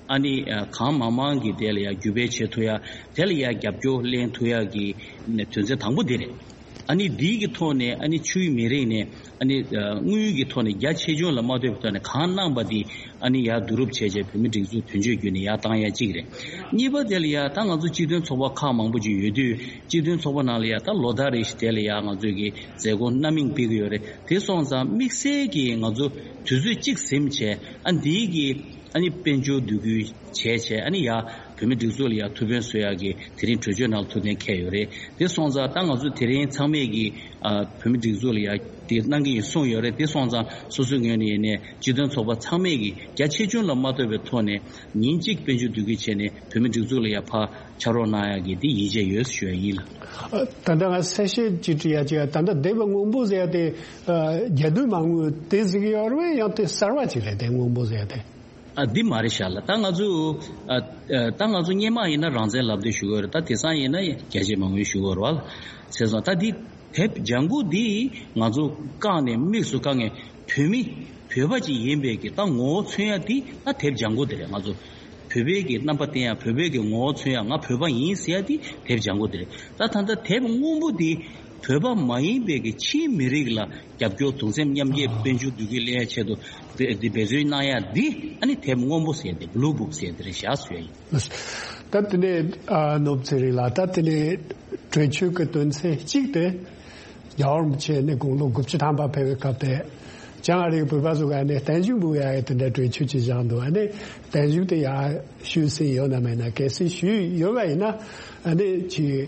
ཨ་ནི་ཨ་གང་མང་མང་གིས་དེ་ལ་ཡ་བརྒྱུད་སྤེལ་བྱེད་ཐུབ་ཡ། དེ་ལ་ཡ་རྒྱབ་སྐྱོར་ལེན་ཐུབ་ཡ་གི་དོན་ཚན་དང་པོ་འདི་རེད། ཨ་ནི་འདིའི་གི་ཐོག་ནས་ཨ་ནི་ཆུའི་མི་རིགས་ནས་ཨ་ནི་དངུལ་གྱི་ཐོག་ནས་རྒྱ་ཆེ་ཆུང་ལ་མ་ལྟོས་པའི་ཐོག་ནས་གང་གནང་པ་འདི་ཨ་ནི་ཡར་བསྡུ་རུབ་བྱས་བྱས་བོད་མི་སྒྲིག་འཛུགས་དོན་གཅོད་བརྒྱུད་ནས་ཡར་བཏང་ཡ་གཅིག་རེད། གཉིས་པ་དེ་ལ་ཡ་ད་ང་ཚོ་སྤྱི་མཐུན་ཚོགས་པ་ཁག་མང་པོ་ཅིག་ཡོད་དུས་སྤྱི་མཐུན་ཚོགས་པ་ནང་ལ་ཡ་ད་ལོ་ལྟར་རེ་བཞིན་དེ་ལ་ཡ་ང་ཚོས་གི་མཛད་སྒོ་སྣ་མིན་སྤེལ་གི་ཡོད་རེད། དེ་སོང་ཙང་དམིགས་བསལ་གྱི་ང་ཚོ་དུས་ཚོད་གཅིག་ཟིན་བྱས་ཨ་འདིའི་གི་ཨ་ནི་དཔལ་འབྱོར་བསྡུ་སྐུལ་བྱས་བྱས་ཨ་ནི་ཡ་བོད་མི་སྒྲིག་འཛུགས་ལ་ཡ་ཐུགས་ཕན་གསོས་ཡག་གི་དེ་རིང་གྲོས་ཆོད་ནང་ལ་ཐུགས་གཏན་འཁེལ་ཡོད་རེད། དེ་སོང་ཙང་ད་ང་ཚོ་དེ་རིང་ཚང་མས་ཀྱི་ཨ་བོད་མི་སྒྲིག་འཛུགས་ལ་ཡ་དེ་གནང་གི་ཡིན་གསུངས་ཡོད་རེད། དེ་སོང་ཙང་སོ་སོའི་ངོས་ནས་ཡིན་ནའི་སྤྱི་མཐུན་ཚོགས་པ་ཚང་མས་ཀྱི་རྒྱ་ཆེ་ཆུང་ལ་མ་ལྟོས་པའི་ཐོག་ནས་ཉིན་གཅིག་དཔལ་འབྱོར་བསྡུ་སྐུལ་བྱས་ནས་བོད་མི་སྒྲིག་འཛུགས་ལ་ཡ་ཕར་ཕྱག་རོགས་གནང་ཡག་གི་དེ་ཡིད་ཆེས་ཡོད་ཞུ་ཡ་ཡིན་ལ། ད་ལྟ་ང་གསལ་བཤད་ཅིག་དྲི་ཡ་ཅིག་ད་ལྟ་དེབ་སྔོན་པོ་ཟེར་ཡ་དེ་རྒྱ་དུས་མ་དངུལ་དེ་ཟེར་གི་ཡོད་རེད་ཡང་དེ་གསར་བ་ཅིག་རེད་དེ་སྔོན་པོ་ཟེར་ཡ་དེ། ཨ་འདི་མ་རེད་ཤག་ལ། ད་ང་ཚོ་ཨ་ཨ་ད་ང་ཚོ་སྔོན་མ་ཡིན་ན་རང་བཙན་ལབ་དུས་ཞུ་གི་ཡོད་རེད། ད་དེང་སང་ཡིན་ན་རྒྱ་ཆེ་མ་དངུལ་ཞུ་གི་ཡོད་རེད་བ། བྱས་ཙང་ད་འདི་དེབ་ལྗང་གུ་འདི་ང་ཚོ་བཀག་ནས་དམིགས་སུ་བཀག་ནས་བོད་མི་བོད་པ་ཅིག་ཡིན་པའི་གི་ད་ངོ་བོ་མཚོན་ཡ་འདི་ད་དེབ་ལྗང་གུ་འདི་རེད། ང་ཚོ་བོད་པའི་གི་རྣམ་པ་བསྟན་ཡ་བོད་པའི་གི་ངོ་བོ་མཚོན་ཡ་ང་བོད་པ་ཡིན་ཟེར་ཡ་འདི་དེབ་ལྗང་གུ་འདི་རེད། ད་ད་ལྟ་དེབ་སྔོན་པོ་འདི་བོད་པ་མ་ཡིན་པའི་གི་ཕྱིའི་མི་རིགས་ལ་རྒྱབ་སྐྱོར་གདུང་སེམས་མཉམ་སྐྱེད་དཔལ་འབྱོར་བསྡུ་སྐུལ་སླེབས་ཡ་ཆེད་དུ་དེ་དེ་འབད་བརྩོན་གནང་ཡ་འདི་ཨ་ནི་དེབ་སྔོན་པོ་ཟེར་ཏེ་བླུ་བུག་ཟེར་ཏེ་རེད་བཞག་ཟེར་ཡ་ཡིན། ད་དེ་ནས་ཨ་ནོར་བུ་ཚེ་རིང་ལགས་ད་དེ་ནས་གྲོས་ཆོད་ཀྱི་དོན་ཚན་གཅིག་དེ་རྒྱལ་བ་རིན་པོ་ཆེ་ནས་དགུང་ལོ་དགུ་བཅུ་ཐམ་པ་ཕེབས་པའི་སྐབས་དེ་བྱང་ཨ་རིའི་བོད་པ་ཚོ་ག་ནས་བརྟན་བཞུགས་འབུལ་ཡ་ཡི་དེ་འདྲ་གྲོས་ཆོད་ཅིག་བཞག་འདུག་ཨ་ནི་བརྟན་བཞུགས་དེ་ཡ་ཞུས་ཟིན་ཡོད་ན་མེད་ན་གལ་སྲིད་ཞུས་ཡོད་པ་ཡིན་ན་ཨ་ནི་ཅིག་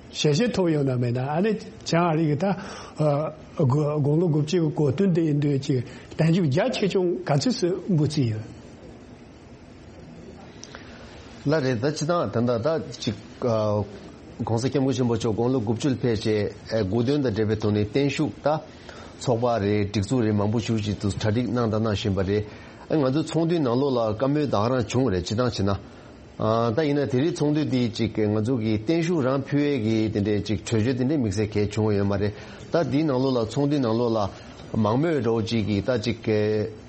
ཞལ་བཞེས་ཐོབ་ཡོད་ན་མེད་ན་ཨ་ནི་བྱང་ཨ་རི་གི་ད་ཨ་དགུང་ལོ་དགུ་བཅུ་གི་གོ་སྟོན་དེ་ཡིན་དུས་ཅིག་བརྟན་བཞུགས་རྒྱ་ཆེ་ཆུང་ག་ཚོད་སུ་འབུལ་རྩིས་ཡོད། ལགས་རེད། ད་སྤྱི་བཏང་ད་ལྟ་ད་ཅིག་ཨ་༸གོང་ས་༸སྐྱབས་མགོན་ཆེན་པོ་མཆོག་དགུང་ལོ་དགུ་བཅུ་ལ་ཕེབས་རྗེས་ཨ་དགུང་སྟོན་དང་འབྲེལ་བའི་ཐོག་ནས་བརྟན་བཞུགས་ད་ཚོགས་པ་རེད་སྒྲིག་འཛུགས་རེད་མང་པོ་ཞིག་ཅིག་ཏུ་གྲ་སྒྲིག་གནང་དང་གནང་བཞིན་པ་རེད། ཨ་ང་ཚོའི་ཚོགས་འདུའི་ནང་ལོགས་ལ་བཀའ་མོལ་ད་ག་རང་བྱུང་བ་རེད་སྤྱི་བཏང་བྱས་ན། ཨ་ད་ཡིན་ན་དེ་རིང་ཚོགས་འདུ་འདི་ཅིག་ང་ཚོ་གི་བརྟན་བཞུགས་རང་ཕུལ་ཡས་ཀྱི་དེ་འདྲའི་ཅིག་གྲོས་ཆོད་དེ་འདྲའི་དམིགས་བསལ་གལ་བྱུང་བ་ཡོད་མ་རེད། ད་འདིའི་ནང་ལོགས་ལ་ཚོགས་འདུའི་ནང་ལོགས་ལ་མང་མོས་འདྲ་བོ་ཅིག་གིས་ད་ཅིག་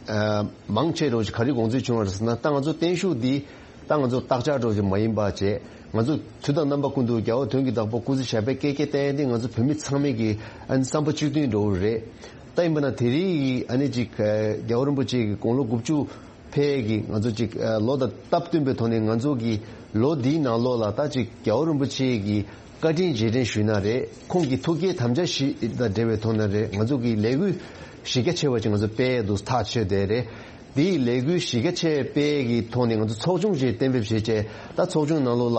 ཨ་མང་ཆེ་འདྲ་བོ་ཅིག་ག་རེ་དགོངས་ཚུལ་བྱུང་བ་རེད་ཟེར་ན། ད་ང་ཚོ་བརྟན་བཞུགས་འདི་ད་ང་ཚོ་བརྟག་དཔྱད་འདྲ་བོ་ཅིག་མ་ཡིན་པ་བྱས་ང་ཚོ་དུས་དང་རྣམ་པ་ཀུན་ཏུ་རྒྱལ་བ་དོན་གྱི་བདག་པོ་སྐུ་ཚེ་ཞབས་པད་བསྐལ་བརྒྱར་བརྟན་ཏེ་ང་ཚོ་བོད་མི་ཚང་མས་ཀྱི་ཨ་ནི་བསམ་པ་གཅིག་མཐུན་འདྲ་བོ་རེད། ད་ཡིན་པ་ན་དེ་རིང་གི་ཨ་ནི་ཅིག་ཨ་རྒྱལ་བ་རིན་པོ་ཆེ་གི་དགུང་ལོ་དགུ་བཅུ་ཕེབས་ཀྱི་ང་ཚོ་ཅིག་ཨ་ལོ་དང་སྟབས་བསྟུན་པའི་ཐོག་ནས་ང་ཚོ་གི་ལོ་འདིའི་ནང་ལོགས་ལ་ད་ཅིག་རྒྱལ་བ་རིན་པོ་ཆེ་གི་བཀའ་དྲིན་རྗེས་དྲན་ཞུས་ན་རེད། ཁོང་གི་ཐུགས་བསྐྱེད་དམ་བཅའ་བཞི་དང་འབྲེལ་བའི་ཐོག་ནས་རེད། ང་ཚོ་གི་ལས་འགུལ་གཞི་རྒྱ་ཆེ་བ་ཅིག་ང་ཚོ་སྤེལ་ཡས་འདུག་ཐག་ཆོད་དེ་རེད། དེའི་ལས་འགུལ་གཞི་རྒྱ་ཆེ་སྤེལ་ཡས་ཀྱི་ཐོག་ནས་ང་ཚོ་ཚོགས་ཆུང་ཅིག་གཏན་འབེབས་བྱས་རྗེས་ད་ཚོགས་ཆུང་ནང་ལོགས་ལ་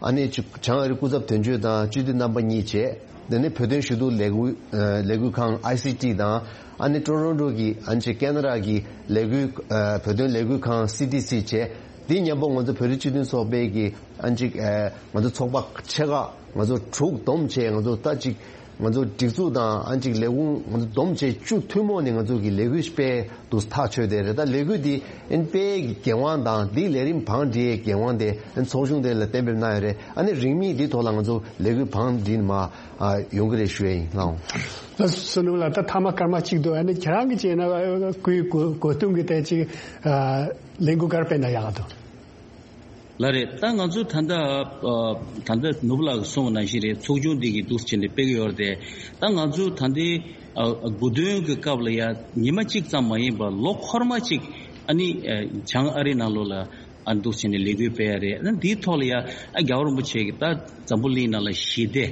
ཨ་ནི་བྱང་ཨ་རི་སྐུ་ཚབ་དོན་གཅོད་དང་སྤྱི་འཐུས་རྣམ་པ་གཉིས་བྱས། དེ་ནས་བོད་དོན་ཞུ་གཏུག་ལས་འགུལ་ཨ་ལས་འགུལ་ཁང་ཨའི་སི་ཊི་དང་ཨ་ནི་ཀྲོ་རོན་ཀྲོ་གི་ཨ་ནི་ཅིག་ཀེ་ན་ཌ་གི་ལས་འགུལ་ཨ་བོད་དོན་ལས་འགུལ་ཁང་སི་ཊི་སི་བྱས། དེ་མཉམ་པོ་ང་ཚོ་བོད་རིགས་སྤྱི་མཐུན་ཚོགས་པའི་གི་ཨ་ནི་ཅིག་ཨ་ང་ཚོ་ཚོགས་པ་ཆེ་ཁག་ང་ཚོ་དྲུག་བསྡོམས་བྱས་ང་ཚོ་ད་ཅིག་ང་ཚོ་སྒྲིག་འཛུགས་དང་ཨ་ནི་ཅིག་ལས་ཁུངས་ང་ཚོ་བསྡོམས་བྱས་བཅུ་ཐུན་མོང་ནས་ང་ཚོ་གི་ལས་འགུལ་སྤེལ་འདུག་ཐག་ཆོད་དེ་རེད། ད་ལས་འགུལ་འདི་ཨ་ནི་སྤེལ་གི་འགན་དབང་དང་འདི་ལས་རིམ་བང་སྒྲིག་འགན་དབང་དེ་ཨ་ནི་ཚོགས་ཆུང་དེ་ལ་གཏན་འབེབས་གནང་ཡོད་རེད། ཨ་ནི་རིང་མིན་འདི་ཐོག་ལ་ང་ཚོ་ལས་འགུལ་བང་སྒྲིག་ནས་མར་ཨ་ཡོང་གི་རེད་ཞུ་ཡ་ཡིན་ལགས། ལགས་སོ་ནོར་བུ་ལགས། ད་ཐ་མ་སྐར་མ་གཅིག་འདུག་ཨ་ནི་ཁྱེད་རང་གིས་བྱས་ན་སྐུའི་གོ་གོ་སྟོན་གྱི་ཐད་ཅིག་ཨ་ལས་འགུལ་ག་རེ་སྤེལ་ན་ཡག་འདུག་ལགས་རེད། ད་ང་ཚོ་ད་ལྟ་ཨ་ད་ལྟ་ནོར་བུ་ལགས་ཀྱིས་གསུངས་པ་ནང་བཞིན་རེད། ཚོགས་ཆུང་འདི་གིས་འདུག་སེ་བྱས་ནས་སྤེལ་གྱི་ཡོད་རེད་དེ། ད་ང་ཚོ་ད་ལྟའི་ཨ་དགུང་སྟོན་གྱི་སྐབས་ལ་ཡ་ཉི་མ་གཅིག་ཙམ་མ་ཡིན་པར་ལོ་འཁོར་མ་གཅིག་ཨ་ནི་ཨ་བྱང་ཨ་རི་ནང་ལོགས་ལ་ཨ་འདུག་སེ་བྱས་ནས་ལས་འགུལ་སྤེལ་ཡ་རེད། ཨ་འདིའི་ཐོག་ལ་ཡ་ཨ་རྒྱལ་བ་རིན་པོ་ཆེ་གིས་ད་འཛམ་བུ་གླིང་ནང་ལ་ཞི་བདེ་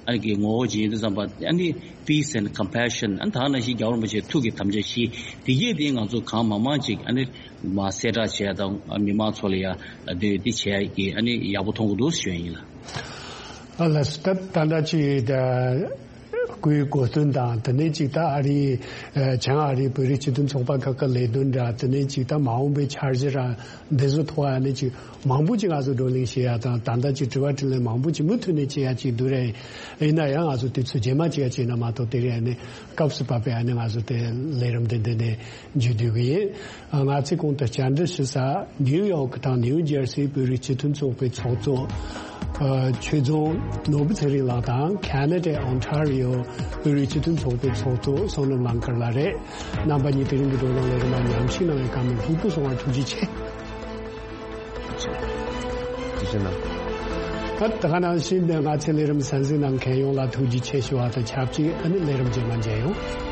ཨ་གི་ངོ་བོ་ཅིག་ཡིན་དུས་ཙམ་པ་ཨ་ནི་peace and compassion ཨ་ནི་ད་ག་ནང་བཞིན་རྒྱལ་བ་རིན་པོ་ཆེའི་ཐུགས་ཀྱི་དམ་བཅའ་བཞི་འདི་གས་དེ་ང་ཚོ་གང་མང་མང་ཅིག་ཨ་ནི་མར་གསལ་བསྒྲགས་བྱས་དང་མི་མང་ཚོ་ལ་ཡ་འདི་འདི་བྱས་ཀྱི་ཨ་ནི་ཡག་པོ་མཐོང་གི་འདུག་ཞུ་ཡ་ཡིན་ལགས། ཨ་ལགས་སོ། ད་ད་ལྟ་ཅིག་ད་སྐུའི་གོ་སྟོན་དང་དེ་ནས་ཅིག་ད་ཨ་རིའི་ཨ་བྱང་ཨ་རིའི་བོད་རིགས་སྤྱི་མཐུན་ཚོགས་པ་ཁག་གི་ལས་དོན་འདྲ་དེ་ནས་ཅིག་ད་མ་འོངས་པའི་འཆར་གཞི་ར་འདི་ཚོ་ཐོག་ཨ་ནི་ཅིག་མང་པོ་ཅིག་ང་ཚོ་བགྲོ་གླེང་བྱེད་ཡ་དང་ད་ལྟ་ཅིག་དྲི་བ་དྲིས་ལན་མང་པོ་ཅིག་མུ་མཐུད་ནས་བྱེད་ཡ་ཅིག་འདུག་རེད། ཡིན་ན་ཡང་ང་ཚོ་དུས་ཚོད་རྗེས་མ་ཅིག་ཡ་བྱས་ན་མ་གཏོགས་དེ་རིང་ཨ་ནི་སྐབས་སུ་བབས་པའི་ཨ་ནི་ང་ཚོ་དེ་ལས་རིམ་དེ་འདི་ནས་མཇུག་བསྡུ་གི་ཡིན། ང་ཚོས་གོང་དུ་བཅར་འདྲི་ཞུ་ས་ནིའུ་ཡོག་དང་ནིའུ་ཇར་སིའི་བོད་རིགས་སྤྱི་མཐུན་ཚོགས་པའི་ཚོགས་གཙོ་ཨ་ཆོས་རྫོང་ནོར་བུ་ཚེ་རིང་ལགས་དང་ཁ་ན་ཌའི་ཨོན་ཊ་རི་ཡོ་བོད་རིགས་སྤྱི་མཐུན་ཚོགས་པའི་ཚོགས་གཙོ་བསོད་ནམས་གླང་དཀར་ལགས་རེད། རྣམ་པ་གཉིས་དེ་རིང་གི་བགྲོ་གླེང་ལས་རིམ་མ་ཉམས་ཞིབ་གནང་བའི་བཀའ་མོལ་ལྷུག་པོ་གསུང་བར་ཐུགས་རྗེ་ཆེ། ཐུགས་རྗེ་གནང་། ད་ད་ག་ནང་བཞིན་ང་ཚོའི་ལས་རིམ་གསན་གཟིགས་གནང་མཁན་ཡོངས་ལ་ཐུགས་རྗེ་ཆེ་ཞུ་བ་དང་ཆབས་ཅིག་ཨ་ནི་ལས་རིམ་རྗེས་མ་མཇལ་ཡོང་།